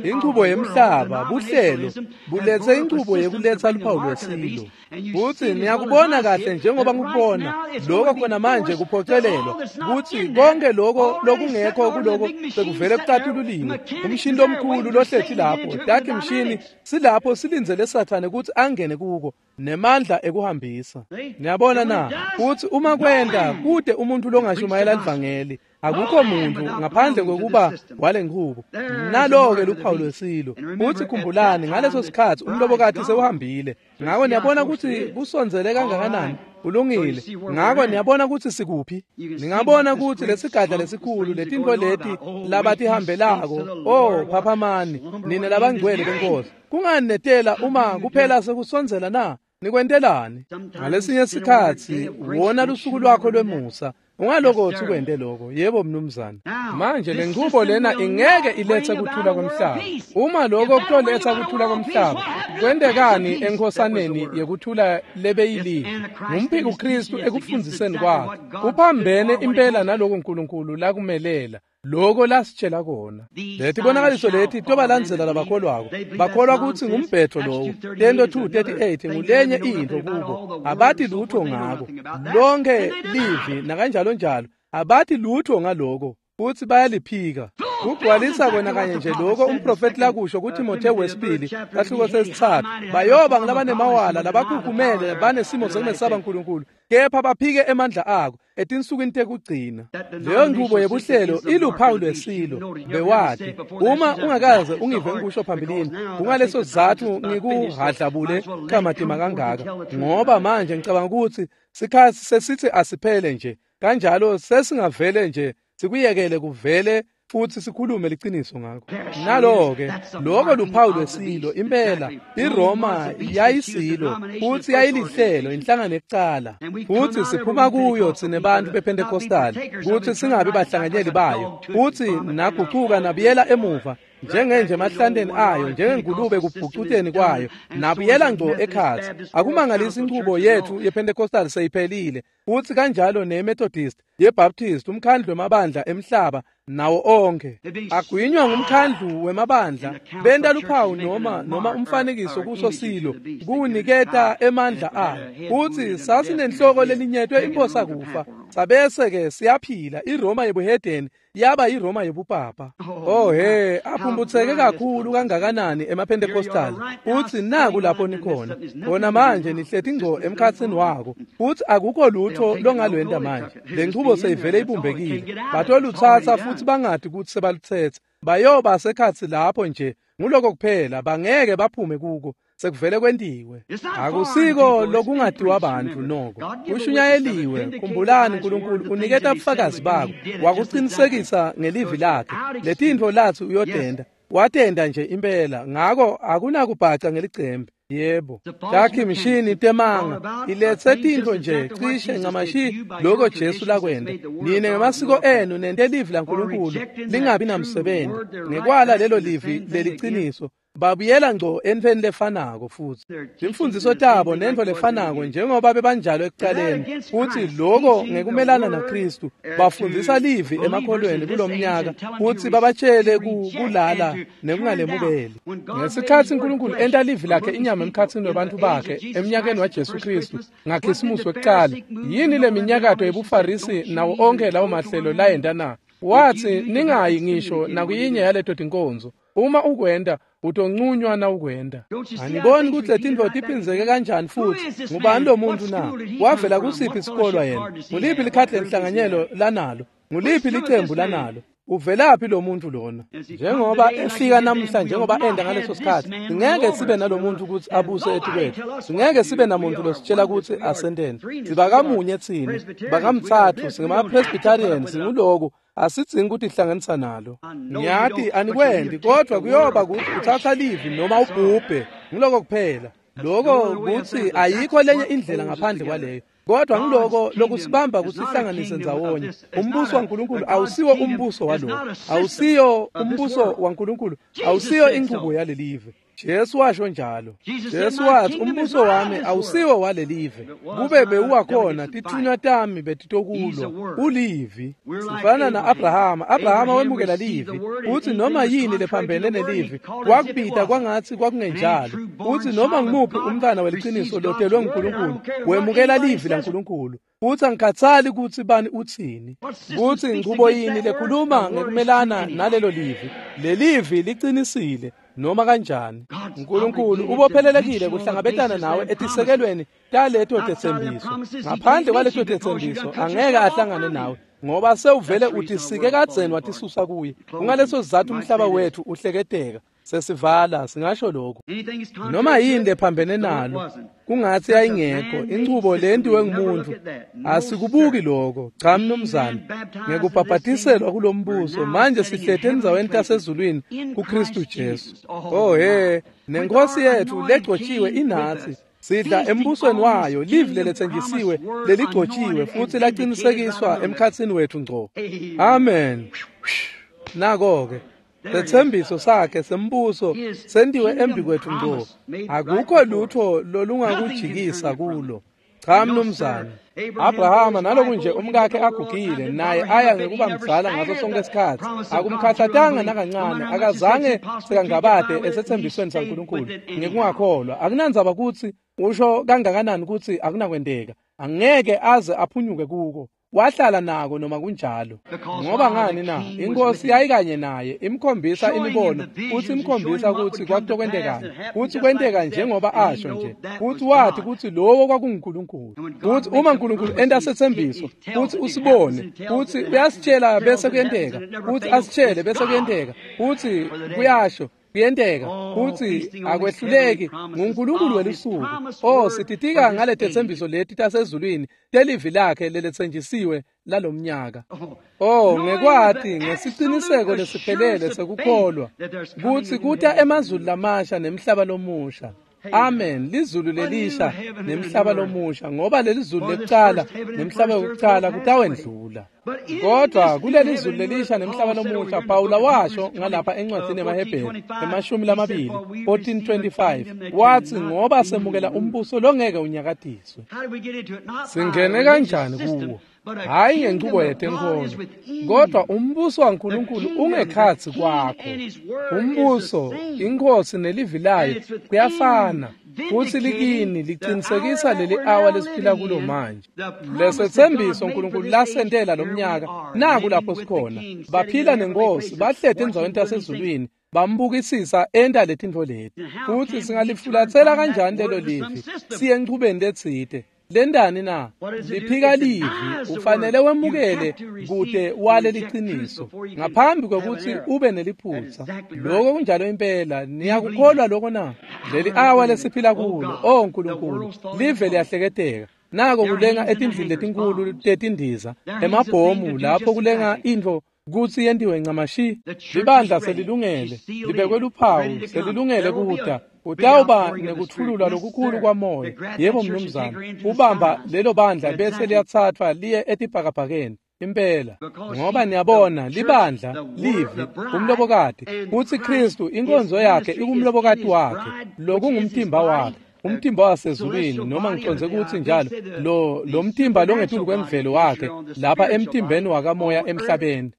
Inchubo yemhlaba, buhlelo, bulethe inchubo yekuletsa luphawu lwesilo. Futhi niyakubona kahle njengoba ngikubona lokho khona manje kuphocelelwa kutsi konke lokho lokungekho kuloko sekuvele kucatululiwe. Umshini lomkhulu lohlethi lapho, takhi mshini silapho silindzele Sathane kutsi angene kuko nemandla ekuhambisa. Niyabona na? Kutsi uma kwenta kude umuntu longashumayela livangeli, akukho muntu ngaphandle kwekuba wale nqubo. Nalo-ke luphawu lwesilo. Futhi khumbulani, ngaleso sikhatsi umlobokati sewuhambile. Ngakho niyabona kutsi kusondzele kangakanani. Kulungile. Ngakho niyabona kutsi sikuphi. Ningabona kutsi lesigadla lesikhulu letintfo leti labatihambelako. Oh, phaphamani nina labangcwele benkosi. Kungani netela uma kuphela sekusondzela na? Nikwentelani? Ngalesinye sikhatsi wona lusuku lwakho lwemusa. Ungalokho ukwente lokho. Yebo mnumzane. Manje lenqubo lena ingeke ilethe kuthula komhlaba. Uma lokho kutoletha kuthula komhlaba, kwentekani enkosaneni yekuthula lebeyilive? Ngumphiko Kristu ekufundiseni kwakhe. Kuphambene impela naloko uNkulunkulu lakumelela. Lokho lasitshela kona. Letibonakaliso leti tobalandzela labakholwako. Bakholwa kutsi ngumbhetho lowo. Tento 2:38 ngulenye into kubo. Abathi lutho ngako. Lonke livi nakanjalo njalo. Abathi lutho ngaloko. Futhi bayaliphika. Kugcwalisa kona kanye nje lokho umprofeti lakusho kuTimotheo wesibili sahluko sesithathu. Bayoba ngulabanemawala labakhukhumele banesimo sokumesaba uNkulunkulu, kepha baphike emandla ako etinsukwini tekugcina. Leyo nqubo yebuhlelo iluphawu lwesilo. Bewati uma ungakaze ungive ngikusho phambilini, kungaleso sizathu ngikuhadlabule kamatima kangaka, ngoba manje ngicabanga ukuthi sikhathi sesithi asiphele nje kanjalo, sesingavele nje sikuyekele kuvele futhi sikhulume liqiniso ngakho. Nalo-ke lokho luphawu lwesilo impela. iRoma yayisilo futhi yayilihlelo, inhlangano ekucala, futhi siphuma kuyo thina bantu bePentecostal kuthi singabi bahlanganyeli bayo, futhi naguquka nabuyela emuva njengenje emahlanteni ayo, njengengulube kubhucuteni kwayo, nabuyela ngco ekhatsi. Akumangalisi inchubo yethu yePentecostal seyiphelile, futhi kanjalo neMethodist, yeBaptist, umkhandlu wemabandla emhlaba nawo onke agwinywa ngumkhandlu wemabandla. Benta luphawu noma umfanekiso kuso silo kuniketa emandla ayo. Futhi sasinenhloko lelinyetwe imphosa kufa, sabese ke siyaphila. iRoma yebuhedeni yaba iRoma yebupapa. Oh he, aphumbutseke kakhulu kangakanani emaPentecostal. Uthi naku lapho nikhona khona manje, nihleti ngco emkhatsini wako, futhi akukho lutho longalwenta manje. Le nchubo seyivele ibumbekile, batolutsatsa futhi bangadi ukuthi sebaluthethe. Bayoba sekhatsi lapho nje, nguloko kuphela, bangeke baphume kuko. Sekuvele kwentiwe. Akusiko lokungadiwa abantu noko. Kushunyayeliwe. Khumbulani, uNkulunkulu uniketa ubufakazi bakho, wakuqinisekisa ngelivi lakhe. Letintfo lathi uyotenda, watenda nje impela. Ngako akunakubhaca ngelicembe. Yebo, takhi mishini temanga ilethe tintfo nje cishe ncamashi lokho Jesu lakwenta. Nine ngemasiko enu nente livi laNkulunkulu lingabi namsebenzi. Ngekwala lelo livi leliciniso babuyela ngco entfweni lefanako futhi. Timfundziso tabo nentfo lefanako njengoba bebanjalo ekucaleni. Futhi lokho ngekumelana naKristu, bafundzisa livi emakholweni kulomnyaka futhi babatshele kulala nekungalemukeli. Ngesikhatsi uNkulunkulu enta livi lakhe inyama emkhatsini webantfu bakhe emnyakeni waJesu Kristu ngaKhisimusi wekucala, yini leminyakato yebuFarisi nawo onke lawo mahlelo layenta na? Wathi ningayi ngisho nakuyinye yaleto tinkonzo. Uma ukwenda utoncunywa na ukwenda. Aniboni ukuthi letintfo tiphindzeke kanjani futhi? Ngubani lo muntu na? Wavela kusiphi isikolwa yena? Nguliphi likhadi lenhlanganyelo lanalo? Nguliphi licembu lanalo? Uvelaphi lo muntu lona? Njengoba efika namuhla, njengoba enda ngaleso sikhathi, singeke sibe nalomuntu ukuthi abuse etikwethu. Singeke sibe namuntu lositshela ukuthi asenteni. Sibakamunye thina, bakamthathu, singama-Presbyterian, singuloku. Asidzingi ukuthi ihlanganisa nalo. Ngiyati anikwendi, kodwa kuyoba ukuthi uthatha livi noma ubhubhe. Ngiloko kuphela. Lokho kuthi ayikho lenye indlela ngaphandle kwaleyo. Kodwa ngiloko lokusibamba kusihlanganise ndzawonye. Umbuso waNkulunkulu awusiwo umbuso waloko. Awusiyo umbuso waNkulunkulu, awusiyo inqubo yalelive. Jesu washo njalo. Jesu wathi umbuso wami awusiwo walelive. Kube bewuwakhona tithunywa tami betitokulwa. Ulivi. Sifana na-Abrahama. Abrahama wemukela livi. Uthi noma yini lephambene nelivi wakubita kwangathi kwakungenjalo. Uthi noma ngimuphi umntwana weliciniso lotelwe nguNkulunkulu wemukela livi laNkulunkulu. Uthi angikhathali ukuthi bani uthini, kuthi inqubo yini lekhuluma ngekumelana nalelo livi. Lelivi liqinisile noma kanjani. uNkulunkulu ubophelelekile kuhlangabetana nawe etisekelweni taleto tetsembiso. Ngaphandle kwaleto tetsembiso angeke ahlangane nawe, ngoba sewuvele utisike kadzeni watisusa kuye. Kungaleso sizathu umhlaba wethu uhleketeka. Sesivala singasho lokho. Noma yini lephambene nalo kungathi ayingekho inchubo lentiwe ngumuntu. Asikubuki lokho. Cha mnumzane, ngekubhabhatiselwa kulombuso manje sihlete endzaweni tasezulwini kuKristu Jesu. Oh he, nenkosi yethu legcotshiwe inathi. Sidla embusweni wayo livi leletsenjisiwe leligcotshiwe futhi laqinisekiswa emkhatsini wethu ngco. Amen. Nako-ke sethembiso sakhe sembuso sentiwe embi kwethu ngco. Akukho lutho lolungakujikisa kulo. Cha mnumzane. Abrahama naloku nje umkakhe agugile naye aya ngekuba mdzala ngaso sonke isikhathi akumkhathatanga nakancane akazange sekangabade esethembisweni saNkulunkulu ngekungakholwa. Akunandzaba kutsi usho kangakanani kutsi akunakwenteka, angeke aze aphunyuke kuko. Wahlala nako noma kunjalo. Ngoba ngani na? Inkosi yayikanye naye imkhombisa imibono futhi imkhombisa kutsi kwakutokwentekani, kutsi kwenteka njengoba asho nje, kutsi wathi kutsi lowo kwakunguNkulunkulu. Kutsi uma uNkulunkulu enta setsembiso kutsi usibone, kutsi uyasitshela bese kuyenteka, kutsi asitshele bese kuyenteka, kutsi kuyasho kuyenteka, kutsi akwehluleki nguNkulunkulu welusuku. Oh, sititika ngaletethembiso leti tasezulwini telivi lakhe leletsenjisiwe lalomnyaka. Oh, ngekwati ngesiciniseko lesiphelele sekukholwa kutsi kuta emazulu lamasha nemhlaba lomusha. Amen. Lizulu lelisha nemhlaba lomusha, ngoba lelizulu lekucala nemhlaba wokucala kutawendlula. Kodwa kuleli zulu lelisha nemhlaba lomusha, Pawula washo ngalapha encwadzini yemaHebheru 20 14:25 wathi ngoba semukela umbuso longeke unyakatiswe. Singene kanjani kuwo? Hayi ngenchubo yetenkholo, kodwa umbuso waNkulunkulu ungekhatsi kwakho. Umbuso, inkosi nelivi layo kuyafana, futhi likini liqinisekisa leli awa lesiphila kulo manje. Lesethembiso uNkulunkulu lasentela lomnyaka naku lapho sikhona. Baphila nenkosi, bahleti endzaweni tasezulwini, bambukisisa enta letintfo leti. Futhi singalifulatsela kanjani lelo livi siye enchubeni letsite? Lendani na? Liphika livi. Ufanele wemukele kute wale liciniso ngaphambi kwekutsi ube neliphutsa. Lokho kunjalo impela. Niyakukholwa lokho na? Leli awa lesiphila kulo, oh Nkulunkulu, live liyahleketeka. Nako kulenga etindlini letinkulu tetindiza, emabhomu lapho kulenga intfo kutsi yentiwe ncamashi. Libandla selilungele, libekwe luphawu, selilungele kuta. Utawuba nekuthululwa lokukhulu kwamoya. Yebo mnumzane, ubamba lelo bandla bese liyathathwa liye etibhakabhakeni. Impela, ngoba niyabona libandla livi umlobokati, kutsi Kristu inkonzo yakhe ikumlobokati wakhe, lokungumtimba wakhe, umtimba wasezulwini, noma ngiconze kutsi njalo lo mtimba longetulu kwemvelo wakhe lapha emtimbeni wakamoya emhlabeni.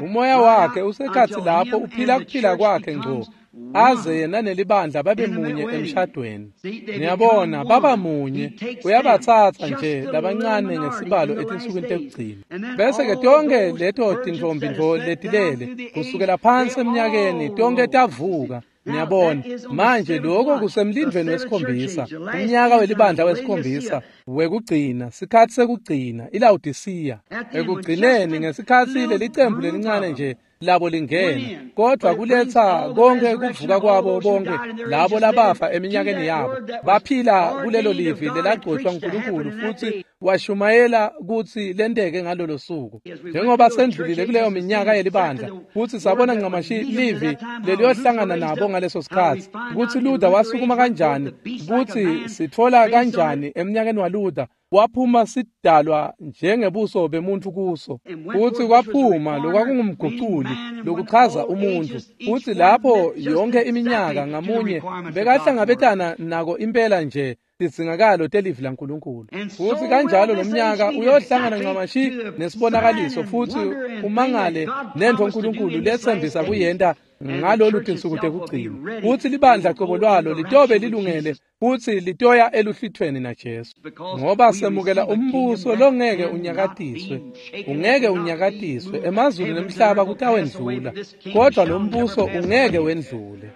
Umoya wakhe usekhatsi lapho uphila kuphila kwakhe ngco, aze yena nelibandla babe munye emshadweni. Niyabona, baba munye. Uyabatsatsa nje labancane ngesibalo etinsukwini tekugcina. Bese-ke tonke leto tintfombi letilele kusukela phansi eminyakeni tonke tavuka. Niyabona, manje lokho kusemlindweni wesikhombisa, umnyaka welibandla wesikhombisa wekugcina, sikhathi sekugcina, iLawodisiya. Ekugcineni ngesikhathi lelicembu lelincane nje labo lingena, kodwa kuletha konke kuvuka kwabo bonke labo labafa eminyakeni yabo, baphila kulelo livi lelagcotshwa nguNkulunkulu futhi washumayela kutsi lenteke ngalolo suku. Njengoba sendlulile kuleyo minyaka yelibandla futhi sabona ncamashi livi leliyohlangana nabo ngaleso sikhathi, kutsi Luther wasukuma kanjani, kutsi sitfola kanjani eminyakeni waLuther waphuma sidalwa njengebuso bemuntu kuso, futhi kwaphuma lokwakungumguculi lokuchaza umuntu, futhi lapho yonke iminyaka ngamunye bekahlangabetana nako impela nje tidzingakalo telivi laNkulunkulu. Futhi kanjalo lomnyaka uyohlangana ncamashi nesibonakaliso futhi umangale nentfo uNkulunkulu letsembisa kuyenta ngalolu tinsuku tekugcina, futhi libandla cobo lwalo litobe lilungele futhi litoya eluhlwithweni naJesu. Ngoba semukela umbuso longeke unyakatiswe, ungeke unyakatiswe. Emazulu nemhlaba kutawendlula, kodwa lo mbuso ungeke wendlule.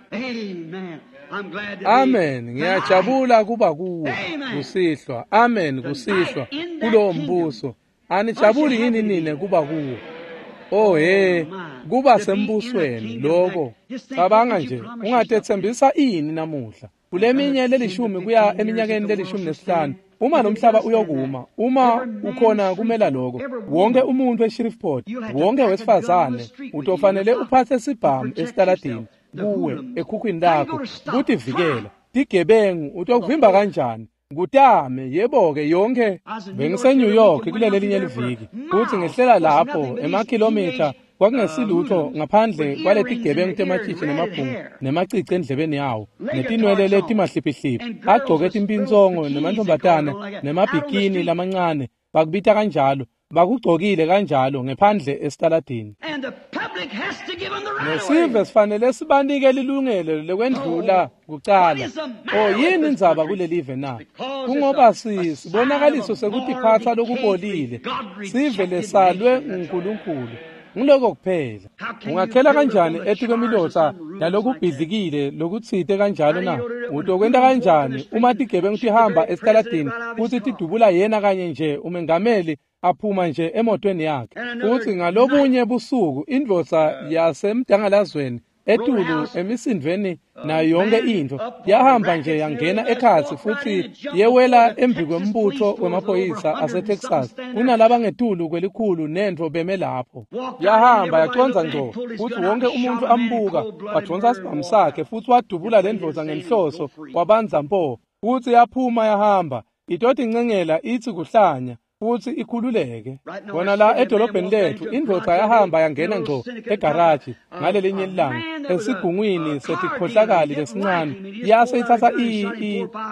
Amen. Ngiyajabula kuba kuwo kusihlwa. Amen, kusihlwa kulowo mbuso. Anijabuli yini nine kuba kuwo? Oh he, kuba sembusweni lokho. Cabanga nje, ungatethembisa ini namuhla? Kuleminye lelishumi kuya eminyakeni le-15, uma nomhlaba uyokuma, uma ukhona kumela lokho, wonke umuntu eShreveport, wonke wesifazane utofanele uphathe sibhamu esitaladini kuwe ekhukhwini lakho kutivikela tigebengu utokuvimba kanjani kutame yebo-ke yonke bengiseNew York kulelelinye liviki futsi ngehlela lapho emakhilomitha kwakungesilutho ngaphandle kwaletigebengu tematshitshi nemabhungu nemacici endlebeni yawo netinwele letimahliphihliphi agcoke timpinsongo nemantfombatana nemabhikini lamancane bakubita kanjalo bakugcokile kanjalo ngephandle esitaladini nesive sifanele sibanike lilungelo lekwendlula kucala. O yini indzaba kulelive na? Kungoba sibonakaliso sekutiphatsa lokubolile, sive lesalwe nguNkulunkulu. Ngiloko kuphela. Ungakhela kanjani etikwemilotsa nalokubhidlikile lokutsite kanjalo na? Utokwenta kanjani uma tigebengu tihamba esitaladini futsi tidubula yena kanye nje umengameli aphuma nje emotweni yakhe? Futsi ngalobunye busuku indvodza yasemdangalazweni etulu emisindveni nayo yonke intfo yahamba nje yangena ekhatsi futsi yewela embi kwembutfo wemaphoyisa aseTexas kunalabangetulu kwelikhulu nentfo beme lapho. Yahamba yacondza ngco futsi wonke umuntfu ambuka, wadvonsa sibhamu sakhe futsi wadubula lendvodza ngenhloso wabandza mpo futsi yaphuma yahamba itotincengela itsi kuhlanya futsi ikhululeke. Kona la edolobheni lethu indvodza yahamba yangena ngco egaraji ngalelinye ilanga esigungwini setikhohlakali lesincane yase itsatsa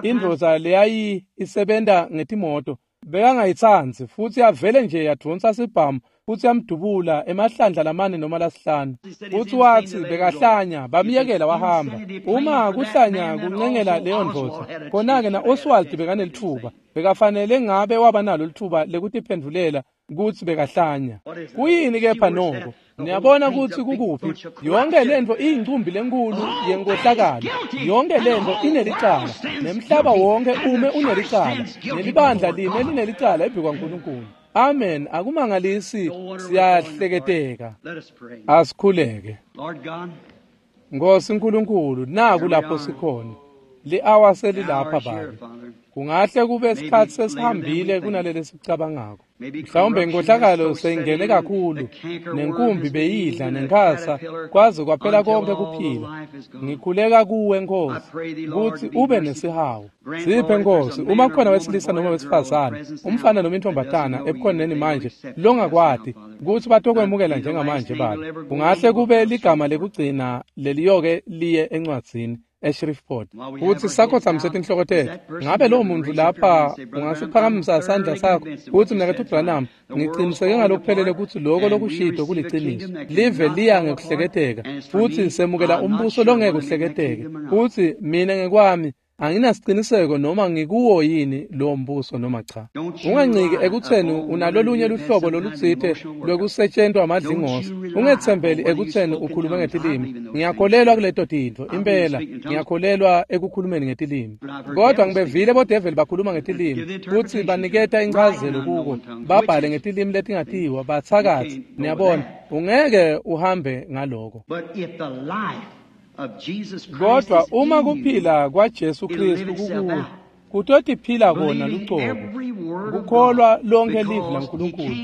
indvodza leyayi isebenta ngetimoto bekangayitsandzi futsi yavele nje yadvonsa sibhamu futsi yamdubula emahlandla lamane noma lasihlanu. Futsi watsi bekahlanya bamyekela wahamba. Uma kuhlanya kuncengela leyo ndvodza, khona-ke na-Oswald bekanelitfuba, bekafanele ngabe waba nalo litfuba lekutiphendvulela kutsi bekahlanya. Kuyini kepha noko? Niyabona kutsi kukuphi? Yonke lentfo iyincumbi lenkulu yenkohlakalo. Yonke lentfo inelicala. Nemhlaba wonke ume unelicala. Nelibandla lime linelicala embi kwaNkulunkulu. Amen. Akumangalisi siyahleketeka. Asikhuleke. Nkosi Nkulunkulu, naku lapho sikhona. Li-awa selilapha Babe. Kungahle kube isikhathi sesihambile kunaleli sikucabangako. Mhlawumbe inkohlakalo seyingene kakhulu, nenkumbi beyidla nenkhasa kwaze kwaphela konke kuphila. Ngikhuleka kuwe Nkosi kutsi ube nesihawu. Siphe Nkosi, uma kukhona wesilisa noma wesifazane, umfana noma intombatana ebukhoneni manje longakwati kutsi batokwemukela njengamanje Babe. Kungahle kube ligama lekugcina leliyoke liye encwadzini eShreveport. Futsi sakhotsamise tinhloko tetfu. Ngabe lowo muntu lapha ungasiphakamisa sandla sakho kutsi mnaketfu Branham, ngiciniseke ngalokuphelele kutsi loko lokushito kuliciniso. Live liya ngekuhleketeka futsi semukela umbuso longeke uhleketeke. Futsi mina ngekwami anginasiciniseko noma ngikuwo yini lowo mbuso noma cha. Unganciki ekutseni unalolunye luhlobo lolutsite lwekusetshentwa amadlingozi. Ungetsembeli ekutseni ukhulume ngetilimi. Ngiyakholelwa kuleto tintfo impela, ngiyakholelwa ekukhulumeni ngetilimi. Kodwa ngibevile bodeveli bakhuluma ngetilimi futsi baniketa inchazelo kuko, babhale ngetilimi letingatiwa, batsakatsi. Niyabona, ungeke uhambe ngaloko. Kodwa uma kuphila kwaJesu Kristu kukuwe, kutotiphila kona lucobo, kukholwa lonke livi laNkulunkulu,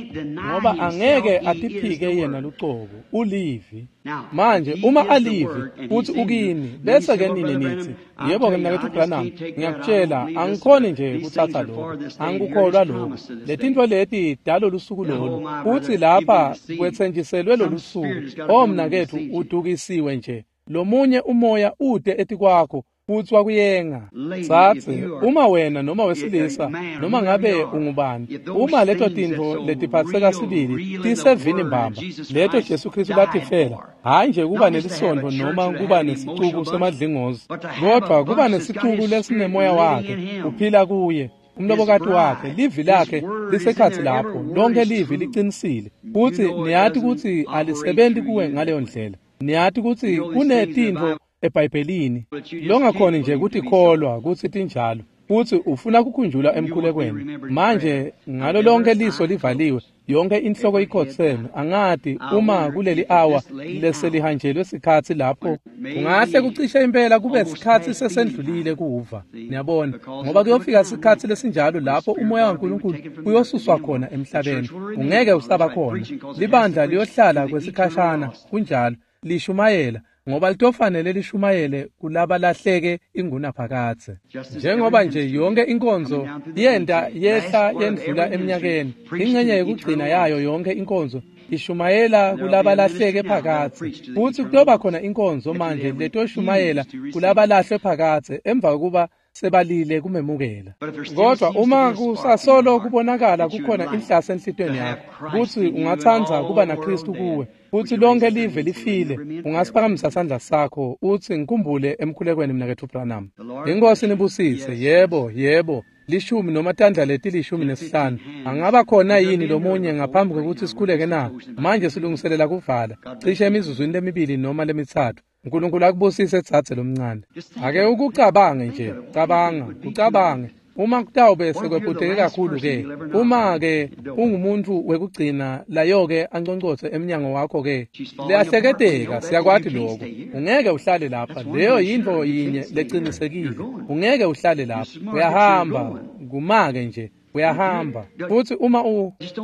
ngoba angeke atiphike yena lucobo, ulivi. Manje uma alivi futsi ukini, bese-ke nine nitsi, yebo-ke mnaketfu Branham, ngiyakutshela angikhoni nje kutsatsa lokho, angikukholwa lokho. Letintfo leti dalolusuku lolu, futsi lapha kwetsenjiselwe lolusuku. O mnaketfu, udukisiwe nje. Lomunye umoya ude etikwakho futsi wakuyenga. Tsatsi, uma wena noma wesilisa noma ngabe ungubani, uma leto tintfo letiphatseka sibili tisevini mbamba, leto Jesu Kristu latifela, hhayi nje kuba nelisontfo noma kuba nesicuku semadlingozi, kodvwa kuba nesicuku lesinemoya wakhe uphila kuye, umlobokati wakhe, livi lakhe lisekhatsi lapho, lonke livi licinisile. Futsi niyati kutsi alisebenti kuwe ngaleyo ndlela. Niyati kutsi kunetintfo eBhayibhelini longakhoni nje kutikholwa kutsi tinjalo, futsi ufuna kukhunjulwa emkhulekweni. Manje ngalo lonke liso livaliwe, yonke inhloko ikhotseme, angati uma kuleli awa leselihanjelwe sikhatsi lapho kungahle kucishe impela kube sikhatsi sesendlulile kuva. Niyabona, ngoba kuyofika sikhatsi lesinjalo lapho umoya waNkulunkulu uyosuswa khona emhlabeni, ungeke usaba khona. Libandla liyohlala kwesikhashana, kunjalo, lishumayela. ngoba litofanele lishumayele kulabalahleke ingunaphakadze. Njengoba nje yonke inkonzo yenta yehla yendlula eminyakeni, ingxenye yekugcina yayo yonke inkonzo ishumayela kulabalahleke phakadze. Futsi kutoba khona inkonzo manje letoshumayela kulabalahlwe phakadze emva kokuba sebalile kumemukela. Kodwa uma kusasolo kubonakala kukhona inhlase enhlitiyweni yakho kutsi ungatsandza kuba naKristu kuwe, futsi lonke live lifile, ungasiphakamisa sandla sakho utsi ngikhumbule emkhulekweni mnaketfu Branham. Inkosi nibusise. Yebo, yebo. 10 noma tandla leti 15. Angaba khona yini lomunye ngaphambi kwekutsi sikhuleke na? Manje silungiselela kuvala cishe emizuzwini lemibili noma lemitsatfu. uNkulunkulu akubusise dzadze lomncane. Ake ukucabange nje, cabanga, ucabange. Uma kutawube sekwephuteke kakhulu ke, uma ke ungumuntu wekugcina layo-ke anconcotse emnyango wakho ke, liyahleketeka, siyakwati lokho. Ungeke uhlale lapha, leyo yintfo yinye lecinisekile. Ungeke uhlale lapha, uyahamba, kumake nje. Uyahamba. Futsi uma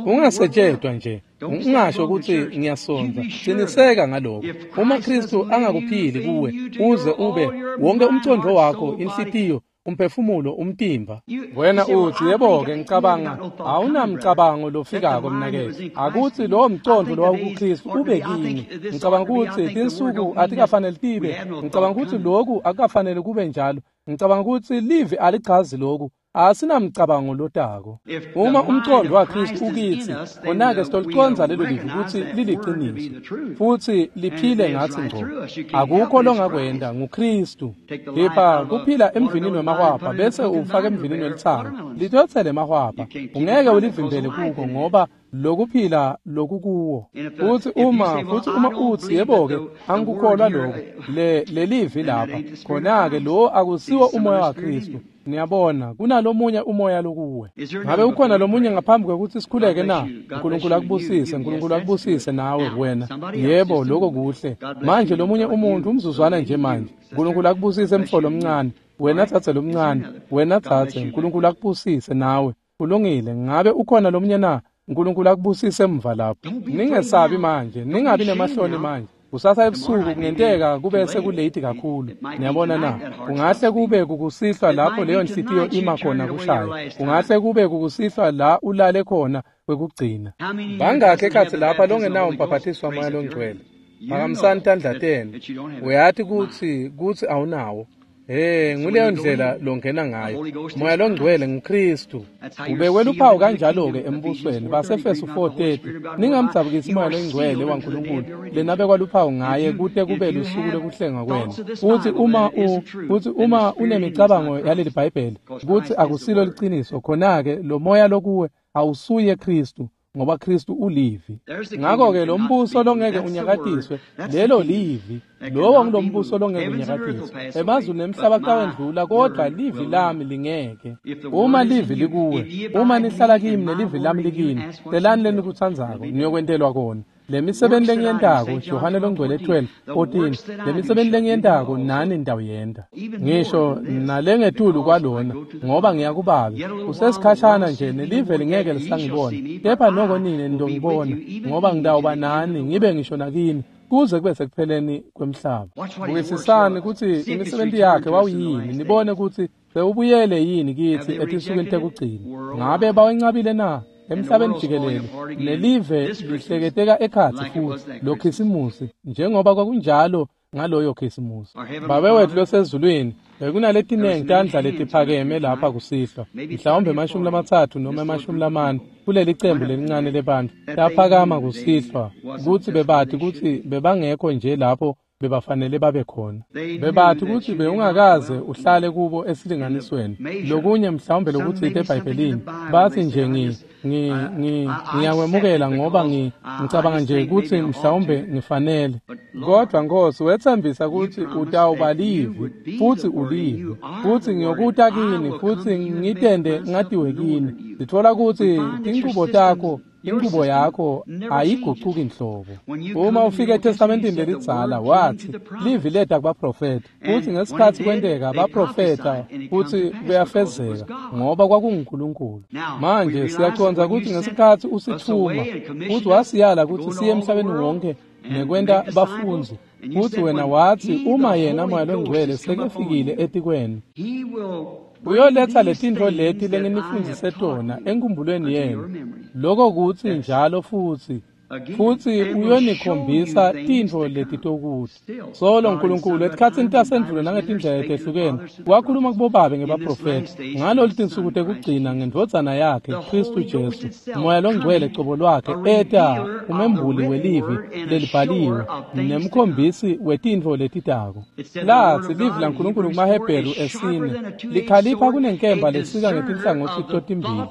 ungasetshedwa nje, ungasho kutsi ngiyasonza, qiniseka ngalokho. Uma Kristu angakuphili kuwe, uze ube wonke umcondvo wakho, inhlitiyo, umphefumulo, umtimba. Wena uthi, yebo-ke ngicabanga, awunamcabango lofikako mnaketfu. Akutsi lowo mcondvo lowawukuKristu ube kini. Ngicabanga kutsi tinsuku atikafanele tibe. Ngicabanga kutsi loku akukafanele kube njalo. Ngicabanga kutsi livi alichazi loku. Asinamcabango lotako. Uma umcondvo waKristu ukitsi, khona-ke sitoliconza lelo livi kutsi liliqiniso futsi liphile ngatsi ngco. Akukho longakwenta, nguKristu. Kepha kuphila emvinini wemahwabha bese ufaka emvinini welitsanga, litotsela emahwabha. Ungeke ulivimbele kuko ngoba lokuphila lokukuwo. Futsi uma utsi yebo-ke angikukholwa lokho, lelivi lapha, khona-ke lo akusiwo umoya waKristu. Niyabona, kunalomunye umoya lokuwe. Ngabe ukhona lomunye ngaphambi kwekutsi sikhuleke na? uNkulunkulu akubusise, uNkulunkulu akubusise nawe wena. Yebo, lokho kuhle. Manje lomunye umuntu umzuzwana nje manje. uNkulunkulu akubusise mfo lomncane, wena dzadze lomncane, wena dzadze, uNkulunkulu akubusise nawe. Kulungile, ngabe ukhona lomunye na? uNkulunkulu akubusise emva lapho. Ningesabi manje, ningabi nemahloni manje. Kusasa ebusuku kungenteka kube sekulate kakhulu. Niyabona na? Kungahle kube kukusihlwa lapho leyo nhliziyo ima khona kushaya. Kungahle kube kukusihlwa la ulale khona kwekugcina. Bangakhi ekhatsi lapha longenawo umbhaphathiso waMoya loNgcwele? Phakamisani tandla tenu. Uyati kutsi awunawo. Nguleyo ndlela longena ngayo. Moya loNgcwele nguKristu. Ubekwe luphawu kanjalo-ke embusweni baseEfesu 4:30. Ningamdzabukisi Moya loNgcwele waNkulunkulu lenabekwa luphawu ngaye kute kube lusuku lwekuhlengwa kwenu. Futsi uma unemicabango yaleli Bhayibheli kutsi akusilo liciniso, khona-ke lo moya lokuwe awusuye Kristu, ngoba Kristu ulivi. Ngakho-ke lo mbuso longeke unyakatiswe, lelo livi. Lowo ngulombuso longeke unyakatiswe. Emazulu nemhlaba kutawendlula, kodvwa livi lami lingeke. Uma livi likuwe, uma nihlala kimi nelivi lami likini, celani lenikutsandzako, niyokwentelwa kona. Lemisebenti lengiyentako, Johane loNgcwele 12:14, lemisebenti lengiyentako nani nitawuyenta. Ngisho nalengetulu kwalona, ngoba ngiyakubabe. Kusesikhashana nje nelive lingeke lisangibona, kepha noko nine nitongibona, ngoba ngitawuba nani ngibe ngisho nakini kuze kube sekupheleni kwemhlaba. Bukisisani kutsi imisebenti yakhe wawuyini, nibone kutsi sewubuyele yini kitsi etinsukwini tekugcina. Ngabe bawencabile na? Emhlabeni jikelele nelive lihleketeka ekhatsi futhi lo Khisimusi njengoba kwakunjalo ngaloyo Khisimusi. Babe wethu losezulwini, bekunaletinengi tandla letiphakeme lapha kusihlwa, mhlawumbe 30 noma 40 kuleli cembu lelincane lebantfu laphakama kusihlwa kutsi bebati kutsi bebangekho nje lapho bebafanele babe khona. Bebati kutsi bewungakaze uhlale kubo esilinganisweni. Lokunye mhlawumbe lokutsite eBhayibhelini, bathi nje ngiyakwemukela ngoba ngicabanga nje kutsi mhlawumbe ngifanele. Kodwa Nkosi, wetsembisa kutsi utawuba livi, futsi ulivi, futsi ngiyokuta kini, futsi ngitende ngatiwe kini. Sitfola kutsi tinchubo takho, inchubo yakho ayigucuki nhlobo. Uma ufika eTestamentini lelidzala, wathi livi leta kubaprofeta, futsi ngesikhatsi kwenteka baprofeta futsi kuyafezeka ngoba kwakunguNkulunkulu. Manje siyacondza kutsi ngesikhatsi usithuma futsi wasiyala kutsi siye emhlabeni wonke nekwenta bafundzi, Futsi wena watsi uma yena Moya loNgcwele sekefikile etikwenu, uyoletsa letintfo leti lenginifundzise tona enkhumbulweni yenu. Loko kutsi njalo futsi uyonikhombisa tintfo letitokuthi. Solo Nkulunkulu etikhatsini tasendvulo nangetindlela letehlukene wakhuluma kubobabe ngebaprofethi ngalolu tinsuku tekugcina ngendvodzana yakhe Khristu Jesu. Moya loNgcwele cobo lwakhe eta umembuli welivi lelibhaliwe nemkhombisi wetintfo letitako. Latsi livi laNkulunkulu kumaHebheru 4 likhalipha kunenkemba lesika ngetinhlangotsi totimbili,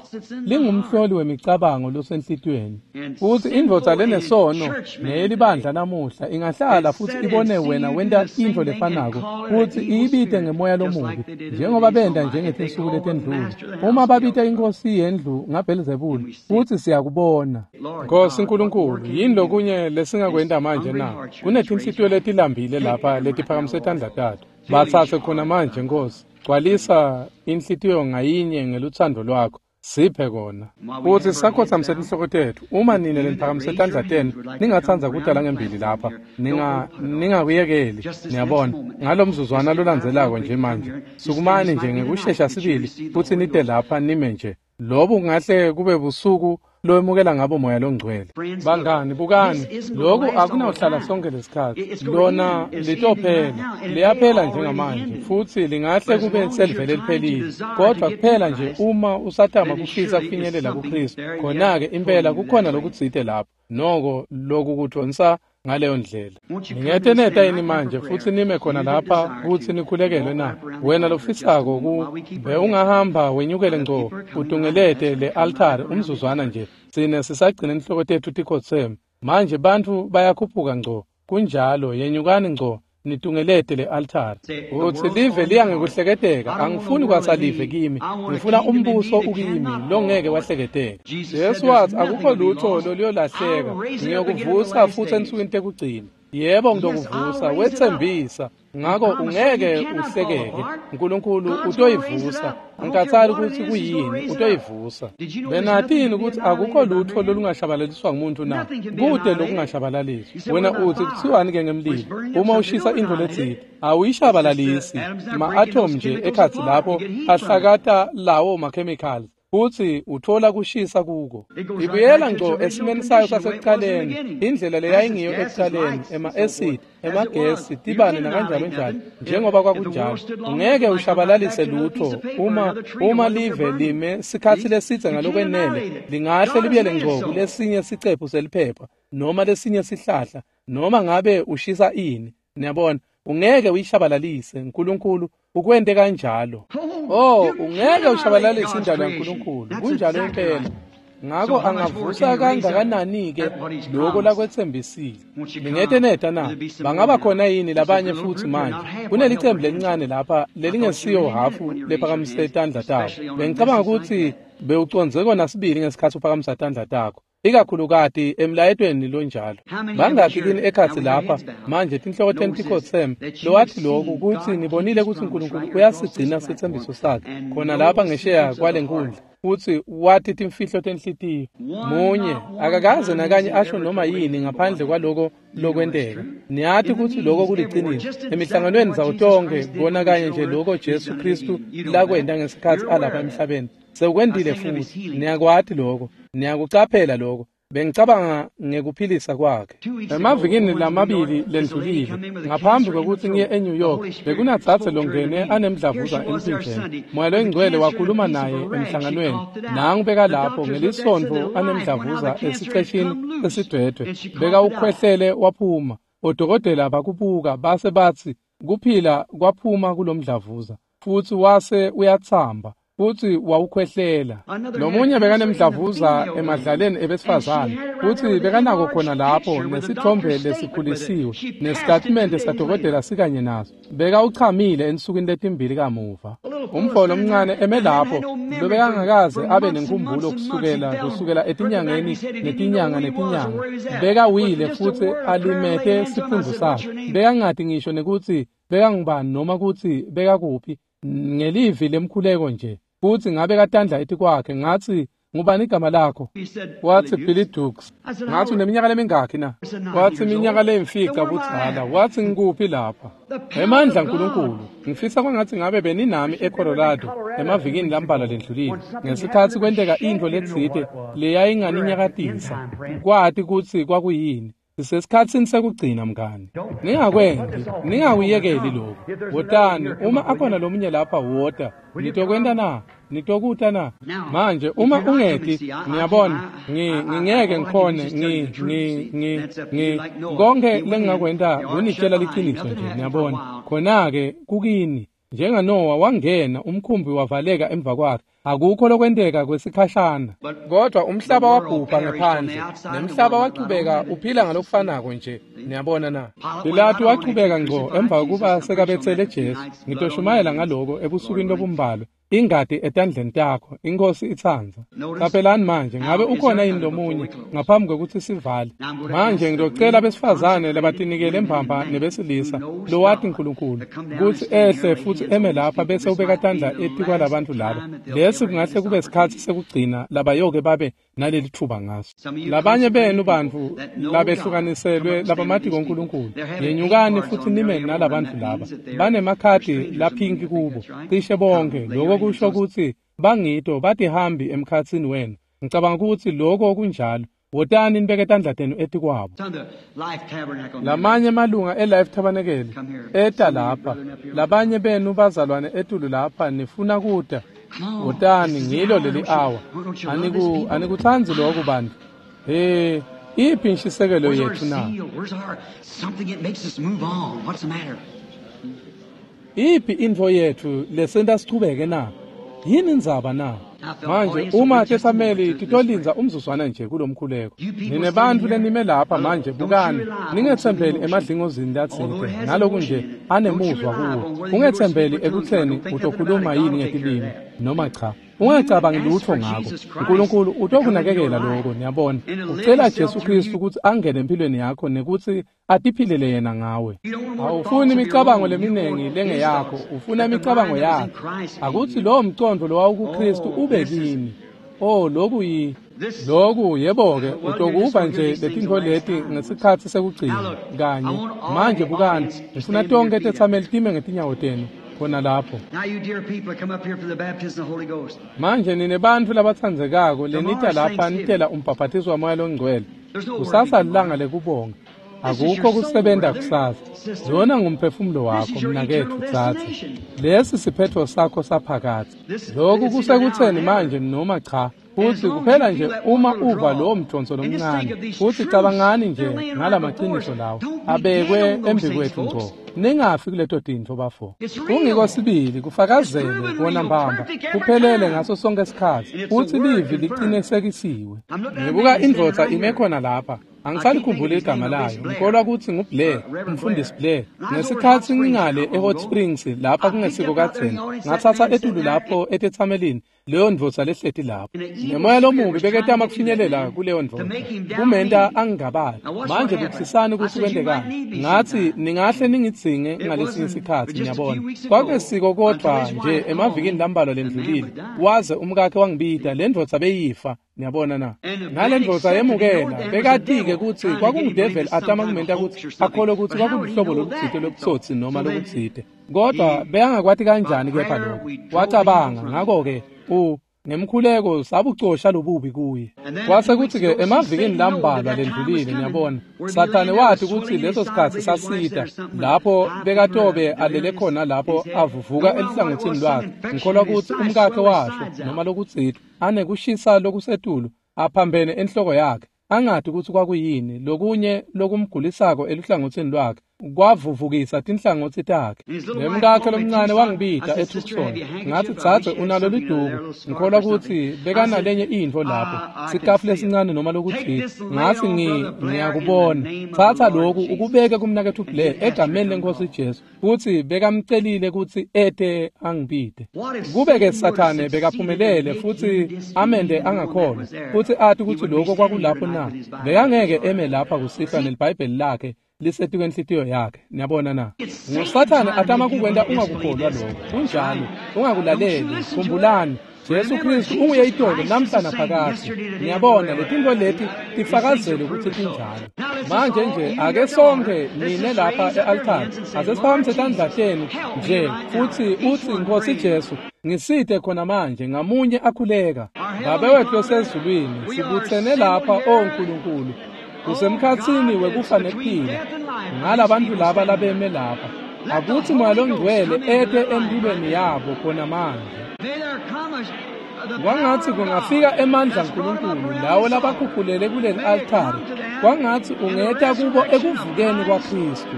lingumhloli wemicabango losenhlitiyweni. Futsi indvodza lenesono neyelibandla namuhla ingahlala futsi ibone wena wenta intfo lefanako futsi iyibite ngemoya lomubi njengoba benta njengetinsuku letendlule. Uma babita inkosi yendlu ngaBhelzebule, futsi siyakubona. Nkosi Nkulunkulu, yini lokunye lesingakwenta manje na? Kunetinhlitiyo letilambile lapha letiphakamise tandla tato. Batsatse khona manje Nkosi. Gcwalisa inhlitiyo ngayinye ngelutsandvo lwakho. Siphe kona. Futsi sisakhotsamise tinhloko tetfu. Uma nine leniphakamise tandla tenu ningatsandza kudala ngembili lapha, ningakuyekeli. Niyabona, ngalomzuzwana lolandzelako nje manje, sukumani nje ngekushesha sibili futsi nite lapha nime nje. Lobu kungahle kube busuku lowemukela ngabo Moya loNgcwele. Bangani, bukani, loku akunawuhlala sonke lesikhatsi. Lona litophela, liyaphela njengamanje, futsi lingahle kube selivele liphelile. Kodwa kuphela nje uma usatama kufisa kufinyelela kuKhristu, khona-ke impela kukhona lokutsite lapho. Noko loku kudvonsa ngaleyo ndlela. Ningete neta yini manje futsi nime khona lapha kutsi nikhulekelwe na? Wena lofisako kumbe ungahamba wenyukele ngco utungelete le altari umzuzwana nje. Sine sisagcina inhloko tetfu tikhotseme. Manje bantfu bayakhuphuka ngco. Kunjalo, yenyukani ngco nitungelete le altari. Utsi live liya ngekuhleketeka, angifuni kwasalive kimi, ngifuna umbuso ukimi longeke wahleketeka. Jesu watsi akukho lutho loluyolahleka, ngiyokuvusa futsi ensukwini tekugcina. Yebo, ngitokuvusa, wetsembisa. Ngako ungeke uhlekeke. Nkulunkulu utoyivusa. Angikhathali kutsi kuyini, utoyivusa. Benatini kutsi akukho lutho lolungashabalaliswa ngumuntu na? Kute lokungashabalaliswa. Wena utsi kutsiwani ke ngemlilo? Uma ushisa intfo letsite, awuyishabalalisi. Ma-atom nje ekhatsi lapho ahlakata lawo ma-chemicals. Futsi uthola kushisa kuko. Ibuyela ngco esimeni sayo sasekuqaleni, indlela leyayingiyo ekuqaleni, ema-acid, emagesi, tibane nakanjalo njalo, njengoba kwakunjalo. Ungeke ushabalalise lutho uma live lime sikhatsi lesidze ngalokwenele, lingahle libuyele ngco kulesinye sicephu seliphepha noma lesinye sihlahla, noma ngabe ushisa ini. Niyabona, ungeke uyishabalalise. Nkulunkulu ukwente kanjalo. Oh, ungeke ushabalalise indalo yaNkulunkulu. Kunjalo impela. Ngako angavusa kangakanani-ke loko lakwetsembisile. Ningete neta na? Bangaba khona yini labanye futsi manje? Kunelicembu lelincane lapha lelingesiyo hafu lephakamise tandla tabo. Bengicabanga kutsi bewucondze kona sibili ngesikhatsi uphakamisa tandla takho, ikakhulukati emlayetweni lonjalo. Bangakhi kini ekhatsi lapha manje tinhloko tenu tikhotseme lowathi lokhu kutsi nibonile kutsi Nkulunkulu uyasigcina setsembiso sakhe khona lapha ngesheya kwale nkundla, futsi wathi timfihlo tenhlitiyo. Munye akakaze nakanye asho noma yini ngaphandle kwaloko lokwenteka. Niyati kutsi loko kuliciniso. Emihlanganweni ndzawo tonkhe kona kanye nje loko Jesu Khristu lakwenta ngesikhatsi alapha emhlabeni sewukwentile futhi. Niyakwati loko, niyakucaphela loko. Bengicabanga ngekuphilisa kwakhe. Emavikini lamabili lendlulile, ngaphambi kwekutsi ngiye eNew York, bekunatsatse longene anemdlavuza emphinjeni. Moya loNgcwele wakhuluma naye emhlanganweni. Nangu beka lapho ngelisontfo anemdlavuza esiceshini sesidwedwe. Bekawukhwehlele waphuma. Odokotela bakubuka base batsi kuphila kwaphuma kulomdlavuza, futsi wase uyatsamba. Futsi wawukhwehlela. Lomunye bekanemdlavuza emadlaleni ebesifazane, futsi bekanako khona lapho nesithombe lesikhulisiwe nesitatimende sadokotela sikanye naso. Bekawuchamile ensukwini letimbili kamuva. Umfo lomncane eme lapho lobekangakaze abe nenkumbulo kusukela etinyangeni netinyanga netinyanga. Bekawile futsi alimete siphundvu sakhe. Bekangati ngisho nekutsi bekangubani noma kutsi bekakuphi, ngelivi lemkhuleko nje. Futsi ngabe katandla etikwakhe ngatsi Ngubani igama lakho? Watsi Billy Dukes. Ngathi uneminyaka lemingakhi na? Watsi iminyaka leyimfica budzala. Watsi ngikuphi lapha? Emandla aNkulunkulu. Ngifisa kwangathi ngabe beninami eColorado emavikini lambalwa lendlulile. Ngesikhatsi kwenteka intfo letsite leyayinganinyakatisa. Kwati kutsi kwakuyini. Sisesikhatsini sekugcina mngani. Ningakwenti, ningakuyekeli lokho. Wotani, uma akhona lomunye lapha wota. Nitokwenta na? Nitokuta na? Manje uma ungeti, ngiyabona, ngingeke ngikhone, konke lengingakwenta kunitshela liciniso nje, niyabona. Khona-ke kukini, njengaNowa wangena, umkhumbi wavaleka emva kwakhe. Akukho lokwenteka kwesikhashana. Kodwa umhlaba wabhubha ngephandle, nemhlaba wachubeka uphila ngalokufanako nje. Niyabona na? Pilatu wachubeka ngco emva kokuba sekabetsele Jesu. Ngitoshumayela ngaloko ebusukwini lobumbalwa. Ingati etandleni takho, iNkhosi itsandza. Caphelani manje, ngabe ukhona yini lomunye ngaphambi kwekutsi sivale? Manje ngitocela besifazane labatinikele mbamba nebesilisa lowati uNkulunkulu kutsi ehle futsi eme lapha bese ubeka tandla etikwalabantfu laba. Lesi kungahle kube sikhatsi sekugcina labayoke babe naleli thuba ngaso. Labanye benu bantfu labehlukaniselwe labamatiko uNkulunkulu, yenyukani futhi nime nalabantfu laba. Banemakhadi laphinki kubo, cishe bonke. Lokho kusho kutsi bangito batihambi emkhatsini wenu. Ngicabanga kutsi lokho kunjalo. Wotani nibeke tandla tenu etikwabo. Lamanye malunga eLife Tabernacle eta lapha. Labanye benu bazalwane etulu lapha nifuna kuta. Wotani, ngilo leli hour. Anikutsandzi lokho bantu. Iphi inshisekelo yethu na? Iphi intfo yethu lesenta sichubeke na? Yini indzaba na? Manje uma tesameli titolindza umzuzwana nje kulomkhuleko. Ninebantfu lenime lapha manje, bukani, ningetsembeli emadlingozini latsite naloku nje anemuzwa kuwo. Ungetsembeli ekutseni utokhuluma yini ngetilimi noma cha. Ungacabangi lutho ngako. uNkulunkulu utokunakekela lokho, niyabona. Ucela Jesu Kristu ukuthi angene empilweni yakho nekutsi atiphilele yena ngawe. Awufuni imicabango leminingi lengeyakho, ufuna imicabango yakhe. Akuthi lowo mcondvo lowawukuKristu ube kini. Oh, lokhu lokhu yebo-ke utokuva nje letintfo leti ngesikhatsi sekugcina kanye. Manje bukani, ngifuna tonke tetsameli time ngetinyawo tenu khona lapho. Manje nine bantfu labatsandzekako lenita lapha nitela umbhaphathiso waMoya loNgcwele. Kusasa lilanga lekubonga. Akukho kusebenta kusasa. Lona ngumphefumulo wakho mnaketfu tsatsa. Lesi siphetfo sakho saphakadze. Lokhu kusekutseni manje noma cha. Futsi kuphela nje uma uva lowo mdonso lomncane, futsi cabangani nje ngalamaciniso lawo abekwe embikwethu ngco. Ningafi kuleto tintfo bafo. Kungiko sibili kufakazele kona mbamba kuphelele ngaso sonke isikhatsi, futsi livi liqinisekisiwe. Ngibuka indvodza ime khona lapha. Angisalikhumbuli igama layo. Ngikholwa kutsi nguBlair, umfundisi Blair. Ngesikhatsi ngingale eHot Springs lapha kungesiko kadzeni, ngatsatsa etulu lapho etetsamelini leyo ndvodza lehleti lapho. Nemoya lomubi beketama kufinyelela kuleyo ndvodza, kumenta angingabali. Manje bukisisani kutsi kwentekani. Ngatsi ningahle ningidzinge ngalesinye isikhatsi, niyabona. Kwakungesiko kodvwa nje emavikini lambalwa lendlulile, waze umkakhe wangibita, le ndvodza beyifa. Niyabona na? Nale ndvodza yemukela, bekatike kutsi kwakungudeveli atama kumenta kutsi akholwe kutsi kwakuluhlobo lolutsite lobutsotsi noma lokutsite. Kodwa bekangakwati kanjani kepha lokho? Wacabanga, ngakho-ke ngemkhuleko sabucosha lobubi kuye. Kwase kutsi-ke emavikini lambalwa lendlulile, niyabona, Sathane wathi kutsi leso sikhatsi sasita lapho bekatobe alele khona lapho avuvuka eluhlangothini lwakhe. Ngikholwa kutsi umkakhe washo noma lokutsite anekushisa lokusetulu aphambene enhloko yakhe, angati kutsi kwakuyini lokunye lokumgulisako eluhlangothini lwakhe kwavuvukisa tinhlangotsi takhe. Nemkakhe lomncane wangibita eTucson. Ngathi, tsatse unalo liduku. Ngikholwa kutsi bekanalenye intfo lapho, sikafu lesincane noma lokutsite. Ngathi ngiyakubona. Tsatsa lokhu ukubeke kumnaketfu Blair egameni leNkhosi Jesu. Futsi bekamcelile kutsi ete angibite. Kube-ke Sathane bekaphumelele futsi amende angakholwa, futsi ati kutsi lokho kwakulapho na, bekangeke eme lapha kusihlwa neliBhayibheli lakhe lisetikwe inhlitiyo yakhe. Niyabona na? NguSathane atama kukwenta ungakukholwa lokho. Kunjalo, ungakulaleli. Khumbulani, Jesu Kristu unguye itolo namhla naphakadze. Niyabona, letintfo leti tifakazele kutsi tinjalo. Manje nje ake sonkhe nine lapha e-altari ase siphakamise tandla tenu nje futsi utsi, Nkhosi Jesu, ngisite khona manje. Ngamunye akhuleka. Babe wetfu losezulwini, sibutsene lapha, o Nkulunkulu, kusemkhatsini wekufa nekuphila ngalabantfu laba labeme lapha. Akutsi Moya Longcwele ete emphilweni yabo khona manje. Kwangatsi kungafika emandla aNkulunkulu lawo labakhuphulele kuleli altari. Kwangatsi ungeta kubo ekuvukeni kwaKristu,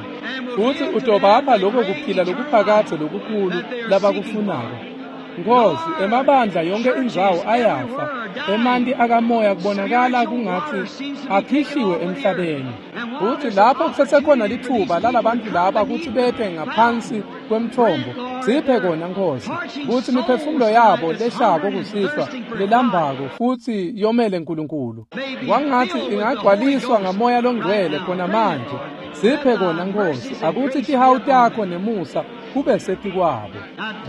futsi utobapha lokho kuphila lokuphakadze lokukhulu labakufunako. Nkhosi, emabandla yonke indzawo ayafa. Emanti akamoya kubonakala kungatsi akhishiwe emhlabeni. Futsi lapho kusesekhona litfuba lalabantu laba kutsi bete ngaphansi kwemtfombo, siphe kona, Nkhosi, kutsi imiphefumulo yabo leshako kusihlwa, lelambako futsi yomele Nkulunkulu, kwangatsi ingagcwaliswa ngaMoya Longcwele khona manje. Siphe kona, Nkhosi. Akutsi tihawu takho nemusa kube setikwabo.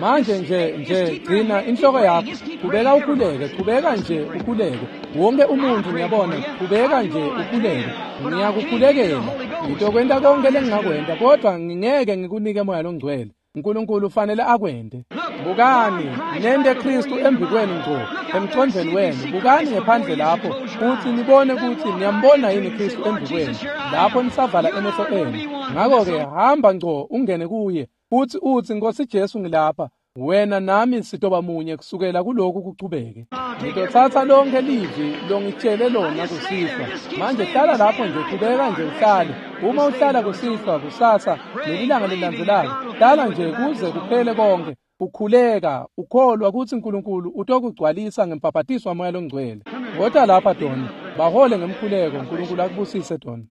Manje nje gcina inhloko yakho, qhubeka ukhuleke, qhubeka nje ukhuleke. Wonke umuntu, ngiyabona, qhubeka nje ukhuleke. Ngiyakukhulekela, ngitokwenta konke lengingakwenta, kodwa ngingeke ngikunike Moya Longcwele. Nkulunkulu ufanele akwente. Bukani, nente Kristu embikwenu ngco, emcondvweni wenu. Bukani ngephandle lapho futsi nibone kutsi niyambona yini Kristu embikwenu lapho nisavala emehlo enu. Ngako-ke hamba ngco ungene kuye futsi utsi, Nkhosi Jesu, ngilapha. Wena nami sitoba munye kusukela kuloku kuchubeke. Ngitotsatsa lonke livi longitshele lona kusihlwa. Manje hlala lapho nje, qhubeka nje uhlale. Uma uhlala kusihlwa, kusasa nelilanga lelilandzelako, hlala nje kuze kuphele konke, ukhuleka, ukholwa kutsi Nkulunkulu utokugcwalisa ngembhabhatiso waMoya Longcwele. Wota lapha, Doni, bahole ngemkhuleko. Nkulunkulu akubusise, Doni.